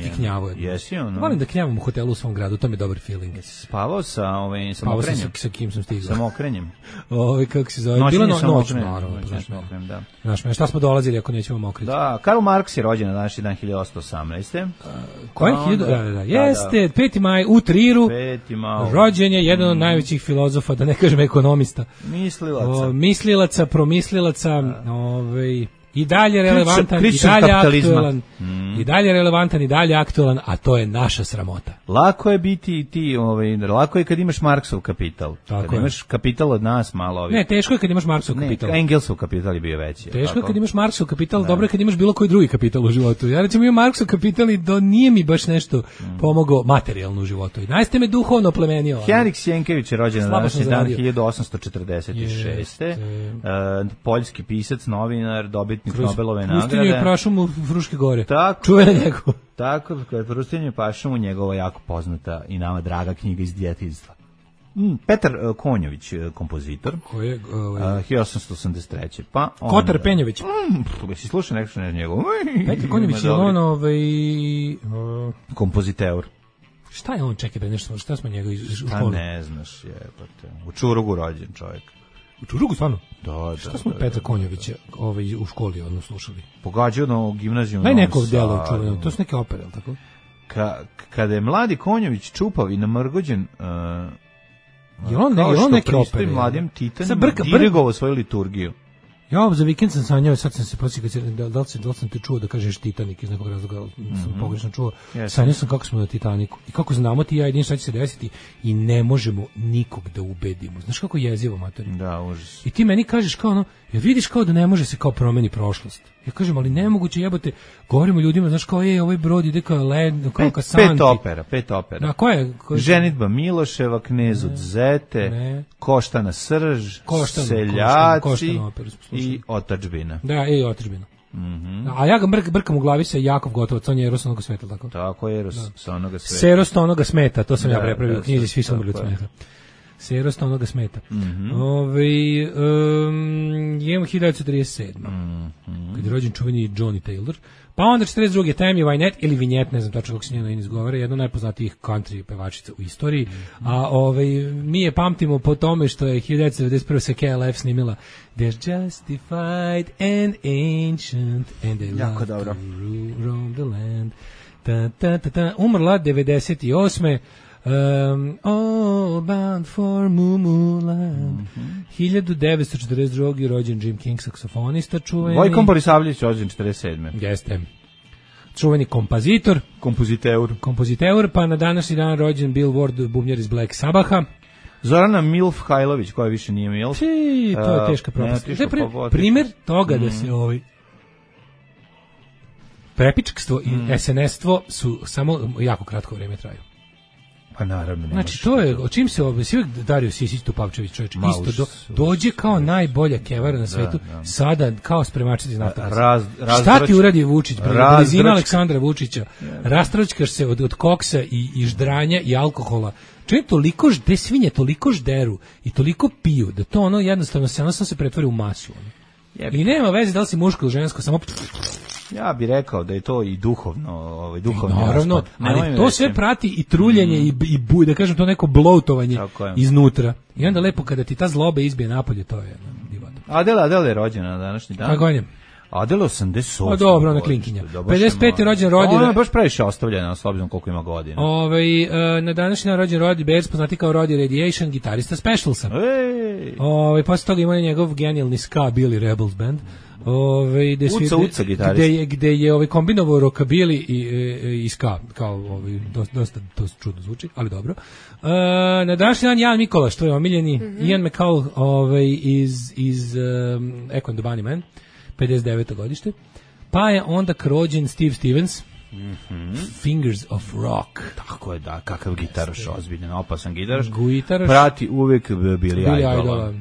[SPEAKER 6] i knjavao.
[SPEAKER 5] Jesi ono?
[SPEAKER 6] Volim da knjavam u hotelu u svom gradu, to mi je dobar feeling.
[SPEAKER 5] Spavao sa Mokrenjem?
[SPEAKER 6] Sa kim sam stigao?
[SPEAKER 5] Sa Mokrenjem.
[SPEAKER 6] Kako se zove?
[SPEAKER 5] Noćenje
[SPEAKER 6] sa
[SPEAKER 5] Mokrenjem.
[SPEAKER 6] Naravno,
[SPEAKER 5] da.
[SPEAKER 6] Znaš me, šta smo dolazili ako nećemo mokriti?
[SPEAKER 5] Da, Karl Marx je rođen na današnji dan 1818.
[SPEAKER 6] Koji? Da. Jeste, 5. maj u Triru.
[SPEAKER 5] 5. maj.
[SPEAKER 6] Rođen je jedan od najvećih filozofa, da ne kažem ekonomista. Mislilaca, promislilaca, i dalje relevantan, i dalje relevantan, i dalje aktualan, a to je naša sramota.
[SPEAKER 5] Lako je biti lako je kad imaš Marksov kapital. Kad imaš kapital od nas malo.
[SPEAKER 6] Ne, teško je kad imaš Marksov kapital.
[SPEAKER 5] Engelsov kapital je bio veći.
[SPEAKER 6] Teško je kad imaš Marksov kapital, dobro je kad imaš bilo koji drugi kapital u životu. Ja recimo imam Marksov kapital i nije mi baš nešto pomogao materijalno u životu. I najste me duhovno plemenio.
[SPEAKER 5] Henrik Sienkiewicz je rođen na današnji dan 1846. Poljski pisac, novinar, dobitnik Nobelove nagrade.
[SPEAKER 6] Pustinju i prašumu Fruške gore. Čuvena njegova.
[SPEAKER 5] Tako, kad Pustinju i prašumu njegova jako poznata i nama draga knjiga iz djetinjstva. Petar Konjović, kompozitor.
[SPEAKER 6] Ko je?
[SPEAKER 5] 1883. Pa
[SPEAKER 6] Kotar Penjović.
[SPEAKER 5] Si slušao nešto na njegov?
[SPEAKER 6] Petar Konjović je on
[SPEAKER 5] kompoziteur.
[SPEAKER 6] Šta je on, čekaj bre, nešto, šta smo njega u školu?
[SPEAKER 5] Šta ne znaš, jebote. U Čurugu rođen čovjek.
[SPEAKER 6] U Čurugu stvarno?
[SPEAKER 5] Da.
[SPEAKER 6] Šta smo Petra Konjovića u školi slušali?
[SPEAKER 5] Pogađao na gimnaziju.
[SPEAKER 6] Daj nekog dela čuveno, to su neke opere, ali tako?
[SPEAKER 5] Kada je mladi Konjović čupav i namrgođen,
[SPEAKER 6] je on neke opere?
[SPEAKER 5] Mladim Titanima dirigovao svoju liturgiju.
[SPEAKER 6] Ja za vikend sam sanjao, sad sam se podsjetio, da li sam te čuo da kažeš Titanik iz nekog razloga, sam pogrešno čuo. Sanjao sam kako smo na Titaniku i kako znamo ti ja jedin šta će se desiti i ne možemo nikog da ubedimo. Znaš kako je jezivo, matori?
[SPEAKER 5] Da, užas.
[SPEAKER 6] I ti meni kažeš kao ono, jer vidiš kao da ne može se kao promeni prošlost. Ja kažem, ali nemoguće, jebote, govorimo ljudima, znaš kao, ovaj brod ide kao led, kao Kasanti.
[SPEAKER 5] Pet opera.
[SPEAKER 6] Da, ko je?
[SPEAKER 5] Ženitba Miloševa, Knez od Zete, Koštana srž, Seljaci i Otadžbina.
[SPEAKER 6] Da, i Otadžbina. A ja ga brkam u glavi sa Jakov Gotovac, on je Eros onoga smeta, tako?
[SPEAKER 5] Tako je, Eros sa onoga smeta.
[SPEAKER 6] Seros onoga smeta, to sam ja prepravio u knjizi, svi su umrli od smeta. Serost onoga smeta. Imamo 1937. Kad je rođen čuveni Johnny Taylor. Pa onda 42. Tammy Wynette ili Vinjet, ne znam tačno kako se njeno ime izgovara, jedna od najpoznatijih country pevačica u istoriji. A mi je pamtimo po tome što je 1991. se KLF snimila They're justified and ancient and they love to roam the land. Umrla 98. All bound for Mumuland. 1942. rođen Jim King, saksofonista čuveni.
[SPEAKER 5] Vojko Borisavljević rođen 47.
[SPEAKER 6] Jeste. Čuveni kompoziteur, pa na današnji dan rođen Bill Ward, bubnjar iz Black Sabaha.
[SPEAKER 5] Zorana Milf Hajlović, koja više nije Milf.
[SPEAKER 6] To je teška propast. To je primjer toga da se prepičkstvo i SNS-stvo su samo jako kratko vrijeme traju.
[SPEAKER 5] Pa naravno.
[SPEAKER 6] Znači, to je, o čim se svi Dario Sisić Tupavčević, čovječ, isto dođe kao najbolja kevara na svetu, sada kao spremačica iz naftnog. Šta ti uradi Vučić? Blizina Aleksandra Vučića, rastračkaš se od koksa i ždranja i alkohola. Čovjek toliko te svinje toliko žderu i toliko piju, da to jednostavno se pretvori u masu. I nema veze da li si muško ili žensko, samo...
[SPEAKER 5] Ja bih rekao da je to i duhovno, duhovni
[SPEAKER 6] naravno,
[SPEAKER 5] raspad.
[SPEAKER 6] ali to sve prati i truljenje i da kažem to neko bloatovanje iznutra. I onda lepo kada ti ta zloba izbije napolje, to je divota.
[SPEAKER 5] Adela je rođena na današnji dan.
[SPEAKER 6] Kako je?
[SPEAKER 5] Adela 88.
[SPEAKER 6] Dobro, ona klinkinja. 55. rođen Rodi.
[SPEAKER 5] Ona je baš previše ostavljena, s obzirom koliko ima godina.
[SPEAKER 6] Na današnji dan rođen Rodi Bears, poznati kao Rodi Radiation, gitarista Specialsa. Posle toga ima njegov genijalni ska Billy Rebels band.
[SPEAKER 5] Uca gitarista.
[SPEAKER 6] Gde je kombinovao rockabilly i ska, kao dosta to čudno zvuči, ali dobro. Na današnji dan Jan Mikolaš, to je omiljeni, Ian McCall iz Echo and the Bunnymen, 59. godište. Pa je onda rođen Steve Stevens, Fingers of Rock.
[SPEAKER 5] Tako je, da, kakav gitaraš, ozbiljan, opasan gitaraš. Prati uvek Billy Idola.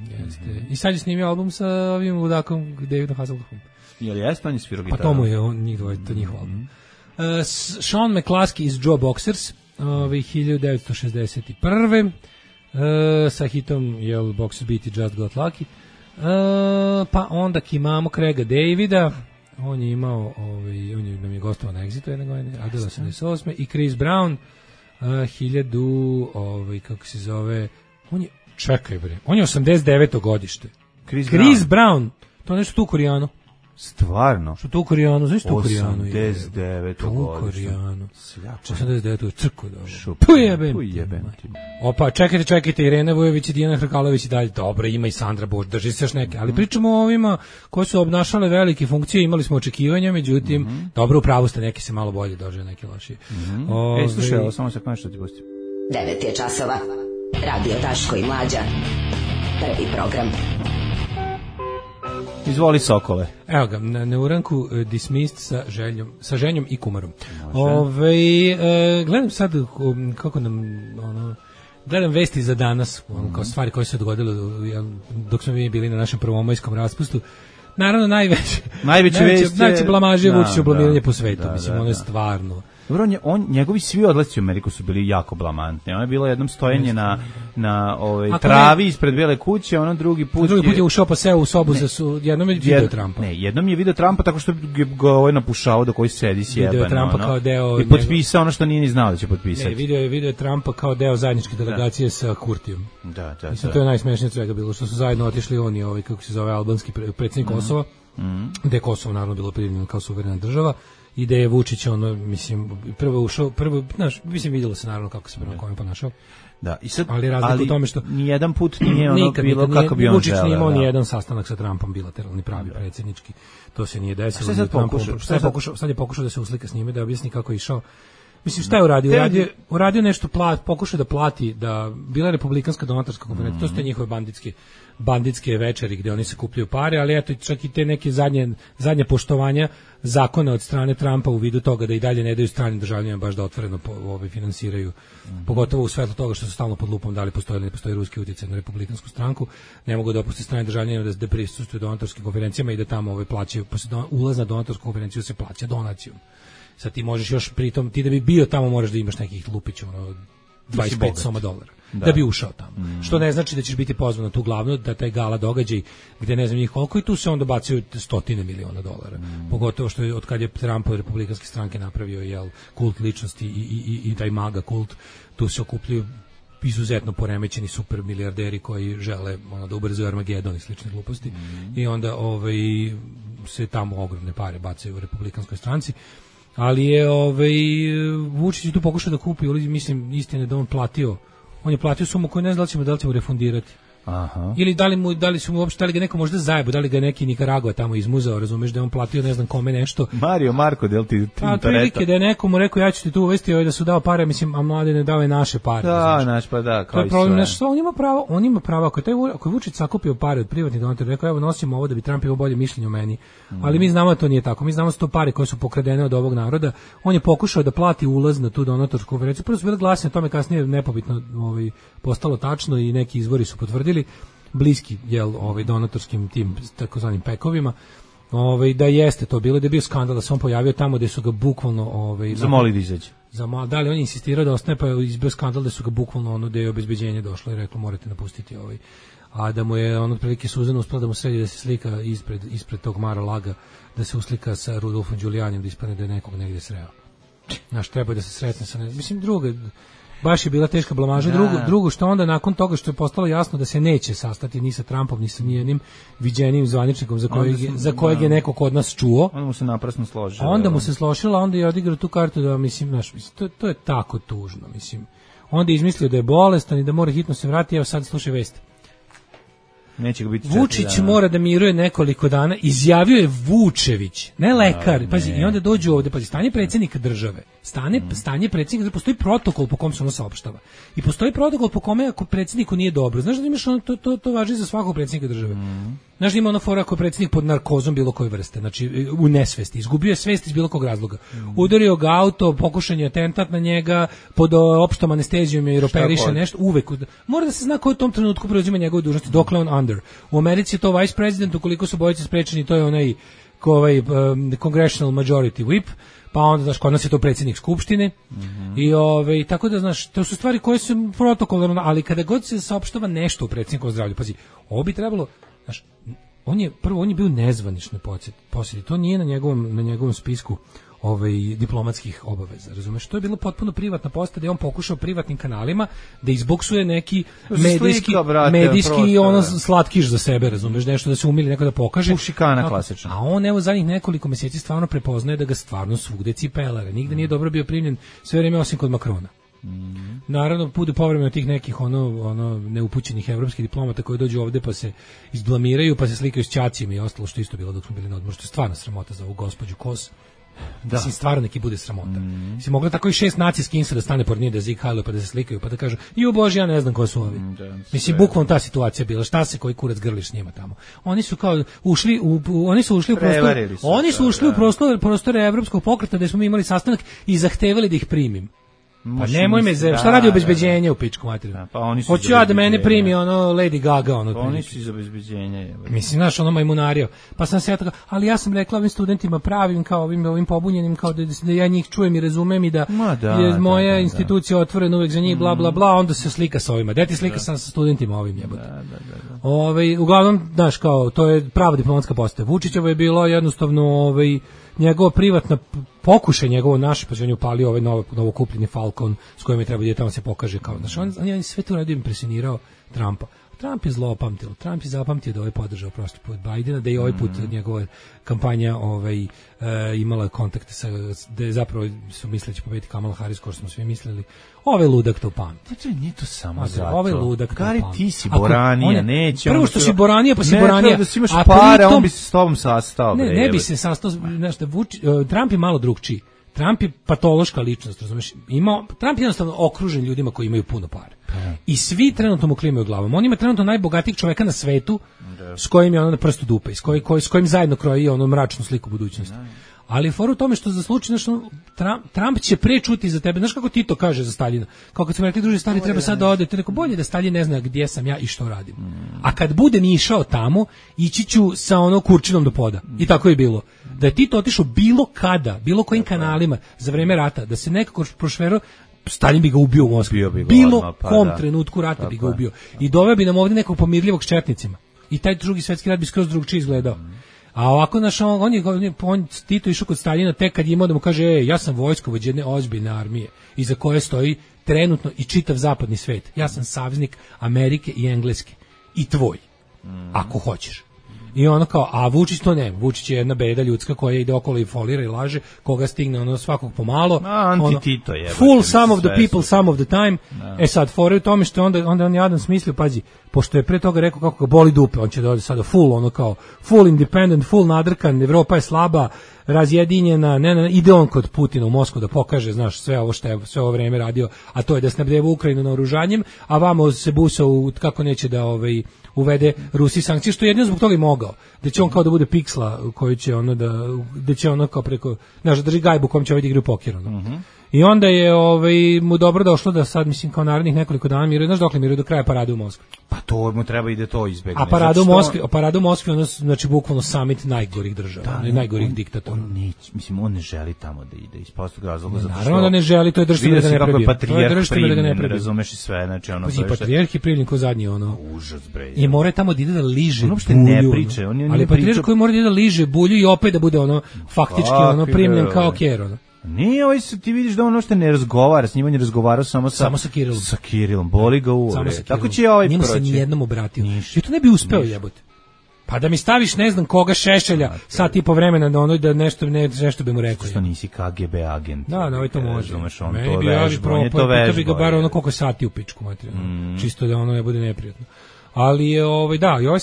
[SPEAKER 6] I sad je snimio album sa ovim ludakom Davidom Hasselhoffom.
[SPEAKER 5] Jel jeste on je svirao gitaru?
[SPEAKER 6] Pa to mu je to njihov album. Sean McCluskey iz Joe Boxers, 1961. Sa hitom Boxers Beat i Just Got Lucky. Pa onda imamo Craiga Davida, on je imao nam je gostovao na Exitu jedne godine, Adela 88. I Chris Brown 1000 kako se zove, on je 89. godište. Chris Brown, to nešto tu Korijano.
[SPEAKER 5] Stvarno?
[SPEAKER 6] Što tu Korijano, znaš tu Korijano?
[SPEAKER 5] 89. godište.
[SPEAKER 6] 89. crku dobro. Pujebem. Opa, čekajte, Irena Vujović i Dijana Hrkalović i dalje. Dobro, ima i Sandra Bož, drži se još neke. Ali pričamo o ovima koji su obnašale velike funkcije, imali smo očekivanja, međutim, dobro, u pravu ste, neki se malo bolje doživaju, neki lošije.
[SPEAKER 5] Slušaj, samo se što ti pustim.
[SPEAKER 9] 9 je časova. Radio Daško i Mlađa. Prvi program.
[SPEAKER 5] Izvoli Sokole.
[SPEAKER 6] Evo ga, na neuranku dismissed sa ženjom i kumarom. Gledam sad kako nam gledam vesti za danas, kao stvari koje se dogodile dok smo mi bili na našem prvomajskom raspustu. Naravno, najveće blamaže Vučićevo blamiranje po svetu. Mislim, ono je stvarno.
[SPEAKER 5] Dobro, njegovi svi odlasci u Ameriku su bili jako blamantni. Ono je bilo jednom stojenje na travi ispred Bele kuće, ono drugi put
[SPEAKER 6] je ušao pa seo u sobu jednom je video Trumpa.
[SPEAKER 5] Ne, jednom je video Trumpa tako što ga napušao da koji sedi sjeban.
[SPEAKER 6] Video Trumpa kao deo
[SPEAKER 5] i potpisao ono što nije ni znao da će potpisati.
[SPEAKER 6] Ne, video Trumpa kao deo zajedničke delegacije sa Kurtijom.
[SPEAKER 5] Da.
[SPEAKER 6] Mislim, to je najsmešnije svega bilo, što su zajedno otišli oni, kako se zove, albanski predsjednik Kosova, gde je Kosovo naravno bilo primljeno kao suverena država. I da je Vučić, mislim, vidjelo se naravno kako se prema kome ponašao.
[SPEAKER 5] Da, i sad,
[SPEAKER 6] ali razlika u tome što
[SPEAKER 5] nijedan put nije bilo kako bi on
[SPEAKER 6] Vučić
[SPEAKER 5] želeo.
[SPEAKER 6] Vučić nije imao ni jedan sastanak sa Trumpom bilateralni, pravi, predsjednički. To se nije desilo. Sad je pokušao da se uslika s njime, da objasni kako je išao. Mislim, šta je uradio? Uradio nešto, pokušao da plati, da bila republikanska donatorska konferencija, to su te njihove banditske večeri gdje oni se kupljaju pare, ali eto, čak i te neke zadnje poštovanja zakona od strane Trumpa u vidu toga da i dalje ne daju stranim državljanima baš da otvoreno finansiraju, pogotovo u svetlu toga što su stalno pod lupom da li postoji ili ne postoji ruski utjecaj na republikansku stranku, ne mogu da opuste strane državljanima da prisustvuju donatorskim konferencijama i da tamo plaćaju, ulaz na donatorsku konferenciju se plaća donacijom. Sad ti možeš još pritom, ti da bi bio tamo moraš da imaš nekih lupića, $25 soma da bi ušao tamo. Što ne znači da ćeš biti pozvan na tu glavnu, da taj gala događaj gdje ne znam njih koliko i tu se onda bacaju $100 miliona. Pogotovo što je od kad je Trump od republikanske stranke napravio kult ličnosti i taj maga kult, tu se okupljaju izuzetno poremećeni super milijarderi koji žele da ubrzaju Armagedon i slične gluposti i onda se tamo ogromne pare bacaju u republikanskoj stranci. Ali je Vučić tu pokušao da kupi, mislim, istine da on je platio sumu koju ne znam da li će mu refundirati.
[SPEAKER 5] Aha.
[SPEAKER 6] Ili da li su mu uopšte, da li ga neko možda zajebo, da li ga neki Nikaragua tamo izmuzao, razumeš, da je on platio ne znam kome nešto.
[SPEAKER 5] Mario Marko, del ti
[SPEAKER 6] prilike da je nekomu rekao ja ću ti tu uvesti, da su dao pare, mislim, a Mladene dao je naše pare.
[SPEAKER 5] Da, naš pa da,
[SPEAKER 6] kao i sve. To je problem, on ima pravo, ako je Vučić sakupio pare od privatnih donatora, rekao evo nosimo ovo da bi Trump imao bolje mišljenje o meni, ali mi znamo da to nije tako, mi znamo da su to pare koje su pokradene od ovog naroda, on je pokušao da plati ulaz na tu donatorsku konferenciju, prvo su bile glasine o tome, kasnije nepobitno postalo tačno i neki izvori su potvrdili, bliski donatorskim tim takozvanim pekovima, da jeste to bilo, da je bio skandal da se on pojavio tamo gde su ga bukvalno
[SPEAKER 5] zamolili da izađe.
[SPEAKER 6] Da li on insistirao da ostane, pa je izbio skandal da su ga bukvalno ono da je obezbeđenje došlo i reklo morate napustiti a da mu je on otprilike Suzana uspela da mu sredi da se slika ispred tog Mar-a-Laga, da se uslika sa Rudolfom Giulianijem, da ispadne da je nekog negdje sreo. Znaš, treba da se sretne sa mislim druga, baš je bila teška blamaža. Drugo što onda nakon toga što je postalo jasno da se neće sastati ni sa Trumpom ni sa nijednim viđenim zvaničnikom za kojeg je neko kod nas čuo.
[SPEAKER 5] Onda mu se naprasno složilo.
[SPEAKER 6] Onda mu se složilo, onda je odigrao tu kartu da mislim, to je tako tužno, mislim. Onda je izmislio da je bolestan i da mora hitno se vratiti, evo sad slušaj vesti.
[SPEAKER 5] Neće ga biti
[SPEAKER 6] Vučić mora da miruje nekoliko dana, izjavio je Vučević, ne lekar. Pazi, i onda dođu ovde, pazi, stanje predsjednika države. Stanje predsjednika države, postoji protokol po kom se ono saopštava. I postoji protokol po kome ako predsjedniku nije dobro. Znaš da imaš ono, to važi za svakog predsjednika države. Znaš da ima ono fora ako je predsjednik pod narkozom bilo koje vrste, znači u nesvesti, izgubio je svest iz bilo kog razloga. Udario ga auto, pokušan je atentat na njega, pod opštom anestezijom jer operiše nešto, uvek. Mora da se zna ko je u tom trenutku preuzima njegove dužnosti, dokle on under. U Americi je to vice president, ukoliko su bojice sprečeni, to je onaj congressional majority whip, pa onda, znaš, kod nas je to predsjednik skupštine, i tako da, znaš, to su stvari koje su protokolarno, ali kada god se saopštava nešto u predsjednikovom zdravlju, pazi, ovo bi trebalo, znaš, on je bio nezvanični posjeti, to nije na njegovom spisku diplomatskih obaveza, razumeš? To je bilo potpuno privatna poseta, da je on pokušao privatnim kanalima da izboksuje neki medijski ono slatkiš za sebe, razumeš, nešto da se umili neko da pokaže.
[SPEAKER 5] Šikana klasično.
[SPEAKER 6] A on evo zadnjih nekoliko mjeseci stvarno prepoznaje da ga stvarno svugde cipelare. Nigde nije dobro bio primljen sve vrijeme osim kod Makrona. Naravno, bude povremeno tih nekih ono neupućenih evropskih diplomata koji dođu ovde pa se izblamiraju, pa se slikaju s ćacima i ostalo, što isto bilo dok smo bili na odmoru, što je stvarno sramota za ovu gospođu Kos. Da. Mislim, stvarno neki bude sramota. Si mogla tako i 6 nacijskih da stane pored nje, da zikaju, pa da se slikaju, pa da kažu, ju bože, ja ne znam ko su ovi. Mislim, bukvalno ta situacija bila, šta se koji kurac grliš s njima tamo. Oni su kao ušli u prostor Evropskog pokreta gde smo mi imali sastanak i zahtevali da ih primim. Pa nemoj me, šta radi obezbeđenje u pičku materiju? Hoću ja da mene primi ono Lady Gaga, ono.
[SPEAKER 5] Pa oni su iz obezbeđenja.
[SPEAKER 6] Mislim, znaš, ono majmunario. Pa sam se ja tako, ali ja sam rekla ovim studentima pravim, kao ovim pobunjenim, kao da ja njih čujem i razumem i da je moja institucija otvorena uvek za njih, bla, bla, bla, onda se slika sa ovima. Deti slika sa studentima ovim jebote. Uglavnom, znaš, kao, to je prava diplomatska poseta. Vučićevo je bilo jednostavno, njegova privatna pokušaj njegovo naše, pa on je upalio ovaj novo kupljeni Falcon s kojim je trebao da tamo se pokaže kao, znači on je sve to radio, impresionirao Trumpa. Trump je zlopamtio. Trump je zapamtio da ovaj podržao prošli put Bidena, da je ovaj put njegova kampanja imala kontakte sa, da je zapravo su misleći pobediti Kamala Harris, kao što smo svi mislili. Ovaj ludak to pamti.
[SPEAKER 5] To nije to samo zato.
[SPEAKER 6] Ovaj ludak to
[SPEAKER 5] pamti. Gari, ti si Boranija, neće.
[SPEAKER 6] Prvo što si Boranija, pa si Boranija.
[SPEAKER 5] Ne, da imaš pare, on bi se s tobom sastao.
[SPEAKER 6] Ne bi se sastao, znaš, Trump je malo drugčiji. Trump je patološka ličnost, razumiješ? Trump je jednostavno okružen ljudima koji imaju puno para. I svi trenutno mu klimaju glavom. On ima trenutno najbogatijeg čoveka na svetu s kojim je ono na prstu dupe, s kojim zajedno kroji ono mračnu sliku budućnosti. Ali for u tome što za slučaj, znaš, Trump će pre čuti za tebe. Znaš kako Tito kaže za Staljina? Kao kad smo rekli, druže, Stalin treba sad da ode. Te rekao, bolje da Stalin ne zna gdje sam ja i što radim. A kad budem išao tamo, ići ću sa ono kurčinom do poda. I tako je bilo. Da je Tito otišao bilo kada, bilo kojim kanalima za vreme rata, da se nekako prošverao, Stalin bi ga ubio u Moskvi. Bilo kom trenutku rata bi ga ubio. I doveo bi nam ovdje nekog pomirljivog s četnicima. I taj drugi svjetski rat bi skroz drugčije izgledao. A ovako, naš, on Tito išao kod Staljina tek kad je imao da mu kaže, ja sam vojskovođa jedne ozbiljne armije iza koje stoji trenutno i čitav zapadni svet. Ja sam saveznik Amerike i Engleske. I tvoj. Ako hoćeš. I ono kao, a Vučić to nema. Vučić je jedna beda ljudska koja ide okolo i folira i laže, koga stigne ono svakog pomalo.
[SPEAKER 5] Anti-Tito je.
[SPEAKER 6] Full some of the people, some of the time. Sad, fore u tome što onda on jadan smislio, pazi, pošto je pre toga rekao kako ga boli dupe, on će da ode sada full, ono kao, full independent, full nadrkan, Evropa je slaba, razjedinjena, ide on kod Putina u Moskvu da pokaže, znaš, sve ovo što je sve ovo vreme radio, a to je da snabdeva Ukrajinu naoružanjem, a vamo se busa kako neće da uvede Rusiji sankcije, što je jedino zbog toga i mogao. Da će on kao da bude piksla koji će ono da će ono kao preko, znaš, drži gajbu kom će ovaj da igra u poker, ono. I onda je mu dobro došlo da sad, mislim, kao narednih nekoliko dana miruje, znaš dokle miruje do kraja parade u Moskvi.
[SPEAKER 5] Pa to mu treba ide to izbegne.
[SPEAKER 6] A parada u Moskvi, ono, znači bukvalno summit najgorih država, najgorih diktatora.
[SPEAKER 5] On ne želi tamo da ide iz prostog razloga, zato što...
[SPEAKER 6] Naravno da ne želi, to je država da ga ne prebio.
[SPEAKER 5] To je država da ga ne prebio. Razumeš i sve, znači ono...
[SPEAKER 6] I patrijarh je primljen ko zadnji, ono...
[SPEAKER 5] Užas, bre.
[SPEAKER 6] I mora tamo da ide da liže bulju.
[SPEAKER 5] Uopšte ne priče.
[SPEAKER 6] Ali patrijarh koji mora da ide da liže bulju i opet da bude ono, faktički, ono, primljen kao kjer, ono.
[SPEAKER 5] Nije, ti vidiš da on uopšte ne razgovara, s njima je razgovarao samo sa
[SPEAKER 6] Kirilom.
[SPEAKER 5] Sa Kirilom, boli ga u ure. Tako će proći.
[SPEAKER 6] Njemu se nijednom obratio. I to ne bi uspeo jebote. Pa da mi staviš ne znam koga Šešelja, sad i po vremena da ono da nešto bi mu rekao.
[SPEAKER 5] Što nisi KGB agent.
[SPEAKER 6] Da, no, to može.
[SPEAKER 5] Meni bi ja
[SPEAKER 6] bi ga bar ono koliko sati u pičku materijalno. Čisto da ono ne bude neprijatno. Ali je da, i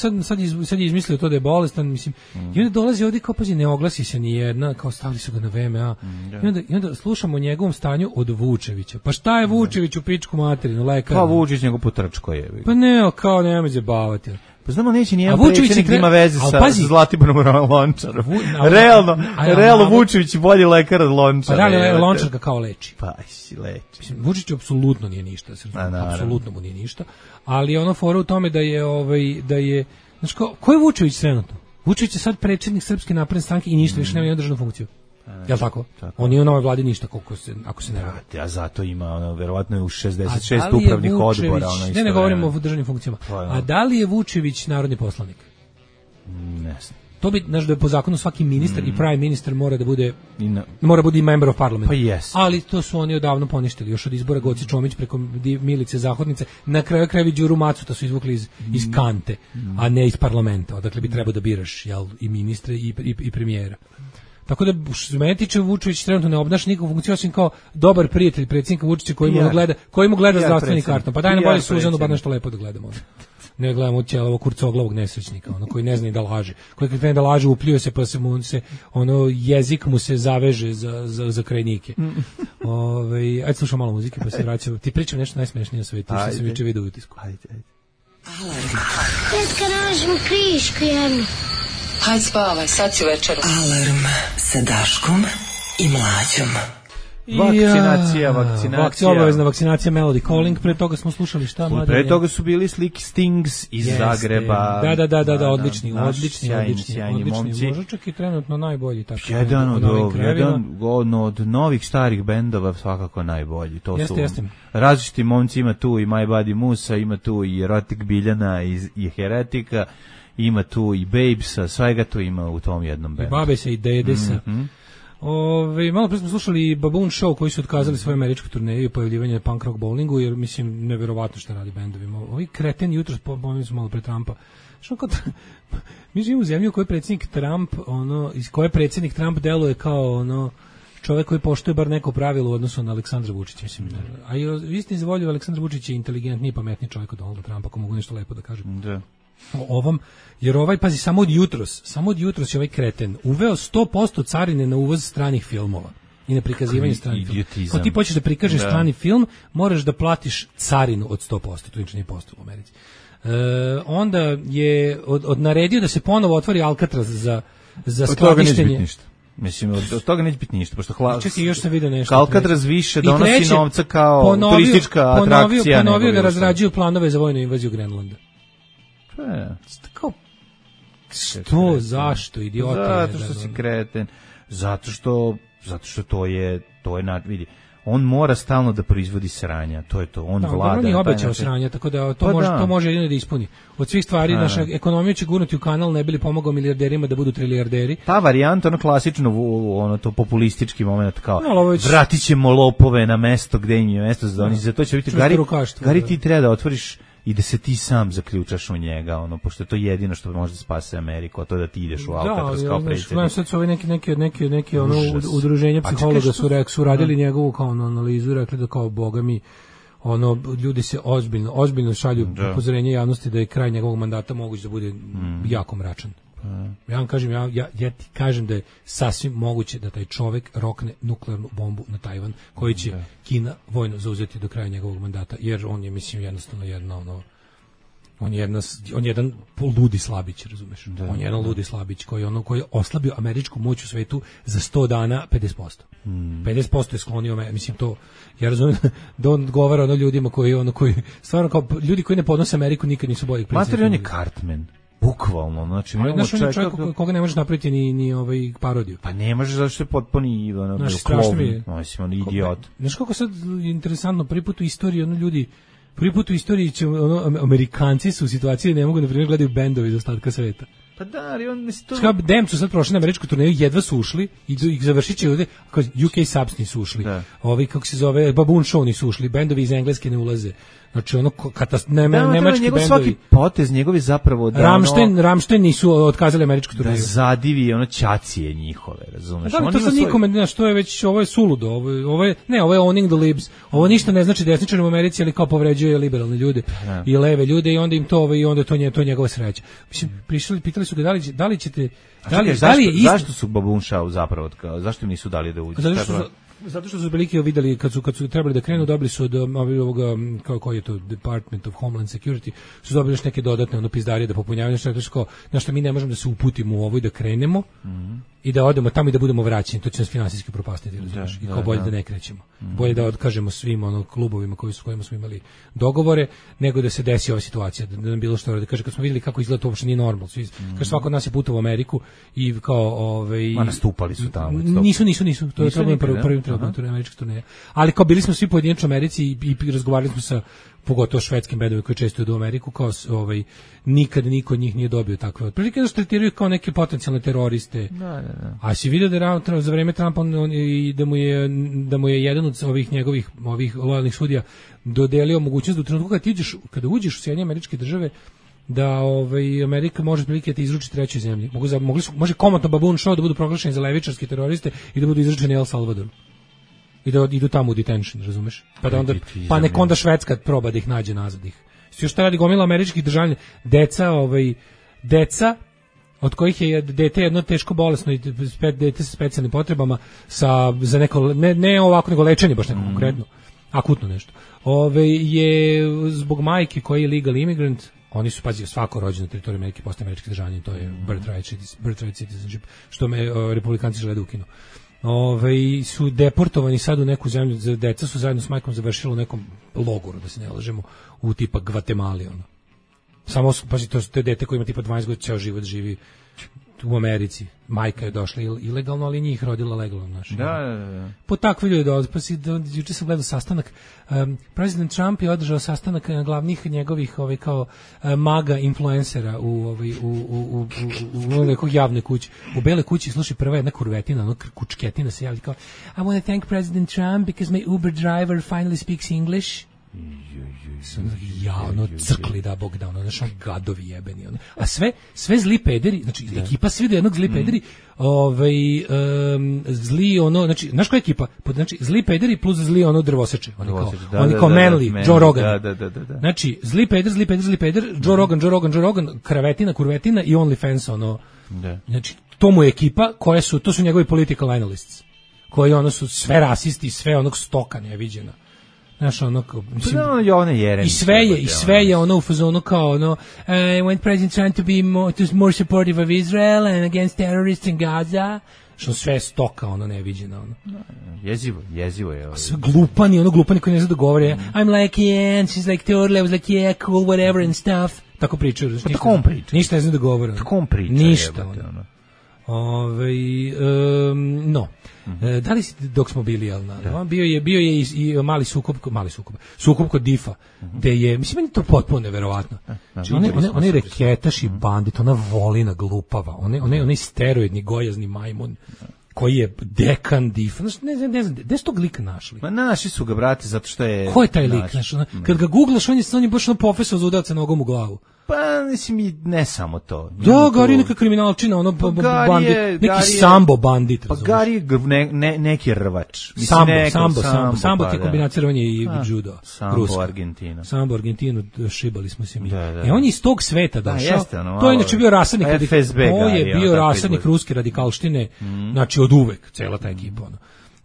[SPEAKER 6] sad je izmislio to da je bolestan, mislim. I onda dolazi ovdje kao pazi, ne oglasi se ni jedna, kao stavili su ga na VMA. I onda slušamo o njegovom stanju od Vučevića. Pa šta je Vučević u pičku materinu, lekar?
[SPEAKER 5] Pa Vučić njegov potrčko je.
[SPEAKER 6] Pa ne, kao nemoj zabavati.
[SPEAKER 5] Pa znamo neće nijedan predsjednik da ima veze sa Zlatiborom Lončarom. Realno Vučević je bolji lekar od Lončara.
[SPEAKER 6] Pa da li Lončar ga kao leči?
[SPEAKER 5] Pa si leči.
[SPEAKER 6] Mislim, Vučić apsolutno nije ništa, apsolutno mu nije ništa, ali ono fora u tome da je, znači ko je Vučević trenutno? Vučević je sad predsjednik Srpske napredne stranke i ništa više nema ni državnu funkciju. Jel' tako? On nije u novoj vladi ništa, ako se ne radi.
[SPEAKER 5] A zato ima, verovatno je u 66 upravnih odbora.
[SPEAKER 6] Ne govorimo o državnim funkcijama. A da li je Vučević narodni poslanik?
[SPEAKER 5] Ne znam.
[SPEAKER 6] To bi, znaš, da je po zakonu svaki ministar i prime minister mora da bude i member of parliament.
[SPEAKER 5] Pa yes.
[SPEAKER 6] Ali to su oni odavno poništili, još od izbora Goci Čomić preko Milice Zahodnice, na kraju krajevi Đuru Macuta su izvukli iz kante, a ne iz parlamenta, odakle bi trebao da biraš i ministre i premijera. Tako da, što se mene tiče, Vučević trenutno ne obnaša nikakvu funkciju, osim kao dobar prijatelj predsjednika Vučića koji mu gleda zdravstveni karton. Pa daj nam bolje Suzanu, bar nešto lepo da gledamo. Ne gledamo ovog kurcoglavog nesrećnika, koji ne zna da laže. Koji kad krene da laže, upljuje se, pa jezik mu se zaveže za krajnike. Ajde slušam malo muzike, pa se vraćamo. Ti pričam nešto najsmešnije na svetu, što sam juče vidio u utisku.
[SPEAKER 8] Ajde. Tetka, nađemo krišku jednu.
[SPEAKER 9] Hajde spavaj, sad si večeru. Alarm sa Daškom i Mlađom.
[SPEAKER 5] Vakcinacija.
[SPEAKER 6] Obavezna vakcinacija Melody Calling. Pre toga smo slušali šta?
[SPEAKER 5] Pre toga su bili Slick Stings iz Zagreba.
[SPEAKER 6] Da, odlični momci. Možda čak i trenutno najbolji.
[SPEAKER 5] Jedan od novih starih bendova svakako najbolji.
[SPEAKER 6] Jeste.
[SPEAKER 5] Različiti momci, ima tu i My Buddy Musa, ima tu i Erotik Biljana i Heretika, ima tu i Babesa, svega to ima u tom jednom bendu.
[SPEAKER 6] I Babesa i Dedesa. Malo pre smo slušali Baboon Show koji su otkazali svoje američke turneje i pojavljivanje punk rock bowlingu, jer mislim neverovatno što radi bendovima. Ovi kreteni jutros pomeni su malo pre Trumpa. Mi živimo u zemlji u kojoj predsjednik Trump, iz koje predsjednik Trump deluje kao čovjek koji poštuje bar neko pravilo u odnosu na Aleksandra Vučića, mislim. A i istini za volju, Aleksandar Vučić je inteligentniji i pametniji čovjek od Donalda Trumpa, ako mogu nešto lepo da kažem.
[SPEAKER 5] Da.
[SPEAKER 6] O ovom, jer pazi, samo od jutros je ovaj kreten uveo 100% carine na uvoz stranih filmova i na prikazivanje stranih filmova. Ako ti počneš da prikažeš strani film, moraš da platiš carinu od 100%, to nič nije posto u Americi. Onda je naredio da se ponovo otvori Alcatraz za skladištenje.
[SPEAKER 5] Mislim, od toga neće biti ništa, pošto
[SPEAKER 6] čekaj, još sam vidio nešto.
[SPEAKER 5] Alcatraz više donosi novca kao turistička atrakcija.
[SPEAKER 6] Ponovio da razrađuju planove za vojnu invaziju Grenlanda. Kao, što, zašto, idiota?
[SPEAKER 5] Zato što si kreten, zato što to je vidi, on mora stalno da proizvodi sranja, to je to, on vlada.
[SPEAKER 6] On je obećao sranja, tako da to može jedino da ispuni. Od svih stvari, naša ekonomija će gurnuti u kanal, ne bi li pomogao milijarderima da budu trilijarderi.
[SPEAKER 5] Ta varijanta, klasično, to populistički moment, kao, vratit ćemo lopove na mesto gde im je mesto, za to će biti, Gari, ti treba da otvoriš i da se ti sam zaključaš u njega, pošto je to jedino što može da spase Ameriku, a to da ti ideš u Alcatraz kao predsjednik.
[SPEAKER 6] Sad su neki udruženja psihologa su radili njegovu kao analizu i rekli da kao boga mi, ljudi se ozbiljno šalju upozorenje javnosti da je kraj njegovog mandata moguć da bude jako mračan. Ja vam kažem, ja ti kažem da je sasvim moguće da taj čovjek rokne nuklearnu bombu na Tajvan, koji će Kina vojno zauzeti do kraja njegovog mandata, jer on je, mislim, jednostavno jedno On je jedan ludi slabić, razumeš? On je jedan ludi slabić koji je oslabio američku moć u svetu za 100 dana 50%. 50% je sklonio, mislim to, ja razumijem da on odgovara ljudima koji stvarno kao ljudi koji ne podnose Ameriku nikad nisu bolji predsjednik.
[SPEAKER 5] Mater, on je Cartman. Bukvalno, znači
[SPEAKER 6] imamo čovjeka koga ne možeš napraviti ni parodiju.
[SPEAKER 5] Pa ne možeš, zašto je potpuni
[SPEAKER 6] klovn,
[SPEAKER 5] mislim, on je idiot.
[SPEAKER 6] Znaš kako sad interesantno, prvi put u istoriji će Amerikanci su u situaciji da ne mogu na primjer gledaju bendovi iz ostatka sveta.
[SPEAKER 5] Pa da, ali on to...
[SPEAKER 6] Dem su sad prošli na američku turneju, jedva su ušli i završit će ovdje, UK Subs nisu ušli, ovi, kako se zove, Baboon Show nisu ušli, bendovi iz Engleske ne ulaze. Znači nemački bendovi.
[SPEAKER 5] Svaki potez njegovi zapravo da
[SPEAKER 6] Rammstein nisu otkazali američku turneju.
[SPEAKER 5] Da zadivi ćacije njihove, razumeš?
[SPEAKER 6] Da, to sad nikome, znaš, to je već, ovo je suludo, ovo je owning the libs. Ovo ništa ne znači desničarima u Americi, ali kao povređuje liberalne ljude i leve ljude i onda im to i onda to je njegova sreća. Mislim, pitali su ga da li ćete
[SPEAKER 5] zašto su Baboon Show zapravo, zašto im nisu dali da uđe?
[SPEAKER 6] Zato što su veliki videli kad su trebali da krenu, dobili su od ovoga, koji je to Department of Homeland Security, su dobili još neke dodatne pizdarije da popunjavaju nešto, na što mi ne možemo da se uputimo u ovo i da krenemo i da odemo tamo i da budemo vraćeni, to će nas finansijski propastiti, i kao bolje da ne krećemo. Bolje da otkažemo svim klubovima kojima smo imali dogovore, nego da se desi ova situacija, da nam bilo što da kaže, kad smo vidjeli kako izgleda to uopšte nije normalno. Kaže, svako od nas je putovao u Ameriku i kao
[SPEAKER 5] nastupali su tamo.
[SPEAKER 6] Nisu, to je prvi američka turneja. Ali kao bili smo svi pojedinačno u Americi i razgovarali smo sa pogotovo švedskim bendovima koji često idu u Ameriku, kao nikad niko od njih nije dobio takve otprilike, da se tretiraju kao neke potencijalne teroriste. A si vidio da za vreme Trumpa da mu je jedan od ovih njegovih lojalnih sudija dodelio mogućnost da u trenutku kada uđeš u Sjedinjene Američke Države da Amerika može prilike da te izruči trećoj zemlji. Može komotno Baboon Show da budu proglašeni za levičarske teroriste i da budu izručeni El Salvadoru. I da idu tamo u detention, razumeš? Pa nek onda Švedska proba da ih nađe nazad ih. Još šta radi gomila američkih državljana, deca od kojih je dete jedno teško bolesno i dete sa specijalnim potrebama za neko, ne ovako nego lečenje baš neko konkretno, akutno nešto. Je zbog majke koji je legal immigrant, oni su, pazi, svako rođeno na teritoriju Amerike postaje američki državljanin, to je birthright citizenship, što republikanci žele da ukinu. Su deportovani sad u neku zemlju, deca su zajedno s majkom završili u nekom logoru, da se ne lažemo, u tipa Gvatemali, Samo, pazi, to je dete koji ima tipa 12 godina, ceo život živi u Americi. Majka je došla ilegalno, ali njih rodila legalno.
[SPEAKER 5] Da.
[SPEAKER 6] Po takvi ljudi dolaze. Pa juče sam gledao sastanak. President Trump je održao sastanak glavnih njegovih kao maga influencera u nekog javnoj kući. U Bele kući sluši prva jedna kurvetina, kučketina se javi kao I want to thank President Trump because my Uber driver finally speaks English. Crkli da Bog da, znači gadovi jebeni, a sve zli pederi, znači ekipa svi do jednog zli pederi, zli znači znaš koja ekipa, znači zli pederi plus zli drvoseče, oni kao Manly, Joe Rogan, znači zli peder, Joe Rogan, kurvetina i OnlyFans, znači to mu je ekipa to su njegovi political analysts, koji su sve rasisti, sve onog stoka neviđena. Znaš, i sve je u fazonu kao when President Trump to be more supportive of Israel and against terrorists in Gaza, što sve je stoka, neviđena,
[SPEAKER 5] Jezivo je.
[SPEAKER 6] Sve glupani koji ne zna da govore, I'm like, yeah, and she's like, totally, I was like, yeah, cool, whatever and stuff. Tako pričaju.
[SPEAKER 5] Pa tako on priča.
[SPEAKER 6] Ništa ne zna da govore.
[SPEAKER 5] Tako on priča.
[SPEAKER 6] Ništa, no. Da li si, dok smo bili, bio je i mali sukob kod Difa, gde je, mislim, meni to potpuno neverovatno. Znači, on je reketaš i bandit, ona volina glupava, on je steroidni gojazni majmun, koji je dekan Difa, ne znam, gde su tog lika našli?
[SPEAKER 5] Ma našli su ga, brate, zato što je...
[SPEAKER 6] Ko je taj lik? Kad ga googlaš, on je baš profesor za udavca nogom u glavu.
[SPEAKER 5] Pa, mislim, i ne samo to.
[SPEAKER 6] Da, Gari neka kriminalčina, bandit, neki sambo bandit.
[SPEAKER 5] Pa Gari je neki rvač.
[SPEAKER 6] Sambo ti je kombinacija rvanja i judo.
[SPEAKER 5] Sambo Argentina.
[SPEAKER 6] Sambo Argentinu, šibali smo se mi. On je iz tog sveta došao.
[SPEAKER 5] To
[SPEAKER 6] je inače bio rasadnik ruske radikalštine, znači od uvek, cela ta ekipa.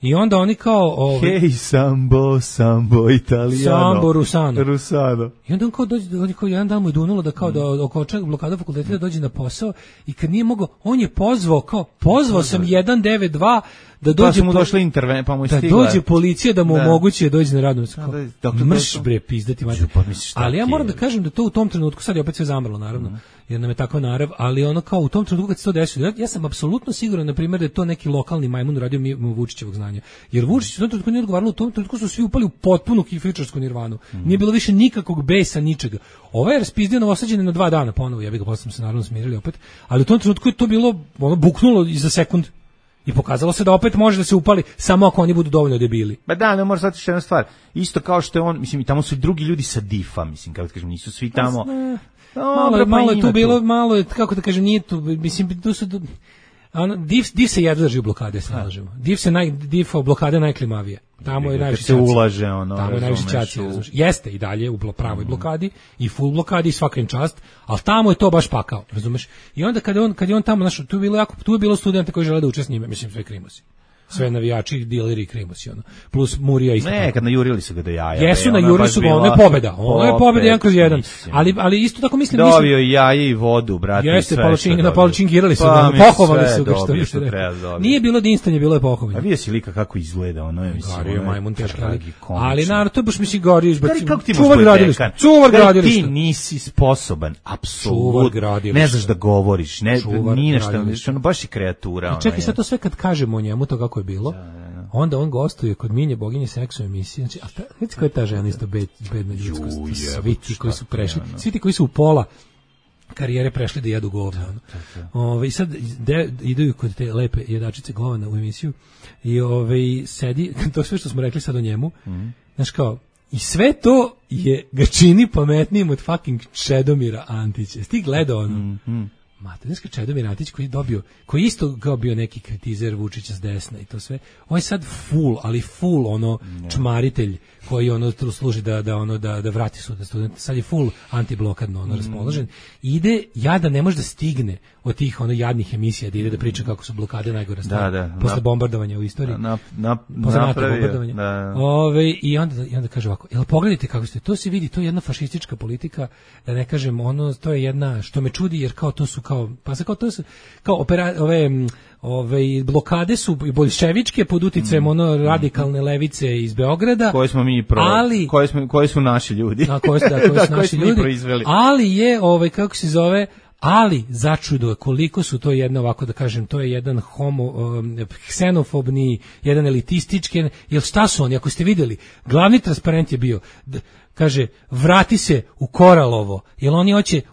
[SPEAKER 6] I onda oni kao...
[SPEAKER 5] Hej, sambo, italijano.
[SPEAKER 6] Sambo, rusano. I onda on kao dođe, kao jedan dan mu je dunulo da kao da oko blokada fakulteta da dođe na posao i kad nije mogao, on je pozvao sam 192 da dođe
[SPEAKER 5] mu došla intervencija, pa mu je stigla.
[SPEAKER 6] Da dođe policija da mu omogući da dođe na radno mesto. Mrš bre pizdati mater. Ali ja moram da kažem da to u tom trenutku sad je opet sve zamrlo naravno. Jer nam je takva narav, ali ono kao u tom trenutku kad se to desilo, ja sam apsolutno siguran na primjer da je to neki lokalni majmun radio mimo Vučićevog znanja. Jer Vučić u tom trenutku nije odgovaralo, u tom trenutku su svi upali u potpunu kifičarsku nirvanu. Nije bilo više nikakvog besa, ničega. Ovaj je raspizdio Novosađane na 2 dana ponovo, ja bih ga posle se naravno smirili opet, ali u tom trenutku je to bilo ono buknulo i za sekund. I pokazalo se da opet može da se upali samo ako oni budu dovoljno debili.
[SPEAKER 5] Ba da, ne može shvatiti jedna stvar. Isto kao što je on, mislim, i tamo su i drugi ljudi sa DIF-a, mislim, kako da kažem, nisu svi tamo.
[SPEAKER 6] Malo je tu bilo, malo je, kako da kažem, nije tu, mislim, tu su... DIF se jedva drži u blokade, se nalažemo. DIF blokade najklimavije. Tamo je najviše
[SPEAKER 5] se ulaže, ono.
[SPEAKER 6] Tamo je najviše čaci. Jeste i dalje u pravoj blokadi i full blokadi i svaka im čast, ali tamo je to baš pakao, razumeš? I onda kad je on tamo, znaš, tu je bilo studenta koji žele da uče s njime, mislim, sve krimosi. Sve navijači, dileri i krimosi, ono. Plus Murija isto.
[SPEAKER 5] Ne, kad najurili su ga do jaja.
[SPEAKER 6] Jesu, najurili su ga, ono je pobeda. Ono je pobeda 1/1. Ali isto tako mislim...
[SPEAKER 5] Dobio i jaje i vodu, brate.
[SPEAKER 6] Jeste, palačinkirali su ga, pohovali su ga, što više rekao. Nije bilo dinstanje, bilo je pohovanje.
[SPEAKER 5] A vidio si lika kako izgleda, ono je, mislim...
[SPEAKER 6] Gario majmun teški, ali naravno, to je baš, mislim, Gario izbacio.
[SPEAKER 5] Kako ti možeš dekan?
[SPEAKER 6] Čuvar gradilišta.
[SPEAKER 5] Ti nisi sposoban, apsolutno. Ne znaš da govoriš, ni nešto, ono baš je kreatura.
[SPEAKER 6] Čekaj, sad to sve kad kažemo o njemu, to kako je bilo, onda on gostuje kod Minje boginje seksa u emisiji. Znači, a vidite koja je ta žena isto bedna ljudskost. Svi ti koji su prešli, svi ti koji su u pola karijere prešli da jedu govna. I sad idu kod te lepe jedačice govana u emisiju i sedi, to sve što smo rekli sad o njemu, znaš kao, i sve to ga čini pametnijim od fucking Čedomira Antića. Ti gledao ono? Materinska Čedomir Antić koji isto kao bio neki kritizer Vučića s desna i to sve. On je sad full ono čmaritelj koji ono služi da vrati studente. Sad je full antiblokadno ono raspoložen. Ide da ne može da stigne od tih ono jadnih emisija da ide da priča kako su blokade najgora stvar. Posle bombardovanja u istoriji. Posle NATO bombardovanja. I onda kaže ovako, jel pogledajte kako ste, to se vidi, to je jedna fašistička politika, da ne kažem ono, to je jedna, što me čudi jer kao to su ove blokade su boljševičke pod uticajem ono radikalne levice iz Beograda,
[SPEAKER 5] koje smo mi koje su naši ljudi.
[SPEAKER 6] Koji su naši ljudi. Ali je kako se zove, ali začudo koliko su to jedno, ovako da kažem, to je jedan ksenofobni, jedan elitistički, jer šta su oni, ako ste vidjeli, glavni transparent je bio, kaže, vrati se u Koralovo, jer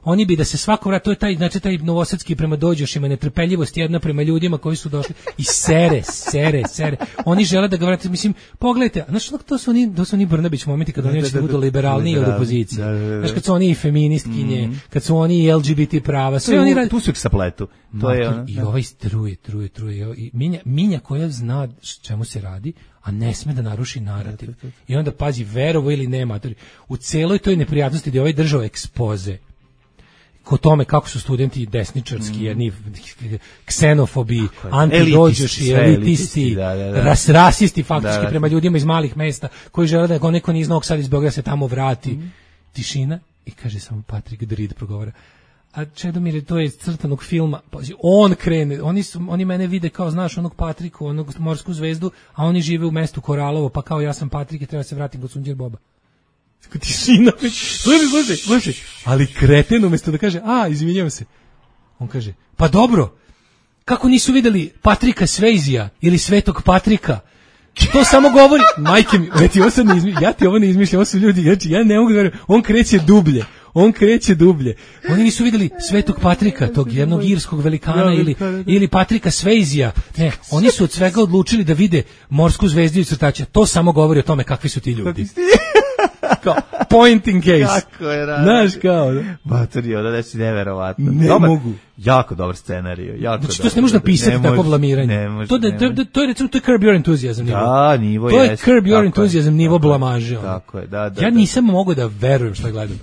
[SPEAKER 6] oni bi da se svako vrati, to je taj novosadski prema dođošima, netrpeljivost jedna prema ljudima koji su došli i sere. Oni žele da ga vrati, mislim, pogledajte, znaš, to su oni Brnabić momenti kad oni da budu liberalniji od opozicije. Znaš, kad su oni i feministkinje, kad su oni i LGBT prava, sve oni radi.
[SPEAKER 5] Tu su ih sapletu.
[SPEAKER 6] I ovaj truje. I Minja koja zna čemu se radi, a ne sme da naruši narativ. I onda pazi, verovo ili nema, u celoj toj neprijatnosti gdje ovaj držao ekspoze ko tome kako su studenti desničarski, jedni ksenofobi, antidođoši, elitisti, rasisti faktički prema ljudima iz malih mesta koji žele da neko ni iz Novog Sada iz Beograda se tamo vrati. Tišina i kaže samo Patrick Drid progovara. A Čedomir, to je crtanog filma, on krene, oni mene vide kao, znaš, onog Patriku, onog morsku zvezdu, a oni žive u mestu Koralovo, pa kao ja sam Patrik i treba se vratim kod Sunđer Boba. Tišina, slušaj, ali kreten umjesto da kaže, izvinjavam se, on kaže, pa dobro, kako nisu videli Patrika Svejzija ili Svetog Patrika? To samo govori, majke mi, ja ti ovo ne izmišljam, ovo su ljudi, znači ja ne mogu da verujem, on kreće dublje. Oni nisu vidjeli Svetog Patrika, tog jednog irskog velikana ili Patrika Svejzija. Ne, oni su od svega odlučili da vide morsku zvezdu i crtača. To samo govori o tome kakvi su ti ljudi. Kao, pointing case.
[SPEAKER 5] Kako je rado.
[SPEAKER 6] Znaš kao, da?
[SPEAKER 5] Batorio, da si neverovatno.
[SPEAKER 6] Ne mogu.
[SPEAKER 5] Jako dobar scenarij.
[SPEAKER 6] Znači, to se ne može napisati tako blamiranje. To je recimo, to je Curb Your Enthusiasm nivo.
[SPEAKER 5] Da, nivo
[SPEAKER 6] to je Curb Your Enthusiasm nivo blamaže.
[SPEAKER 5] Tako je, da.
[SPEAKER 6] Ja nisam mogao da verujem što gledam.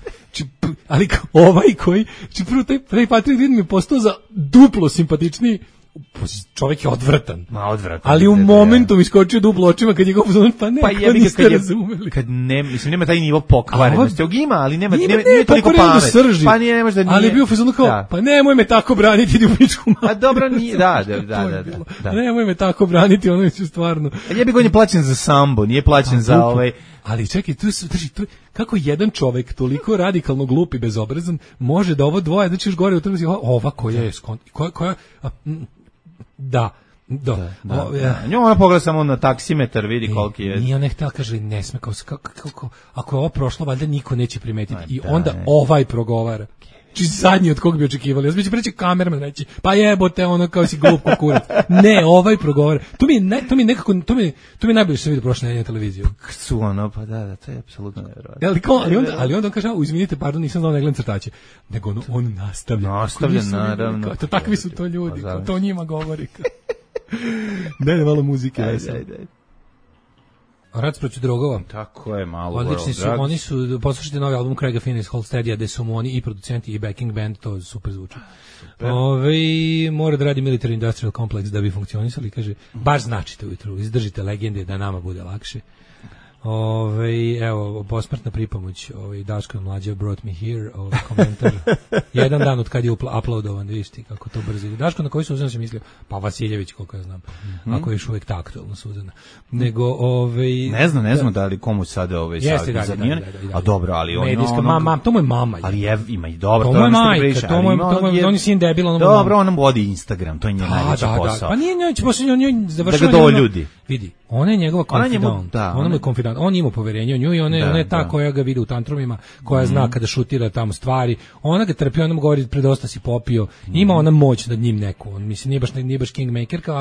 [SPEAKER 6] Ali ovaj koji, prvo taj Patrick Reed mi je postao za duplo simpatičniji čovjek je odvratan.
[SPEAKER 5] Odvratan.
[SPEAKER 6] Ali u momentu mi skočio duplo očima kad je go pozvao, pa ne, pa niste razumeli.
[SPEAKER 5] Kad ne, mislim, nema taj nivo pokvarenosti. Ima, ali nema toliko pamet. Pa nije, nemaš da nije.
[SPEAKER 6] Ali je bio fazon kao, pa nemoj me tako braniti, idi u pičku mamu.
[SPEAKER 5] A dobro, nije, da.
[SPEAKER 6] Nemoj me tako braniti, ono je stvarno.
[SPEAKER 5] A jebi ga, on je plaćen za sambo, nije plaćen za ovaj...
[SPEAKER 6] Ali čekaj, tu kako jedan čovek toliko radikalno glup i bezobrazan može da ovo dvoje, znači još gore u trgu, ova koja je koja
[SPEAKER 5] Nju ona pogleda samo na taksimetar, vidi koliki je.
[SPEAKER 6] Nije ona htjela, kaže, ne sme, kako, ako je ovo prošlo, valjda niko neće primetiti. I onda ovaj progovara. Či zadnji od kog bi očekivali. Ja sam preći kamerman reći, pa jebote, ono kao si glup kukurac. Ne, ovaj progovara. To mi najbolje što sam vidio prošle nedelje na televiziju.
[SPEAKER 5] Su ono, pa da, to je apsolutno nevjerojatno.
[SPEAKER 6] Ali onda on kaže, izvinite, pardon, nisam znao, ne gledam crtače. Nego on nastavlja.
[SPEAKER 5] Nastavlja, naravno.
[SPEAKER 6] Takvi su to ljudi, to njima govori. Daj malo muzike. Ajde. Rad protiv drogova.
[SPEAKER 5] Tako je, malo.
[SPEAKER 6] Odlični su, oni su, poslušajte novi album Craiga Fina iz Holsteadija, gde su mu oni i producenti i backing band, to super zvuči. Mora da radi Military Industrial Complex da bi funkcionisali, kaže, baš značite ujutru, izdržite legende da nama bude lakše. Evo, posmrtna pripomoć, Daško je mlađe brought me here, komentar, jedan dan od kad je uploadovan, vidiš ti kako to brzo ide. Daško, na koji Suzana se mislio? Pa Vasiljević, koliko ja znam, ako je još uvijek taktualno Suzana. Nego,
[SPEAKER 5] Ne znam da li komu sada
[SPEAKER 6] jeste,
[SPEAKER 5] a dobro, ali on
[SPEAKER 6] medijska, to mu je mama.
[SPEAKER 5] Ali ima i dobro,
[SPEAKER 6] to mu je majka, on je sin debil,
[SPEAKER 5] dobro, on nam vodi Instagram, to je njen najveći posao.
[SPEAKER 6] Pa nije njoj,
[SPEAKER 5] da ga doljudi.
[SPEAKER 6] Vidi, ona je njegova konfidant, ona mu je konfidant, on ima poverenje u nju i ona je ta koja ga vidi u tantrumima, koja zna kada šutira tamo stvari, ona ga trpi, ona mu govori predosta si popio, ima ona moć nad njim neku, on mislim nije baš kingmakerka,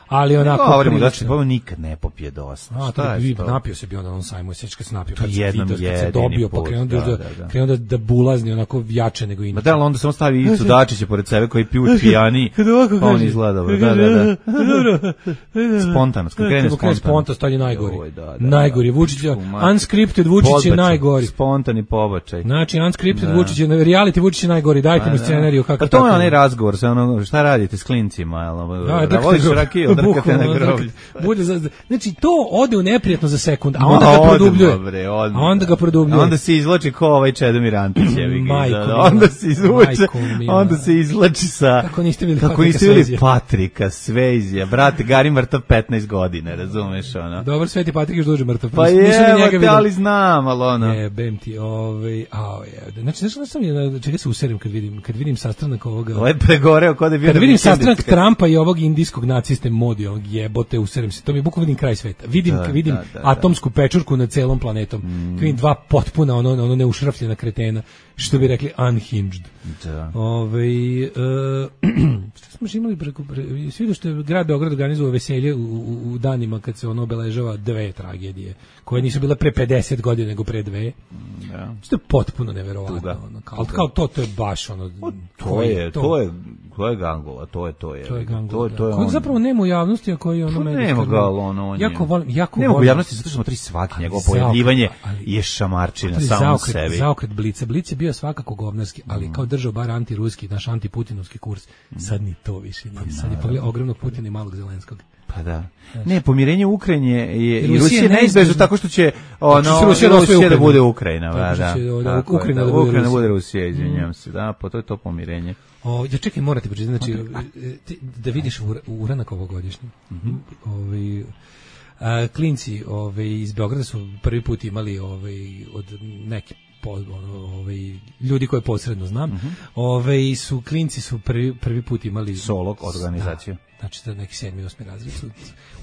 [SPEAKER 6] ali onako
[SPEAKER 5] govorimo da će nikad ne popije dosta.
[SPEAKER 6] Napio se bio na onom sajmu, sećaš kad se napio,
[SPEAKER 5] kad
[SPEAKER 6] se dobio, pa krenuo da bulazni onako jače nego inače.
[SPEAKER 5] Ma da, onda samo stavi Ivicu Dačića pored sebe koji piju pijani, pa on izgleda dobro. Spontano, krene
[SPEAKER 6] spontano, stanje najgori. Najgori, Vučić, unscripted Vučić je najgori.
[SPEAKER 5] Spontani pobačaj.
[SPEAKER 6] Znači, unscripted Vučić je, reality Vučić je najgori, dajte mi scenariju kako.
[SPEAKER 5] Pa to je onaj razgovor, šta radite s klincima, voliš rakiju?
[SPEAKER 6] Znači to ode u neprijatno za sekund, a onda ga produbljuje.
[SPEAKER 5] Onda se izvlači ko ovaj Čedomir Antić, onda se izvuče, onda se izvlači sa kako niste bili Patrika Swayze, brate, Gari mrtav 15 godina, razumeš ono.
[SPEAKER 6] Dobar, Sveti Patrik još duže mrtav.
[SPEAKER 5] Pa je, ali znam, ali ono.
[SPEAKER 6] Jebem ti, znači nešto sam je, čega se userim kad vidim sastanak ovoga.
[SPEAKER 5] Ovaj pregoreo kod je bio.
[SPEAKER 6] Kad vidim sastanak Trumpa i ovog indijskog naciste modi, ovog jebote, userim se. To mi je bukvalno vidim kraj sveta. Vidim atomsku pečurku nad celom planetom. Vidim dva potpuna ono neušrafljena kretena, što bi rekli unhinged. Što smo imali svi što je grad Beograd organizovao veselje u danima kad se ono obeležava dve tragedije koje nisu bile pre 50 godina nego pre dve. Što je potpuno neverovatno. Kao to je baš ono.
[SPEAKER 5] To je Gangola, to je.
[SPEAKER 6] To je Gangola. Koji zapravo nema u javnosti, a koji ono medijski.
[SPEAKER 5] Nema ga, ono.
[SPEAKER 6] Jako volim.
[SPEAKER 5] Nema u javnosti zato što smo svaki njegovo pojavljivanje je šamarčina samo sebi.
[SPEAKER 6] Zaokret Blica. Blic je bio svakako govnarski, ali kao držao bar antiruski, naš antiputinovski kurs. Sad ni to više nije. Sad je pogledao ogromnog Putina i malog Zelenskog.
[SPEAKER 5] Pa da. Ne, pomirenje u Ukrajini je i Rusija neizbežno tako što će Rusija da bude Ukrajina, Ukrajina da bude Rusija, izvinjavam se. Da, pa to je to pomirenje.
[SPEAKER 6] Ja čekaj, morate pročitati, znači da vidiš uranak ovogodišnji. Klinci iz Beograda su prvi put imali od neki ljudi koje posredno znam, klinci su prvi put imali
[SPEAKER 5] solo organizaciju.
[SPEAKER 6] Znači da neki 7. i 8. razred su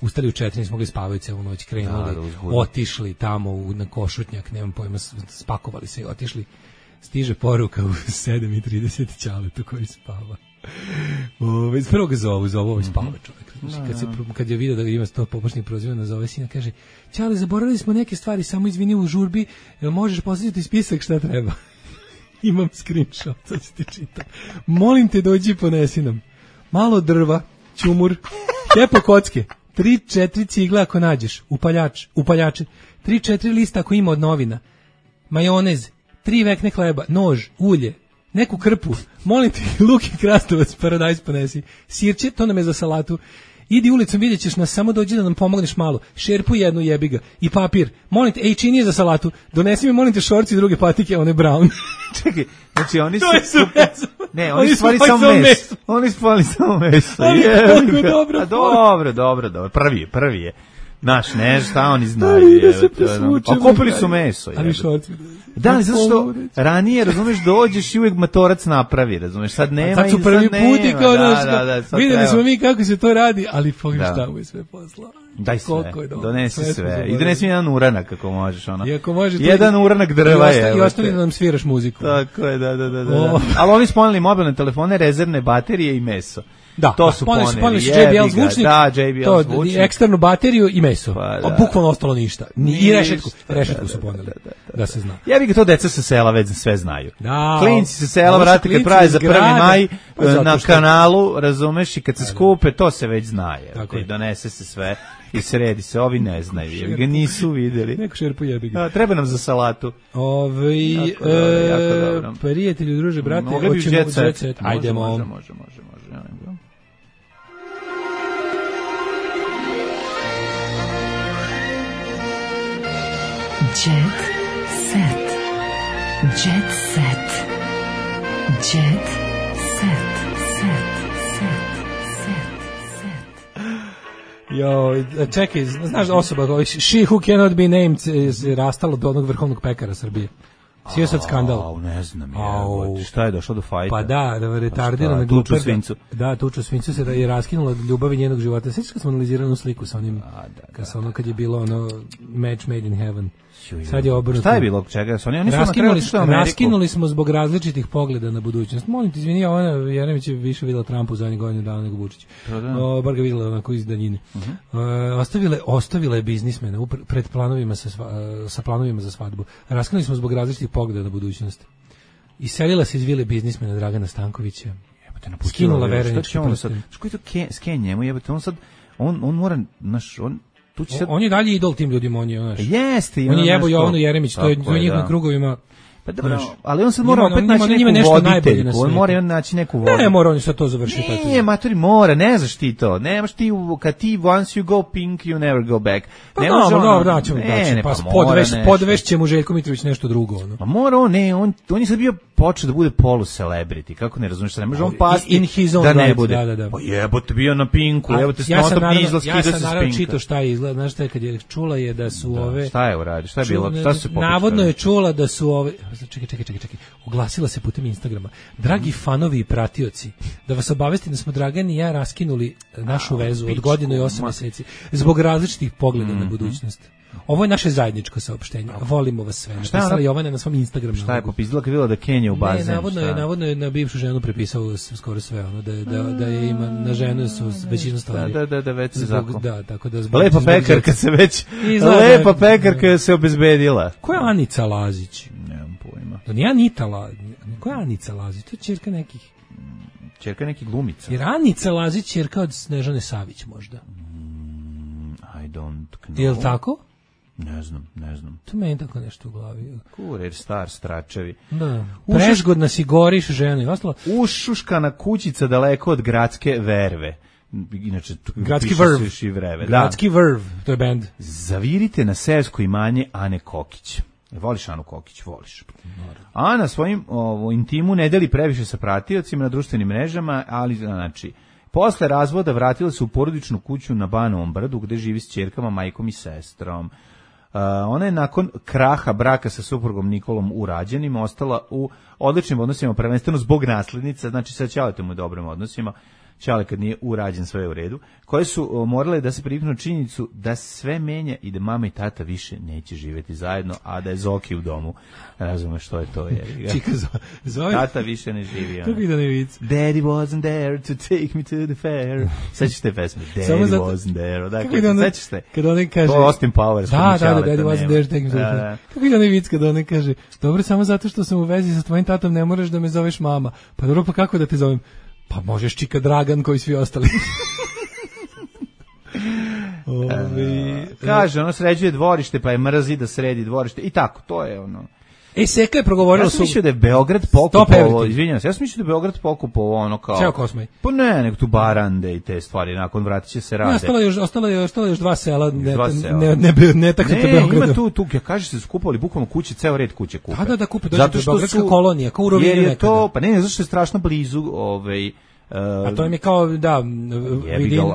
[SPEAKER 6] ustali u 4, nismo mogli spavati celu noć, krenuli, otišli tamo na Košutnjak, nemam pojma, spakovali se i otišli. Stiže poruka u 7:30 Ćaletu koji spava. Prvo ga zovu spava čovjek. Kad je vidio da ga ima 100 pobočnih proziva, nazove sina, kaže: Ćale, zaboravili smo neke stvari, samo izvini u žurbi, jel možeš postaviti spisak šta treba? Imam screenshot, sad ti čitam. Molim te, dođi i ponesi nam malo drva, ćumur, tepo kocke, 3-4 cigle ako nađeš, upaljače, 3-4 lista ako ima od novina, majonez, 3 vekne hleba, nož, ulje, neku krpu, molim te, luk i krastavac, paradajz ponesi, sirće, to nam je za salatu, idi ulicom, vidjet ćeš nas, samo dođi da nam pomogneš malo, šerpu jednu, jebi ga, i papir, molim te, činije za salatu, donesi mi, molim te, šorci i druge patike, one brown.
[SPEAKER 5] Čekaj, znači oni
[SPEAKER 6] su...
[SPEAKER 5] Ne, oni stvari samo meso. Oni stvari samo meso. Dobro. Prvi je. Naš, ne, šta oni znaju. A kupili su meso.
[SPEAKER 6] Ali šorci.
[SPEAKER 5] Da, ali zato što ranije, razumeš, dođeš i uvijek matorac napravi, razumeš, sad nema i sad nema.
[SPEAKER 6] Sad su prvi puti kao naš, vidjeli smo mi kako se to radi, ali pogledaj je sve poslao.
[SPEAKER 5] Daj sve, donesi sve. I donesi mi jedan uranak ako možeš. Jedan
[SPEAKER 6] to
[SPEAKER 5] uranak drva je.
[SPEAKER 6] I ostali da nam sviraš muziku.
[SPEAKER 5] Tako je, da. Ali oni spomenuli mobilne telefone, rezervne baterije i meso.
[SPEAKER 6] Da,
[SPEAKER 5] to su
[SPEAKER 6] poneli JBL zvučnik,
[SPEAKER 5] JBL zvučnik,
[SPEAKER 6] eksternu bateriju i meso. A bukvalno ostalo ništa. I rešetku su poneli. Da se zna.
[SPEAKER 5] Ja bih ga to deca sa sela već sve znaju. Klinci sa sela, vrati, kad prave za 1. maj na kanalu, razumeš, i kad se skupe, to se već znaje. I donese se sve i sredi se, ovi ne znaju, jer ga nisu videli.
[SPEAKER 6] Neko šerpu jebi ga.
[SPEAKER 5] Treba nam za salatu.
[SPEAKER 6] Jako dobro. Prijatelji, druže, brate,
[SPEAKER 5] hoćemo u Jet Set.
[SPEAKER 6] Ajdemo.
[SPEAKER 5] Može.
[SPEAKER 9] Jet set. Jet set. Jet set.
[SPEAKER 6] Jo, čekaj, znaš osoba, she who cannot be named je rastala do onog vrhovnog pekara Srbije. Sio sad skandal.
[SPEAKER 5] Ne znam, šta je došlo do fajta?
[SPEAKER 6] Pa da, retardirana
[SPEAKER 5] tuču svincu.
[SPEAKER 6] Da, tuču svincu se je raskinula od ljubavi njenog života. Sećaš kad smo analizirali sliku sa onim, kad je bilo ono match made in heaven. Sad je obrnuto.
[SPEAKER 5] Šta je bilo? Čega?
[SPEAKER 6] Raskinuli smo zbog različitih pogleda na budućnost. Molim te, izvini, Jeremić je više videla Trumpu za zadnjih godinu dana nego Vučić. Bar ga videla onako iz daljine. Ostavila je biznismena pred planovima sa planovima za svadbu. Raskinuli smo zbog različitih pogleda na budućnost. Iselila se iz vile biznismena Dragana Stankovića. Skinula verenički prsten.
[SPEAKER 5] Što je to sken njemu? Jebate, on sad, on mora,
[SPEAKER 6] on je dalje idol tim ljudima, on je, znaš.
[SPEAKER 5] Jeste.
[SPEAKER 6] On je jebo Jovanu Jeremić, to je u njihovim krugovima.
[SPEAKER 5] Pa dobro, ali on sad mora opet naći neku voditeljku, on mora naći neku voditeljku.
[SPEAKER 6] Ne, mora on sad to završiti.
[SPEAKER 5] Nije, matori, mora, ne znaš ti to. Nemaš ti, kad ti once you go pink, you never go back.
[SPEAKER 6] Pa dobro, podvešće mu Željko Mitrović nešto drugo.
[SPEAKER 5] Pa mora on je sad bio počeo da bude polu-celebrity, kako ne razumiješ, ne može on pasti da ne bude. Pa jebote, bio na pinku, jebote, snotop nije izlaski da se spinka.
[SPEAKER 6] Ja sam naravno čitao šta je izgleda, znaš šta je kad je čula je da su ove...
[SPEAKER 5] Šta je uradio, šta je bilo, šta su se pokušali?
[SPEAKER 6] Navodno je čula da su ove... Čekaj. Oglasila se putem Instagrama. Dragi fanovi i pratioci, da vas obavestim da smo Dragan i ja raskinuli našu vezu od godinu i 8 meseci zbog različitih pogleda na budućnost. Ovo je naše zajedničko saopštenje. Volimo vas sve. Napisala Jovana na svom Instagramu.
[SPEAKER 5] Šta je popizdila kad videla da Kenja u bazen?
[SPEAKER 6] Ne, navodno je na bivšu ženu prepisao skoro sve ono, da je ima na ženu su većinu stvari.
[SPEAKER 5] Da, već se zakon.
[SPEAKER 6] Da, tako da
[SPEAKER 5] lepa pekarka se već lepa pekarka se obezbedila.
[SPEAKER 6] Ko je Anica Lazić?
[SPEAKER 5] Nemam pojma.
[SPEAKER 6] To nije Anita Lazić. Ko je Anica Lazić? To je ćerka nekih.
[SPEAKER 5] Ćerka nekih glumica.
[SPEAKER 6] Jer Anica Lazić ćerka od Snežane Savić možda.
[SPEAKER 5] I don't know.
[SPEAKER 6] Je li tako?
[SPEAKER 5] Ne znam.
[SPEAKER 6] To meni tako nešto u glavi.
[SPEAKER 5] Kurir, star, stračevi.
[SPEAKER 6] Da. Prežgodna si goriš žena i ostalo.
[SPEAKER 5] Ušuškana kućica daleko od gradske verve. Inače,
[SPEAKER 6] Gradski vrv. Gradski vrv, to je bend.
[SPEAKER 5] Zavirite na seosko imanje Ane Kokić. Voliš Anu Kokić? Voliš. Ana svojim intimu ne deli previše sa pratiocima na društvenim mrežama, ali znači... Posle razvoda vratila se u porodičnu kuću na Banovom brdu gde živi s ćerkama, majkom i sestrom. Ona je nakon kraha braka sa suprugom Nikolom u rađenima ostala u odličnim odnosima, prvenstveno zbog naslednica, znači sa Ćaletom u dobrim odnosima, Ćale kad nije urađen sve u redu, koje su morale da se priviknu činjenicu da sve menja i da mama i tata više neće živjeti zajedno, a da je Zoki u domu. Razumeš što je to?
[SPEAKER 6] Čika, Zoki?
[SPEAKER 5] Tata više ne živi.
[SPEAKER 6] Kako ide nevic?
[SPEAKER 5] Daddy wasn't there to take me to the fair. Sećaš te pesme? Daddy wasn't there. Dakle, sećaš te?
[SPEAKER 6] Kad on kaže...
[SPEAKER 5] To Austin Powers.
[SPEAKER 6] Da, Daddy wasn't there to take me to the fair. Kako ide nevic kad on kaže, dobro, samo zato što sam u vezi sa tvojim tatom ne moraš da me zoveš mama. Pa dobro, pa kako da te zovem? Pa možeš Čika Dragan koji svi ostali.
[SPEAKER 5] Kaže, ono sređuje dvorište, pa je mrzi da sredi dvorište. I tako, to je ono.
[SPEAKER 6] Seka je progovorila
[SPEAKER 5] Ja sam mislio da je Beograd pokupovao, izvinjam se, ja sam mislio da je Beograd pokupovao ono kao...
[SPEAKER 6] Ceo Kosmaj.
[SPEAKER 5] Pa ne, nego tu Barande i te stvari, nakon vratit će se rade.
[SPEAKER 6] Ostalo je još dva sela, ne taknete
[SPEAKER 5] Ne,
[SPEAKER 6] Beogradu.
[SPEAKER 5] ima tu, ja kažeš se skupovali bukvalno kuće, ceo red kuće kupe.
[SPEAKER 6] Da kupe, dođe Beogradska kolonija, kao u Rovinju nekada.
[SPEAKER 5] Jer je to, pa ne, zato što je strašno blizu,
[SPEAKER 6] a to im je kao,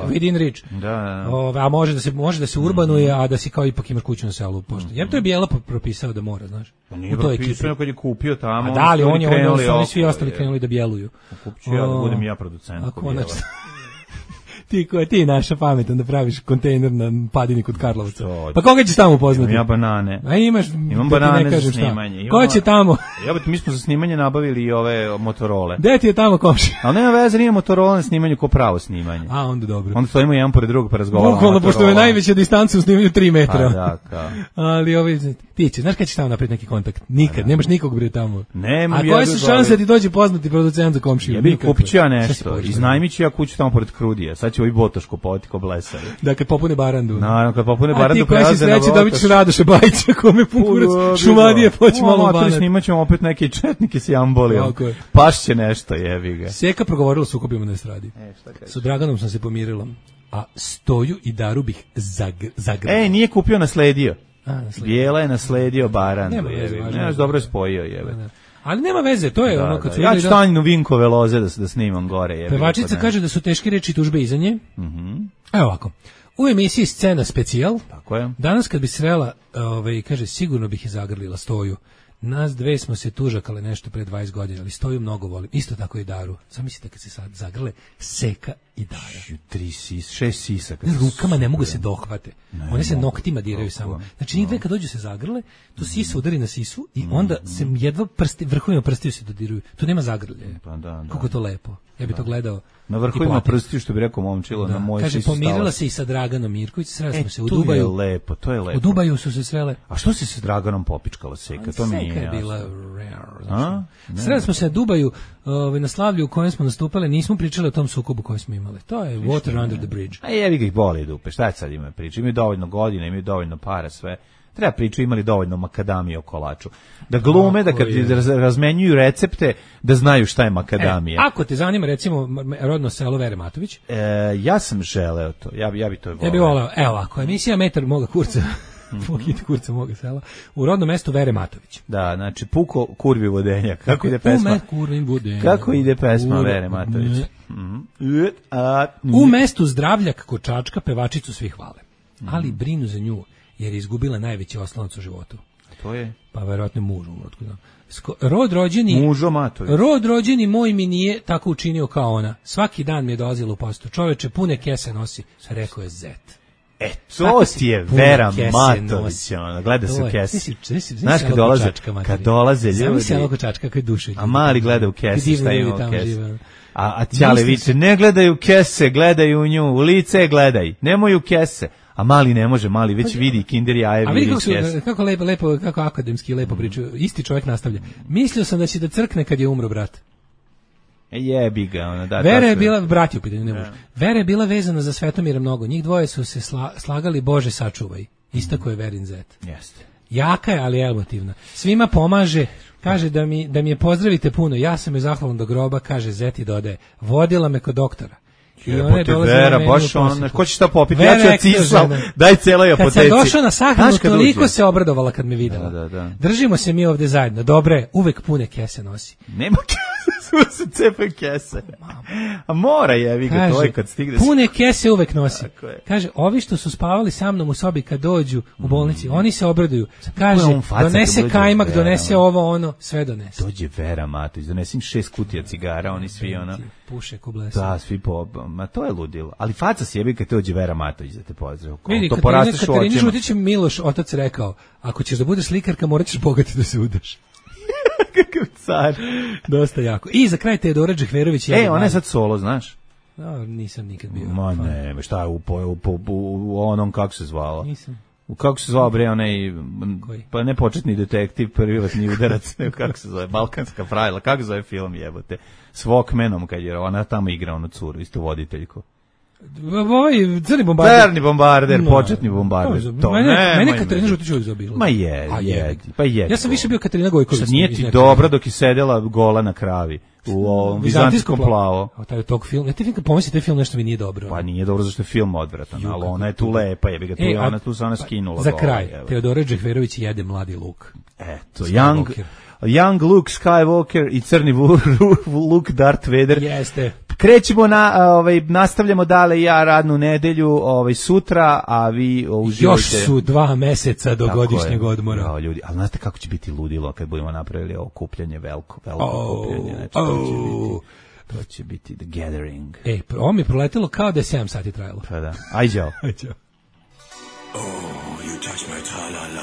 [SPEAKER 6] within reach.
[SPEAKER 5] Da.
[SPEAKER 6] A može da se urbanuje, a da si kao ipak imaš kuću na selu. Jer to je Bijela propisao da mora, znaš.
[SPEAKER 5] Pa nije propisao kad je kupio tamo.
[SPEAKER 6] A da, ali oni svi ostali krenuli da bjeluju.
[SPEAKER 5] Kupću ja da budem ja producent.
[SPEAKER 6] Ti naša pametan da praviš kontejner na padini kod Karlovca. Pa koga ćeš tamo upoznati?
[SPEAKER 5] Imam ja banane.
[SPEAKER 6] A
[SPEAKER 5] imam banane za snimanje.
[SPEAKER 6] Ko će tamo?
[SPEAKER 5] Mi smo za snimanje nabavili i ove Motorole.
[SPEAKER 6] Gde ti je tamo komšija?
[SPEAKER 5] Ali nema veze, nije Motorola na snimanju ko pravo snimanje.
[SPEAKER 6] A, onda dobro.
[SPEAKER 5] Onda stojimo jedan pored drugog pa razgovaramo.
[SPEAKER 6] Bukvalno, pošto je najveća distanca u snimanju 3 metra.
[SPEAKER 5] A da, kao.
[SPEAKER 6] Ali ti će, znaš kada ćeš tamo napraviti neki kontakt? Nikad, nemaš nikog bre tamo.
[SPEAKER 5] Nema.
[SPEAKER 6] A koje su šanse da ti dođe poznati producent za komšiju?
[SPEAKER 5] Kupit ću ja nešto, iznajmit ću ja kuću tamo pored Krudija. Sad će ovi Botoško potiko blesali.
[SPEAKER 6] Da kad popune Barandu.
[SPEAKER 5] Naravno, kad popune Barandu
[SPEAKER 6] prelaze na Botoš. A ti koji si sreći dobit ćeš Radoša Bajića, kome pukurac Šumadije poći malo u Banat.
[SPEAKER 5] Snimat ćemo opet neke četnike s jambolijom. Pašće nešto, jebi ga.
[SPEAKER 6] Seka progovorila s ukopima na estradi. Sa Draganom sam se pomirila. A Stoju i Daru bih zagrala.
[SPEAKER 5] Nije kupio, nasledio. Bijela je nasledio Barandu. Nemaš dobro je spojio, jebe.
[SPEAKER 6] Ali nema veze, to je ono kad su
[SPEAKER 5] ja ću Tanjinu Vinkove loze da snimam gore.
[SPEAKER 6] Pevačica kaže da su teške reči i tužbe iza nje. Evo ovako. U emisiji Scena specijal.
[SPEAKER 5] Tako je.
[SPEAKER 6] Danas kad bi srela, kaže, sigurno bih je zagrlila Stoju. Nas dve smo se tužakale nešto pre 20 godina, ali Stoju mnogo volim. Isto tako i Daru. Zamislite kad se sad zagrle Seka i Dara. 6 sisaka. Rukama ne mogu se dohvate. One se noktima diraju samo. Znači njih dve kad dođu se zagrle, to sisa udari na sisu i onda se jedva vrhovima prstiju se dodiruju. Tu nema zagrlje. Kako to lepo. Ja bih to gledao.
[SPEAKER 5] Na vrhovima prstiju, što bi rekao momčilo, na moj
[SPEAKER 6] kaže, pomirila se i sa Draganom Mirković, sreli smo se u Dubaju.
[SPEAKER 5] To je lepo.
[SPEAKER 6] U Dubaju su se srele.
[SPEAKER 5] A što si se s Draganom popičkala, Seka? To mi nije jasno.
[SPEAKER 6] Seka je bila rare. Sreli smo se na Dubaju, na slavlju u kojem smo nastupali, nismo pričali o tom sukobu koji smo imali. To je Water Under the Bridge.
[SPEAKER 5] A jevi ga ih boli dupe, šta je sad ima priča? Imaju dovoljno godina, imaju dovoljno para, sve. Treba priču, imali dovoljno makadamije o kolaču. Da glume, da kad razmenjuju recepte, da znaju šta je makadamija.
[SPEAKER 6] Ako te zanima, recimo, rodno selo Vere Matović.
[SPEAKER 5] Ja sam želeo to, ja bi to voleo.
[SPEAKER 6] Ja bi voleo, evo ovako, emisija Metar moga kurca, kurca moga sela, u rodnom mestu Vere Matović.
[SPEAKER 5] Da, znači, puko kurvi vodenja. Kako ide pesma? Kako ide pesma Vere Matović?
[SPEAKER 6] U mestu Zdravljak kod Čačka pevačicu svi hvale, ali brinu za nju, jer je izgubila najveći oslonac u životu.
[SPEAKER 5] To je?
[SPEAKER 6] Pa verovatno mužu. Rod rođeni moj mi nije tako učinio kao ona. Svaki dan mi je dolazila u postu. Čoveče, pune kese nosi, rekao je Zet.
[SPEAKER 5] To ti je Vera Matović, gleda se u kesi. Znaš kad dolaze ljudi.
[SPEAKER 6] Zamisli ono Čačka koji duše.
[SPEAKER 5] A mali gleda u kesi, šta ima u kesi. A Ćale viče, ne gledaju kese, gledaju u nju, u lice gledaj, nemoj u kese. A mali ne može, mali već vidi kinder jaje.
[SPEAKER 6] A vidi kako lepo, kako akademski lepo pričaju. Isti čovjek nastavlja. Mislio sam da će da crkne kad je umro brat.
[SPEAKER 5] Jebi ga, ona da.
[SPEAKER 6] Vera je bila, brat je u pitanju, ne može. Vera je bila vezana za Svetomira mnogo. Njih dvoje su se slagali, Bože sačuvaj. Istako je Verin Zet.
[SPEAKER 5] Jeste.
[SPEAKER 6] Jaka je, ali emotivna. Svima pomaže. Kaže da mi je pozdravite puno. Ja sam je zahvalan do groba, kaže Zet i dodaje. Vodila me kod doktora.
[SPEAKER 5] Vera, baš on, ko će šta popiti? Ja ću ocisal, daj celoj apoteci.
[SPEAKER 6] Kad sam došao na sahranu, toliko se obradovala kad me videla.
[SPEAKER 5] Da.
[SPEAKER 6] Držimo se mi ovde zajedno. Dobre, uvek pune kese nosi.
[SPEAKER 5] Nema kese, sve se cepe kese. A mora jevi ga, to je kad stigne.
[SPEAKER 6] Pune kese uvek nosi. Kaže, ovi što su spavali sa mnom u sobi kad dođu u bolnici, oni se obraduju. Kaže, donese kajmak, donese ovo, ono, sve donese.
[SPEAKER 5] Dođe Vera Matović, donesim 6 kutija cigara, oni svi ono.
[SPEAKER 6] Puše ko blesa.
[SPEAKER 5] Da, svi ma to je ludilo. Ali faca si jebi kad te dođe Vera Matović da te pozdravi.
[SPEAKER 6] Vidi, to porasteš u očima. Žutić Miloš, otac rekao, ako ćeš da budeš slikarka, morat ćeš bogati da se udaš.
[SPEAKER 5] Kakav car.
[SPEAKER 6] Dosta jako. I za kraj Teodora Džehverović.
[SPEAKER 5] Ona je sad solo, znaš?
[SPEAKER 6] No, nisam nikad bio.
[SPEAKER 5] Ma ne, šta je u onom, kako se zvalo?
[SPEAKER 6] Nisam.
[SPEAKER 5] Kako se zvao bre onaj, pa ne početni detektiv, privatni udarac, kako se zove, Balkanska pravila, kako se zove film jebote, s Walkmanom kad je ona tamo igra onu curu, isto voditeljku.
[SPEAKER 6] Ovaj crni bombarder.
[SPEAKER 5] Crni bombarder, početni bombarder. To
[SPEAKER 6] mene Katarina Žutić uvijek zabila.
[SPEAKER 5] Ma je.
[SPEAKER 6] Ja sam više bio Katarina Gojković.
[SPEAKER 5] Nije ti dobro dok je sedela gola na kravi. U ovom vizantijskom plavo.
[SPEAKER 6] Tog film, ja ti pomislim taj film nešto mi nije dobro.
[SPEAKER 5] Pa nije dobro zašto je film odvratan, ali ona je tu lepa, jebi ga tu, ona tu se ona skinula.
[SPEAKER 6] Za kraj, Teodora Džehverović jede mladi Luke.
[SPEAKER 5] Eto, Young Luke Skywalker i crni Luke Darth Vader.
[SPEAKER 6] Jeste.
[SPEAKER 5] Krećemo nastavljamo dale ja radnu nedelju sutra, a vi uživajte.
[SPEAKER 6] Još su 2 meseca do godišnjeg odmora.
[SPEAKER 5] Ja, ljudi, ali znate kako će biti ludilo kad budemo napravili ovo okupljanje, veliko okupljanje. To će biti The Gathering.
[SPEAKER 6] Ovo mi je proletilo kao da je 7 sati trajalo.
[SPEAKER 5] Pa da, ajđao.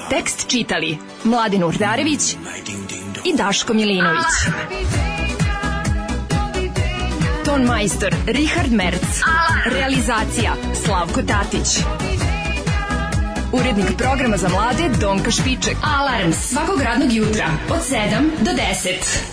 [SPEAKER 3] Tekst čitali Mladin Urdarević i Daško Milinović. Ton majstor Richard Merc. Realizacija Slavko Tatić. Urednik programa za mlade Donka Špiček. Alarms svakog radnog jutra od 7 do 10.